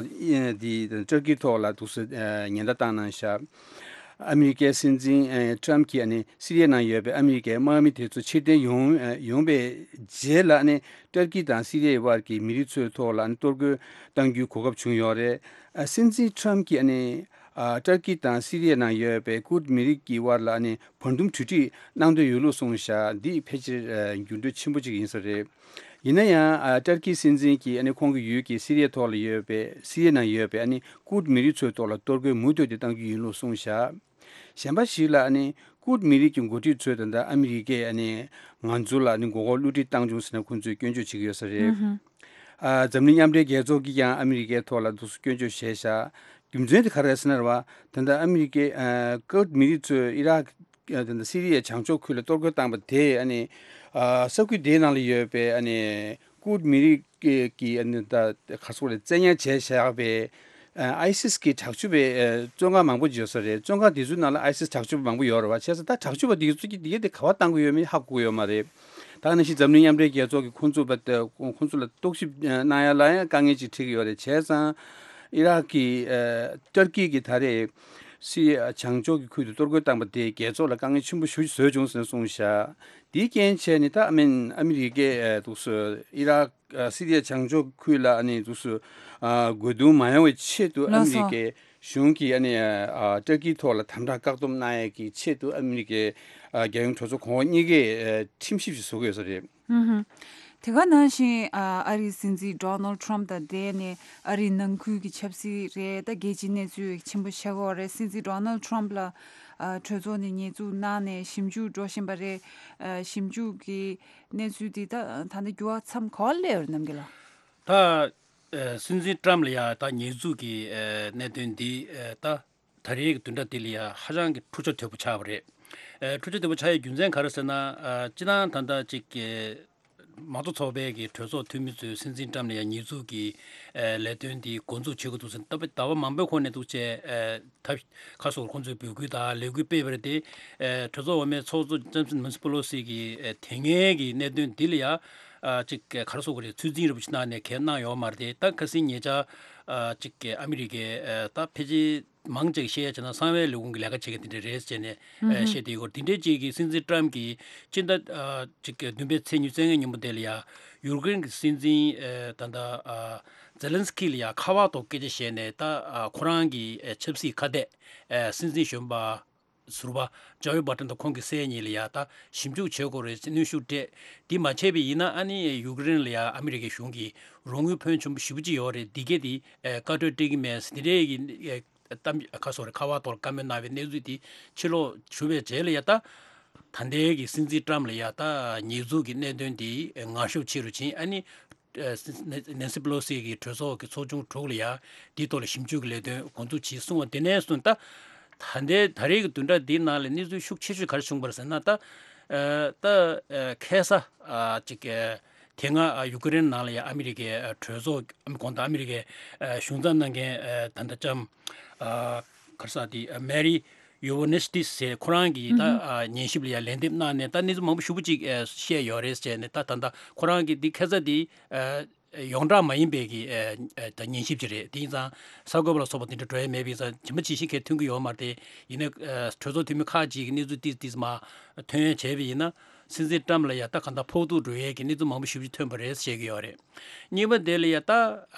འདི་ཏུར་ཀིའི་ཐོག་ལ་འདུག་སེ་ཨ་ཉེན་བརྡ་བཏང་གནང་ཤག། ཨ་མི་རི་ཀའི་སྲིད་འཛིན་ཨ་ཊམ་གྱིས་ཨ་ནི་སི་རི་ཡའི་ནང་ཡོད་པའི་ཨ་མི་རི་ཀའི་དམག་མི་དེ་ཚོ་ཕྱིར་འཐེན་ཡོང་ཨ་ཡོང་པའི་རྗེས་ལ་ཨ་ནི་ཏུར་ཀི་དང་སི་རི་ཡའི་དབར་གྱི་མི་རིགས་ཚོའི་ཐོག་ལ་ཨ་ནི་གཏོར་རྒོལ་གཏང་རྒྱུའི་གོ་སྐབས་བྱུང་ཡོད་རེད། ཨ་སྲིད་འཛིན་ཊམ་གྱིས་ཨ་ནི་ཨ་ཏུར་ཀི་དང་སི་རི་ཡའི་ནང་ཡོད་པའི་ཀུར་མི་རིགས་ཀྱི་དབར་ལ་ཨ་ནི་བར་འདུམ་གྲོས་འགྲིག་གནང་འདོད་ཡོད་ལུགས་གསུངས་ཤག། འདི་ཕལ་ཆེར་ཨ་འགྱུར་འགྲོས་ཆེན་པོ་ཅིག་ཡིན་ས་རེད། ཡིན་ན་ཡང་ཨ་ཏུར་ཀི་སྲིད་འཛིན་གྱིས་ཨ་ནི་ཁོང་གི་ཡུལ་གྱི་སི་རི་ཡའི་ཐོག་ལ་ཡོད་པའི་སི་རི་ཡའི་ནང་ཡོད་པའི་ཨ་ནི་ཀུར་མི་རིགས་ཚོའི་ཐོག་ལ་གཏོར་རྒོལ་མུ་མཐུད་དེ་གཏང་རྒྱུ་ཡིན་ལུགས་གསུངས་ཤག། གཞན་པ་ཞིག་ལ་ཨ་ནི་ཀུར་མི་རིགས་ཀྱི་འགོ་ཁྲིད་ཚོས་ད་ལྟ་ཨ་མི་རི་ཀས་ཨ་ནི་ང་ཚོ་ལ་ཨ་ནི་མགོ་སྐོར་བསླུ་བྲིད་བཏང་བྱུང་ཟེར་ནས་ཁོང་ཚོས་སྐྱོན་བརྗོད་བྱེད་ཀྱི་ཡོད་ས་རེད། ཨ་འཛམ་གླིང་མཉམ་འབྲེལ་རྒྱལ་ཚོགས་ཀྱིས་ཀྱང་ཨ་མི་རི་ཀའི་ཐོག་ལ་འདུག་སེ་སྐྱོན་བརྗོད་བྱས་ཤག། རྒྱུ་མཚན་དེ་ག་རེ་རེད་ཟེར་ན་རེད་བ། ད་ལྟ་ཨ་མི་རི་ཀའི་ཨ་ཀུར་མི་རིགས་ཚོས་ཨི་རག་ཨ་ད་ལྟ་སི་རི་ཡའི་བྱང་ཕྱོགས་ཁུལ་ལ་གཏོར་རྒོལ་བཏང་པ་དེས་ཨ་ནི་ཨ་ས་ཁུལ་དེའི་ནང་ལ་ཡོད་པའི་ཨ་ནི་ཀུར་མི་རིགས་ཀྱི་ཀྱི་ཨ་ནི་ད་ག་སོགས་རེད། བཙན་ཉར་བྱས་བཞག་པའི་ཨ་ཨའི་སིས་ཀྱི་དྲག་སྤྱོད་པའི་ཨ་བཙོན་ཁང་མང་པོ་ཡོད་ས་རེད། བཙོན་ཁང་དེ་ཚོའི་ནང་ལ་ཨའི་སིས་དྲག་སྤྱོད་པ་མང་པོ་ཡོད་རེད་བ། བྱས་ཙང་ད་དྲག་སྤྱོད་པ་དེ་ཚོ་གིས་དེ་ག་དེ་ག་པར་བཏང་གི་ཡོད་མེད་ཧ་གོ་གི་ཡོད་མ་རེད། ད་ག་ནང་བཞིན་འཛམ་གླིང་མཉམ་འབྲེལ་རྒྱལ་ཚོགས་ཀྱིས་ཁོང་ཚོ་བ་ཁོང་ཚོ་ལ་རྟོག་ཞིབ་གནང་ཡ་ལ་ཡང་དཀའ་ངལ་ཅིག་འཕྲད་ཀྱི་ཡོད་རེད། བྱས་ཙང་ཨི་རག་གི་ཨ་ཏུར་ཀི་གིས་ད་རེས་སི་རི་ཡ་བྱང་ཕྱོགས་ཀྱི་ཁུལ་དུ་གཏོར་རྒོལ་བཏང་པ་དེས་རྒྱལ་ཚོགས་ལ་དཀའ་ངལ་ཆེན་པོ་ཞེ་པོ་ཅིག་བཟོས་བྱུང་ཟེར་ནས་གསུངས་ཤག། དེའི་རྐྱེན་བྱས་ནས་ད་ཨ་མི་ཨ་མི་རི་ཀས་ཨ་འདུག་སེ་ཨི་རག་ཨ་སི་རི་ཡ་བྱང་ཕྱོགས་ཁུལ་ལ་ཨ་ནི་འདུག་སེ་ཨ་རྒོལ་རྡུང་མ་ཡོང་བའི་ཆེད་དུ་ཨ་ལགས་མི་རི་སོ། ཀའི་གཞུང་གིས་ཨ་ནི་ཨ་ཏུར་ཀིའི་ཐོག་ལ་དམ་དྲག་བཀག་སྡོམ་གནང་ཡས་ཀྱི་ཆེད་དུ་ཨ་མི་རི་ཀའི་ཨ་རྒྱལ་ཡོངས་གྲོས་ཚོགས་གོང་འོག་གཉིས་ཀས་ཨ་ཁྲིམས་ཞིབ་ཞིག་བཟོ་གི་ཡོད་ས་རེད། ཧུམ་ཧུམ། དེ་ག་ནང་བཞིན་ཨ་ཨ་རིའི་སྲིད་འཛིན་ཌོ་ནལ་ཊམ་དང་འབྲེལ་ནས་ཨ་རིའི་ནང་ཁུལ་གྱི་ཆབ་སྲིད་རེད། ད་རྒྱལ་སྤྱིའི་གནས་ཚུལ་ཆེན་པོ་བཤད་ཀྱི་ཡོད་རེད། སྲིད་འཛིན་ཌོ་ནལ་ཊམ་ལ་ཨ་གྲོས་ཚོགས་ནས་ཉེས་འཛུགས་གནང་ནས་ཞིབ་འཇུག་འགྲོ་བཞིན་པ་རེད། ཨ་ཞིབ་འཇུག་གི་གནས་ཚུལ་འདི་ད་ད་ནི་འགྱུར་བ་མཚམས་ག་པར་སླེབས་ཡོད་རེད་རྣམ་རྒྱལ་ལགས། ད་ཨ་སྲིད་འཛིན་ཊམ་ལ་ཡ་ད་ཉེས་འཛུགས་ཀྱི་ཨ་གནད་དོན་འདི་ཨ་ད་ད་རེས་ཀྱི་བདུན་ཕྲག་འདི་ལ་ཡ་ཧ་ཅང་གི་འཁྲུག་ཆ་དོད་པོ་ཆགས་པ་རེད། ཨ་འཁྲུག་ཆ་དོད་པོ་ཆགས་ཡའི་རྒྱུ་མཚན་ག་རེ་ཟེར་ན། ཨ་སྤྱིར་བཏང་ད་ལྟ་ཅིག་གི་མང་གཙོ་ཚོགས་པའི་གི་གྲོས་ཚོགས་འཐུས་མི་ཚོས་སྲིད་འཛིན་ཊམ་ལ་ཡ་ཉེས་འཛུགས་ཀྱི་ཨ་ལས་དོན་འདི་འགོ་འཛུགས་བྱེད་དགོས་འདུག་ཟེར་ནས་ད་ཟླ་བ་མང་པོའི་གོང་ནས་འདུག་བྱས་ཨ་ད་ཁ་སོར་ཁོང་ཚོས་འབོད་སྐུལ་དང་ལས་འགུལ་སྤེལ་བ་རེད་དེ། ཨ་གྲོས་ཚོགས་འོག་མའི་ཚོགས་གཙོ་ཇེམ་སི་ནན་སི་པེ་ལོ་སི་གིས་ཨ་དེ་སྔའི་གི་གནད་དོན་འདི་ལ་ཡ་ཨ་ཅིག་ག་རེ་ཟེར་དགོས་རེད། ཚོད་འཛིན་རིན་པོ་ཆེ་གནང་ནས་གལ་གནང་ཡོད་མ་རེད་དེ། ད་ཁ་སང་ཉེ་ཆར་ཨ་ཅིག་ཨ་མི་རི་ཀའི་ཨ་ད་ཕལ་ཆེར་མང་ཆེ་བཤད་ཡ་བྱས་ན་གསང་བའི་ལས་ཁུངས་ཀྱི་ལས་ཀ་བྱེད་མཁན་དེ་འདྲ་རེད་ཟེར་ནས་ཨ་བཤད་བསྡད་ཡོད། དེ་འདྲའི་ཅིག་གི་སྲིད་འཛིན་ཊམ་གྱིས་སྤྱི་ཟླ་ཨ་ཅིག་གི་བདུན་པའི་ཚེས་ཉི་ཤུ་རྩ་ལྔའི་ཉིན་མོ་དེ་ལ་ཡ་ཡུཀ་རེན་གྱི་སྲིད་འཛིན་ཨ་ད་ལྟ་ཨ་ཛེ་ལན་སི་ཀི་ལ་ཡ་ཁ་པར་ཐོག་སྐད་ཆ་བཤད་ནས། ད་ཨ་ཁོ་རང་གི་ཨ་ཆབ་སྲིད་ཁ་གཏད་ཨ་སྲིད་འཛིན་གཞོན་པ་ཟུར་པ་ཇོ་ཨི་བྷ་ཏན་དང་ཁོང་གི་སྲས་གཉིས་ལ་ཡ་ད་ཞིབ་འཇུག་བྱེད་དགོས་རེད་ཟེར་གནོན་ཤུགས་སྤྲད། འདི་མ་བྱས་པ་ཡིན་ན་ཨ་ནི་ཡུཀ་རེན་ལ་ཡ་ཨ་མི་རི་ཀའི་གཞུང་གིས་རོགས་དངུལ་ཕོན་ཆེན་པོ་ཞེ་པོ་ཅིག་ཡོད་རེད། འདི་གས་དེ་ཨ་བཀའ་འཁྲོལ་སྤྲད་ཀྱི་མེད་ཟེར་འདི་འདྲའི་གི་ཨ་ གཏམ་ཁ་སོ་རེ་ཁ་བ་ཐོག་ལ་བཀའ་མོལ་གནང་བའི་གནས་ཚུལ་དེ་ཕྱི་ལོགས་ཞུ་བའི་རྗེས་ལ་ཡ་ད། ད་ལྟའི་གི་སྲིད་འཛིན་ཊམ་ལ་ཡ་ད་ཉེས་འཛུགས་ཀྱི་གནད་དོན་དེ་ངར་ཤུགས་ཆེ་རུ་ཕྱིན། ཨ་ནི་ནན་སི་པེ་ལོ་སི་གི་གྲོས་ཚོགས་ཀྱི་ཚོགས་ཆུང་དྲུག་ལ་ཡ་དེའི་ཐོག་ལ་ཞིབ་འཇུག་གི་ལས་དོན་འགོ་འཛུགས་བྱས་གསུངས་པ་དེ་ནས་བཟུང་ད། ད་ལྟའི་ད་རེས་ཀྱི་བདུན་ཕྲག་འདིའི་ནང་ལ་གནས་ཚུལ་ཤུགས་ཆེ་ཤོས་ག་རེ་བྱུང་བ་རེད་ཟེར་ན་ད། ད་ཁ་སང་ཅིག་དེ་སྔ་ཡུ་ཀེ་རེན་ནང་ལ་ཡ་ཨ་མི་རི་ཀའི་གྲོས་ཚོགས་གོང་དུ་ཨ་མི་རི་ཀའི་གཞུང་ཚབ་གནང་མཁན་ད་ལྟ་ལྕམ་ག་རེ་ཟེར་དེ་མེ་རི་ཡོ་ཝོ་ནེ་སི་ཏི་ཟེར་ཁོ་རང་གིས་ད་ཉན་ཞིབ་ལ་ཡ་ལན་འདེབས་གནང་ནས་ད་གནས་ཚུལ་མང་པོ་ཞེ་པོ་ཅིག་བཤད་ཡོད་རེད་ཟེར་ནས་ད་ད་ལྟ་ཁོ་རང་གིས་འདི་ཁ་སང་དེ་ཡོངས་གྲགས་མ་ཡིན་པའི་གི་ད་ཉན་ཞིབ་ཅིག་རེད། དེ་ཡིན་ཙང་གསར་འགོད་པ་ལ་སོགས་པ་དེ་འདྲ་འགྲོ་ཡ་མེད་པ་ཡིན་ཙང་ཇི་མ་ཇི་བཞིན་གས་ཐོན་གི་ཡོད་མ་རེད་དེ། ཡིན་ནའི་གྲོས་ཚོགས་འཐུས་མི་ཁག་ཅིག་གི་གནས་ཚུལ་ཏིས་ཏིས་མ་ཐོན་ཡ་བྱས་པ་ཡིན་ན། སྲིད་འཛིན་ཊམ་ལ་ཡ་ད་གང་ལྟར་ཕོག་ཐུག་འགྲོ་ཡས་ཀྱི་གནས་ཚུལ་མང་པོ་ཞེ་པོ་ཅིག་ཐོན་པ་རེད་བཤད་ཀྱི་ཡོད་རེད། གཉིས་པ་དེ་ལ་ཡ་ད་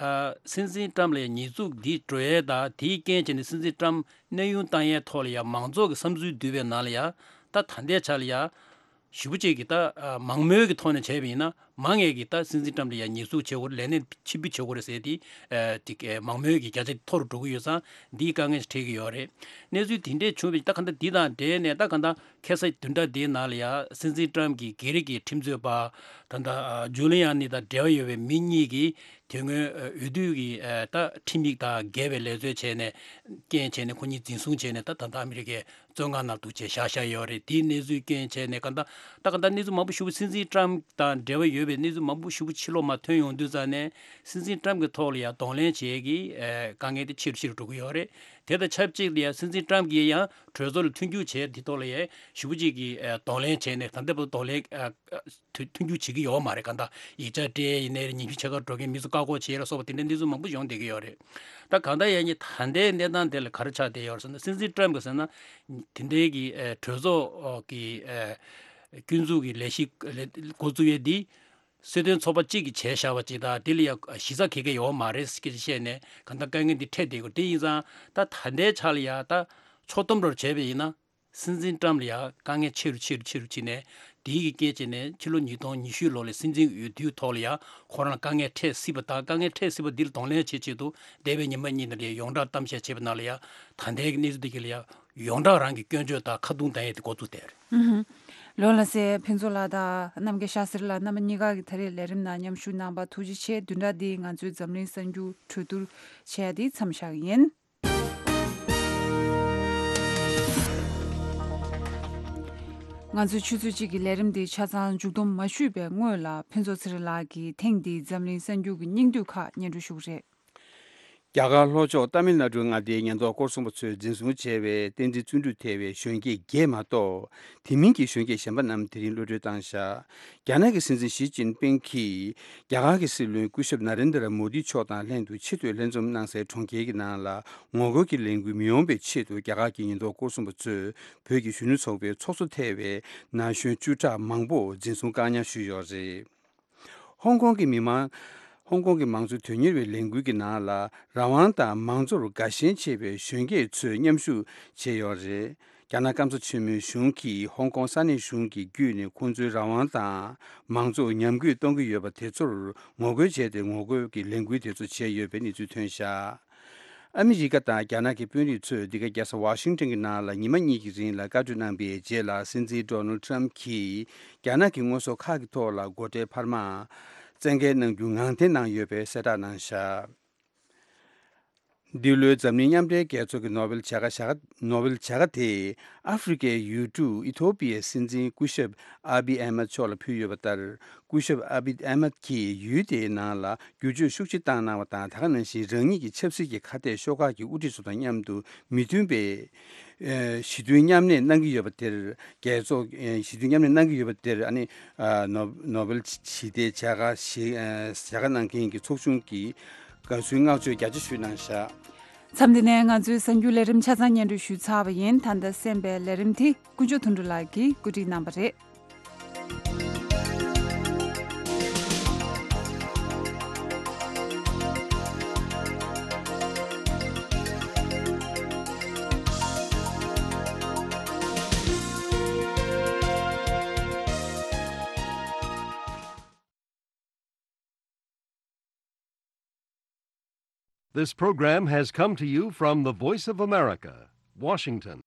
སྲིད་འཛིན་ཊམ་ལ་ཡ་ཉེས་འཛུགས་འདི་འགྲོ་ཡས་ད་དེའི་རྐྱེན་བྱས་ནས་སྲིད་འཛིན་ཊམ་གནས་དབྱུང་བཏང་ཡས་ཐོག་ལ་ཡ་མང་ཚོགས་ཀྱི་བསམ་ཚུལ་བསྡུས་པའི་ནང་ལ་ཡ་ད་ད་ལྟའི་ཆ་ལ་ཡ་ཞེ་པོ་ཅིག་གི་ད་མང་མོས་ཀྱི་ཐོག་ནས་བྱས་པ་ཡིན་ན་མང་ངེས་ཀྱི་ད་སྲིད་འཛིན་ཊམ་ལ་ཡ་ཉེས་འཛུགས་བྱེད་དགོས་རེད། ལས་གནས་ཕྱིར་འབུད་བྱེད་དགོས་རེད་ཟེར་ཏེ་ཅིག་མང་མོས་ཀྱི་བརྒྱ་ཆ་མཐོ་རུ་འགྲོ་གི་ཡོད་ཙང་འདིའི་དཀའ་ངལ་ཞིག་འཕྲད་ཀྱི་ཡོད་རེད། གནས་ཚུལ་དེ་འདྲས་བྱུང་བའི་ད་ག་འདྲ་འདི་དང་འབྲེལ་ནས་ད་ག་འདྲ་ཁ་སང་བདུན་ཕྲག་འདིའི་ནང་ལ་ཡ་སྲིད་འཛིན་ཊམ་གྱི་སྒེར་གྱི་ཁྲིམས་རྩོད་པ་ད་ལྟ་ཇུ་ལི་ཡ་ནི་དང་འབྲེལ་བ་ཡོད་པའི་མི་གཉིས་ཀྱིས་དེ་སྔོན་འོས་བསྡུ་གི་ད་ཁྲིམས་ཡིག་དང་འགལ་བའི་ལས་རྩོལ་བྱས་ནས་རྐྱེན་བྱས་ནས་ཁོ་གཉིས་འཛིན་བཟུང་བྱས་ནས་ད་ད་ལྟ་ཨ་མི་རི་ཀའི་བཙོན་ཁང་ནང་འདུག་བྱས་བཞག་བཞག་ཡོད་རེད། དེའི་གནས་ཚུལ་རྐྱེན་བྱས་ནས་ག་ད་ད་ག་ད་གནས་ཚུལ་མང་པོ་ཞེ་པོ་སྲིད་འཛིན་ཊམ་དང་འབྲེལ་བ་ཡོད་པའི་གནས་ཚུལ་མང་པོ་ཞེ་པོ་ཕྱི་ལོགས་མ་ཐོན་ཡོང་དུས་ཙང་ནས་སྲིད་འཛིན་ཊམ་གྱི་ཐོག་ལ་ཡང་གདོང་ལེན་བྱེད་ཀྱི་དཀའ་ངལ་དེ་ཆེ་རུ་ཆེ་རུ་འགྲོ་གི་ཡོད་རེད། དེ་དང་ཆབས་ཅིག་ལ་ཡང་སྲིད་འཛིན་ཊམ་གྱིས་ཡང་གྲོས་ཚོགས་ལ་མཐུན་འགྱུར་བྱས་དེ་ཐོག་ལ་ཡང་ཞེ་པོ་ཅིག་གི་གདོང་ལེན་བྱས་ནས་ད་ལྟ་བར་གདོང་ལེན་མཐུན་འགྱུར་བྱེད་ཀྱི་ཡོད་མ་རེད། གང་ལྟར་ཡིག་ཆ་སྤྲད་ཡིན་ནའི་ཉིན་རྒྱུན་ཕྱེད་ཀ་འགྲོ་མཁན་མི་ཚོ་བཀག་འགོག་བྱས་ལ་སོགས་པ་དེ་འདྲའི་གནས་ཚུལ་མང་པོ་ཡོང་བསྡད་ཀྱི་ཡོད་རེད། ད་གང་ལྟར་ཡང་ཉིན་ད་ལྟའི་གནས་སྟངས་དེ་ལ་ག་རེ་ཆགས་བསྡད་ཡོད་རེད་ཟེར་ན་སྲིད་འཛིན་ཊམ་གྱིས་ཟེར་ན་དེ་འདྲའི་གི་གྲོས་ཚོགས་ཀྱི་སྐྱོན་འཛུགས་ཀྱི་ལས་གཞི་འགོ་བཙུགས་ཡས་འདི་སྲིད་དོན་ཚོགས་པ་གཅིག་གིས་བྱས་བཞག་པ་ཅིག་དང་དེ་ལ་ཡང་གཞི་རྩ་ག་གེ་ཡོད་མ་རེད་ཟེར་བཤད་ནས་གང་ལྟར་དཀའ་ངལ་འདི་འཕྲད་བསྡད་ཡོད། དེ་ཡིན་ཙང་ད་ད་ལྟའི་ཆ་ལ་ཡང་ད་ཕྱོགས་བསྡོམས་འདྲ་བྱས་པ་ཡིན་ན། སྲིད་འཛིན་ཊམ་ལ་ཡང་དཀའ་ངལ་ཆེ་རུ་ཆེ་རུ་ཆེ་རུ་ཕྱིན་ནས་དེའི་གི་རྐྱེན་བྱས་ནས་ཕྱི་ལོ་ཉིས་སྟོང་ཉི་ཤུ་ལོ་ལ་སྲིད་འཛིན་འོས་བསྡུའི་ཐོག་ལ་ཡང་ཁོ་རང་དཀའ་ངལ་འཕྲད་སྲིད་པ་དང་དཀའ་ངལ་འཕྲད་སྲིད་པ་འདི་ལ་གདོང་ལེན་བྱེད་ཆེད་དུ་འདས་པའི་ཉི་མ་གཉིས་ནང་ལ་ཡོངས་གྲགས་གཏམ་བཤད་བྱས་པ་ནང་ལ་ཡང་ད་ལྟའི་གི་གནས་ཚུལ་འདི་གི་ལ་ཡང་ཡོངས་གྲགས་རང་གི་སྐྱོན་བརྗོད་དང་ཁ་རྡུང་བཏང་ཡས་དེ་འགོ་བཙུགས་བསྡད་རེད། ལོ་ལ་སེ་ཕུན་ཚོགས་ལགས་དང་རྣམ་རྒྱལ་ཤཱ་སིར་ལགས་རྣམ་པ་གཉིས་ཀ་གི་ད་རེས་ལས་རིམ་ནང་མཉམ་ཞུགས་གནང་པ་ཐུགས་རྗེ་ཆེ། བདུན་ཕྲག་འདིའི་ང་ཚོའི་འཛམ་གླིང་གསར་འགྱུར་གྲོས་བསྡུར་བྱས་ཏེ་མཚམས་བཞག་གི་ཡིན། ང་ཚོའི་ཆུ་ཚོད་གཅིག་གི་ལས་རིམ་འདི་ཆ་ཚང་མཇུག་བསྡོམས་མ་ཞུས་པའི་སྔོན་ལ་ཕུན་ཚོགས་ཚེ་རིང་ལགས་ཀྱིས་ཐེངས་འདིའི་འཛམ་གླིང་གསར་འགྱུར་གྱི་སྙིང་བསྡུས་ཁག་སྙན་སྒྲོན་ཞུ་གི་རེད། རྒྱ་གར་ལྷོ་ཕྱོགས་ཏཱ་མིལ་ནཱ་ཌུའི་མངའ་སྡེའི་ཉེན་རྟོག་སྐོར་སྲུང་པ་ཚོས་འཛིན་བཟུང་བྱས་པའི་བསྟན་འཛིན་བརྩོན་འགྲུས་ཐེ་བའི་གཞོན་སྐྱེས་བརྒྱད་མ་གཏོགས་དེ་མིན་གྱི་གཞོན་སྐྱེས་གཞན་པ་རྣམས་དེ་རིང་གློད་གྲོལ་བཏང་བཞག་རྒྱ་ནག་གི་སྲིད་འཛིན་ཞི་ཅིན་ཕིང་གིས་རྒྱ་གར་གྱི་སྲིད་བློན་སྐུ་ཞབས་ན་རེན་དྲ་མོ་དི་མཆོག་དང་ལྷན་དུ་ཆེས་མཐོའི་ལྷན་འཛོམས་གནང་སའི་གྲོང་ཁྱེར་གྱི་ནང་ལ་ངོ་རྒོལ་གྱི་ལས་འགུལ་མི་ཡོང་བའི་ཆེད་དུ་རྒྱ་གར་གྱི་ཉེན་རྟོག་སྐོར་སྲུང་པ་ཚོས་བོད་ཀྱི་གཞོན་ནུ་ཚོགས་པའི་ཚོགས་གཙོ་ཐེ་བའི་ན་གཞོན་བཅུ་ཕྲག་མང་པོ་འཛིན་བཟུང་བཀག་ཉར་ཞུས་ཡོད་རེད། ཧོང་ཀོང་གི་མི་མང་། ཧོང་ཀོང་གི་མང་གཙོའི་དོན་གཉེར་བའི་ལས་འགུལ་གྱི་ནང་ལ་རང་དབང་དང་མང་གཙོར་དགའ་ཞེན་ཆེ་བའི་གཞོན་སྐྱེས་ཚོས་མཉམ་ཞུགས་བྱས་ཡོད་རེད། རྒྱ་ནག་སྐམ་ས་ཆེན་མོའི་གཞུང་གིས་ཧོང་ཀོང་ས་གནས་གཞུང་གི་བརྒྱུད་ནས་ཁོང་ཚོའི་རང་དབང་དང་མང་གཙོ་ཉམས་རྒུད་གཏོང་གི་ཡོད་པ་དེ་ཚོར་ངོ་རྒོལ་བྱས་ཏེ་ངོ་རྒོལ་གྱི་ལས་འགུལ་དེ་ཚོ་བྱས་ཡོད་པའི་གནས་ཚུལ་ཐོན་བཞག་ཨ་མི་རི་ཀ་དང་རྒྱ་ནག་གི་དཔོན་རིགས་ཚོས་འདི་ག་རྒྱལ་ས་ཝ་ཤིང་ཊོན་གྱི་ནང་ལ་ཉི་མ་གཉིས་ཀྱི་རིང་ལ་བཀའ་གྲོས་གནང་པའི་རྗེས་ལ་སྲིད་འཛིན་ཌོ་ནལ་ཊམ་གྱིས་རྒྱ་ནག་གི་དངོས་ཟོག་ཁག་གི་ཐོག་ལ་སྒོ་ཁྲལ་འཕར་མ་བཙན་འགེལ་གནང་རྒྱུ་ངང་འཐེན་གནང་ཡོད་པའི་གསལ་བསྒྲགས་གནང་བཞག་འདི་ལོའི་འཛམ་གླིང་མཉམ་འབྲེལ་རྒྱལ་ཚོགས་ཀྱི་ནོ་བེལ་བྱ་དགའ་བྱ་དགའ་ནོ་བེལ་བྱ་དགའ་དེ་ཨ་ཧྥེ་རི་ཀའི་ཡུལ་གྲུ་ཨི་ཐོ་པི་ཡའི་སྲིད་འཛིན་སྐུ་ཞབས་ཨ་བི་ཨེ་མད་མཆོག་ལ་ཕུལ་ཡོད་པ་ལྟར། སྐུ་ཞབས་ཨ་བི་ཨེ་མད་ཀྱིས་ཡུལ་དེའི་ནང་ལ་བསྒྱུར་བཅོས་ཤུགས་ཆེ་བཏང་གནང་བ་དང་། ད་ག་ནང་བཞིན་རང་ཉིད་ཀྱི་ཆབ་སྲིད་ཀྱི་ཁ་གཏད་ཤོག་ཁག་གི་དབུ་ཁྲིད་ཚོ་དང་མཉམ་དུ་མི་མཐུན་པའི་ཨ་ཞི་མཐུན་མཉམ་གནས་གནང་གི་ཡོད་པ་དེར་རྒྱལ་ཚོགས་ཨ་ཞི་མཐུན་མཉམ་གནས་གནང་གི་ཡོད་པ་དེར་ཨ་ནི་ཨ་ནོ་ནོ་བེལ་ཞི་བདེའི་བྱ་དགའ་ཞིག་ཨ་བྱ་དགའ་གནང་མཁན་གྱི་ཚོགས་ཆུང་གིས་དགའ་བསུའི་བསྔགས་བརྗོད་རྒྱ་ཆེ་ཞུས་གནང་བཞག་མཚམས་འདི་ནས་ང་ཚོའི་གསར་འགྱུར་ལས་རིམ་ཆ་ཚང་སྙན་སྒྲོན་ཞུས་ཚར་བ་ཡིན། ད་ལྟ་གསན་པའི་ལས་རིམ་དེ་དཀོན་མཆོག་དོན་གྲུབ་ལགས་ཀྱིས་བཀོད་སྒྲིག་གནང་བ་རེད། This program has come to you from the Voice of America, Washington.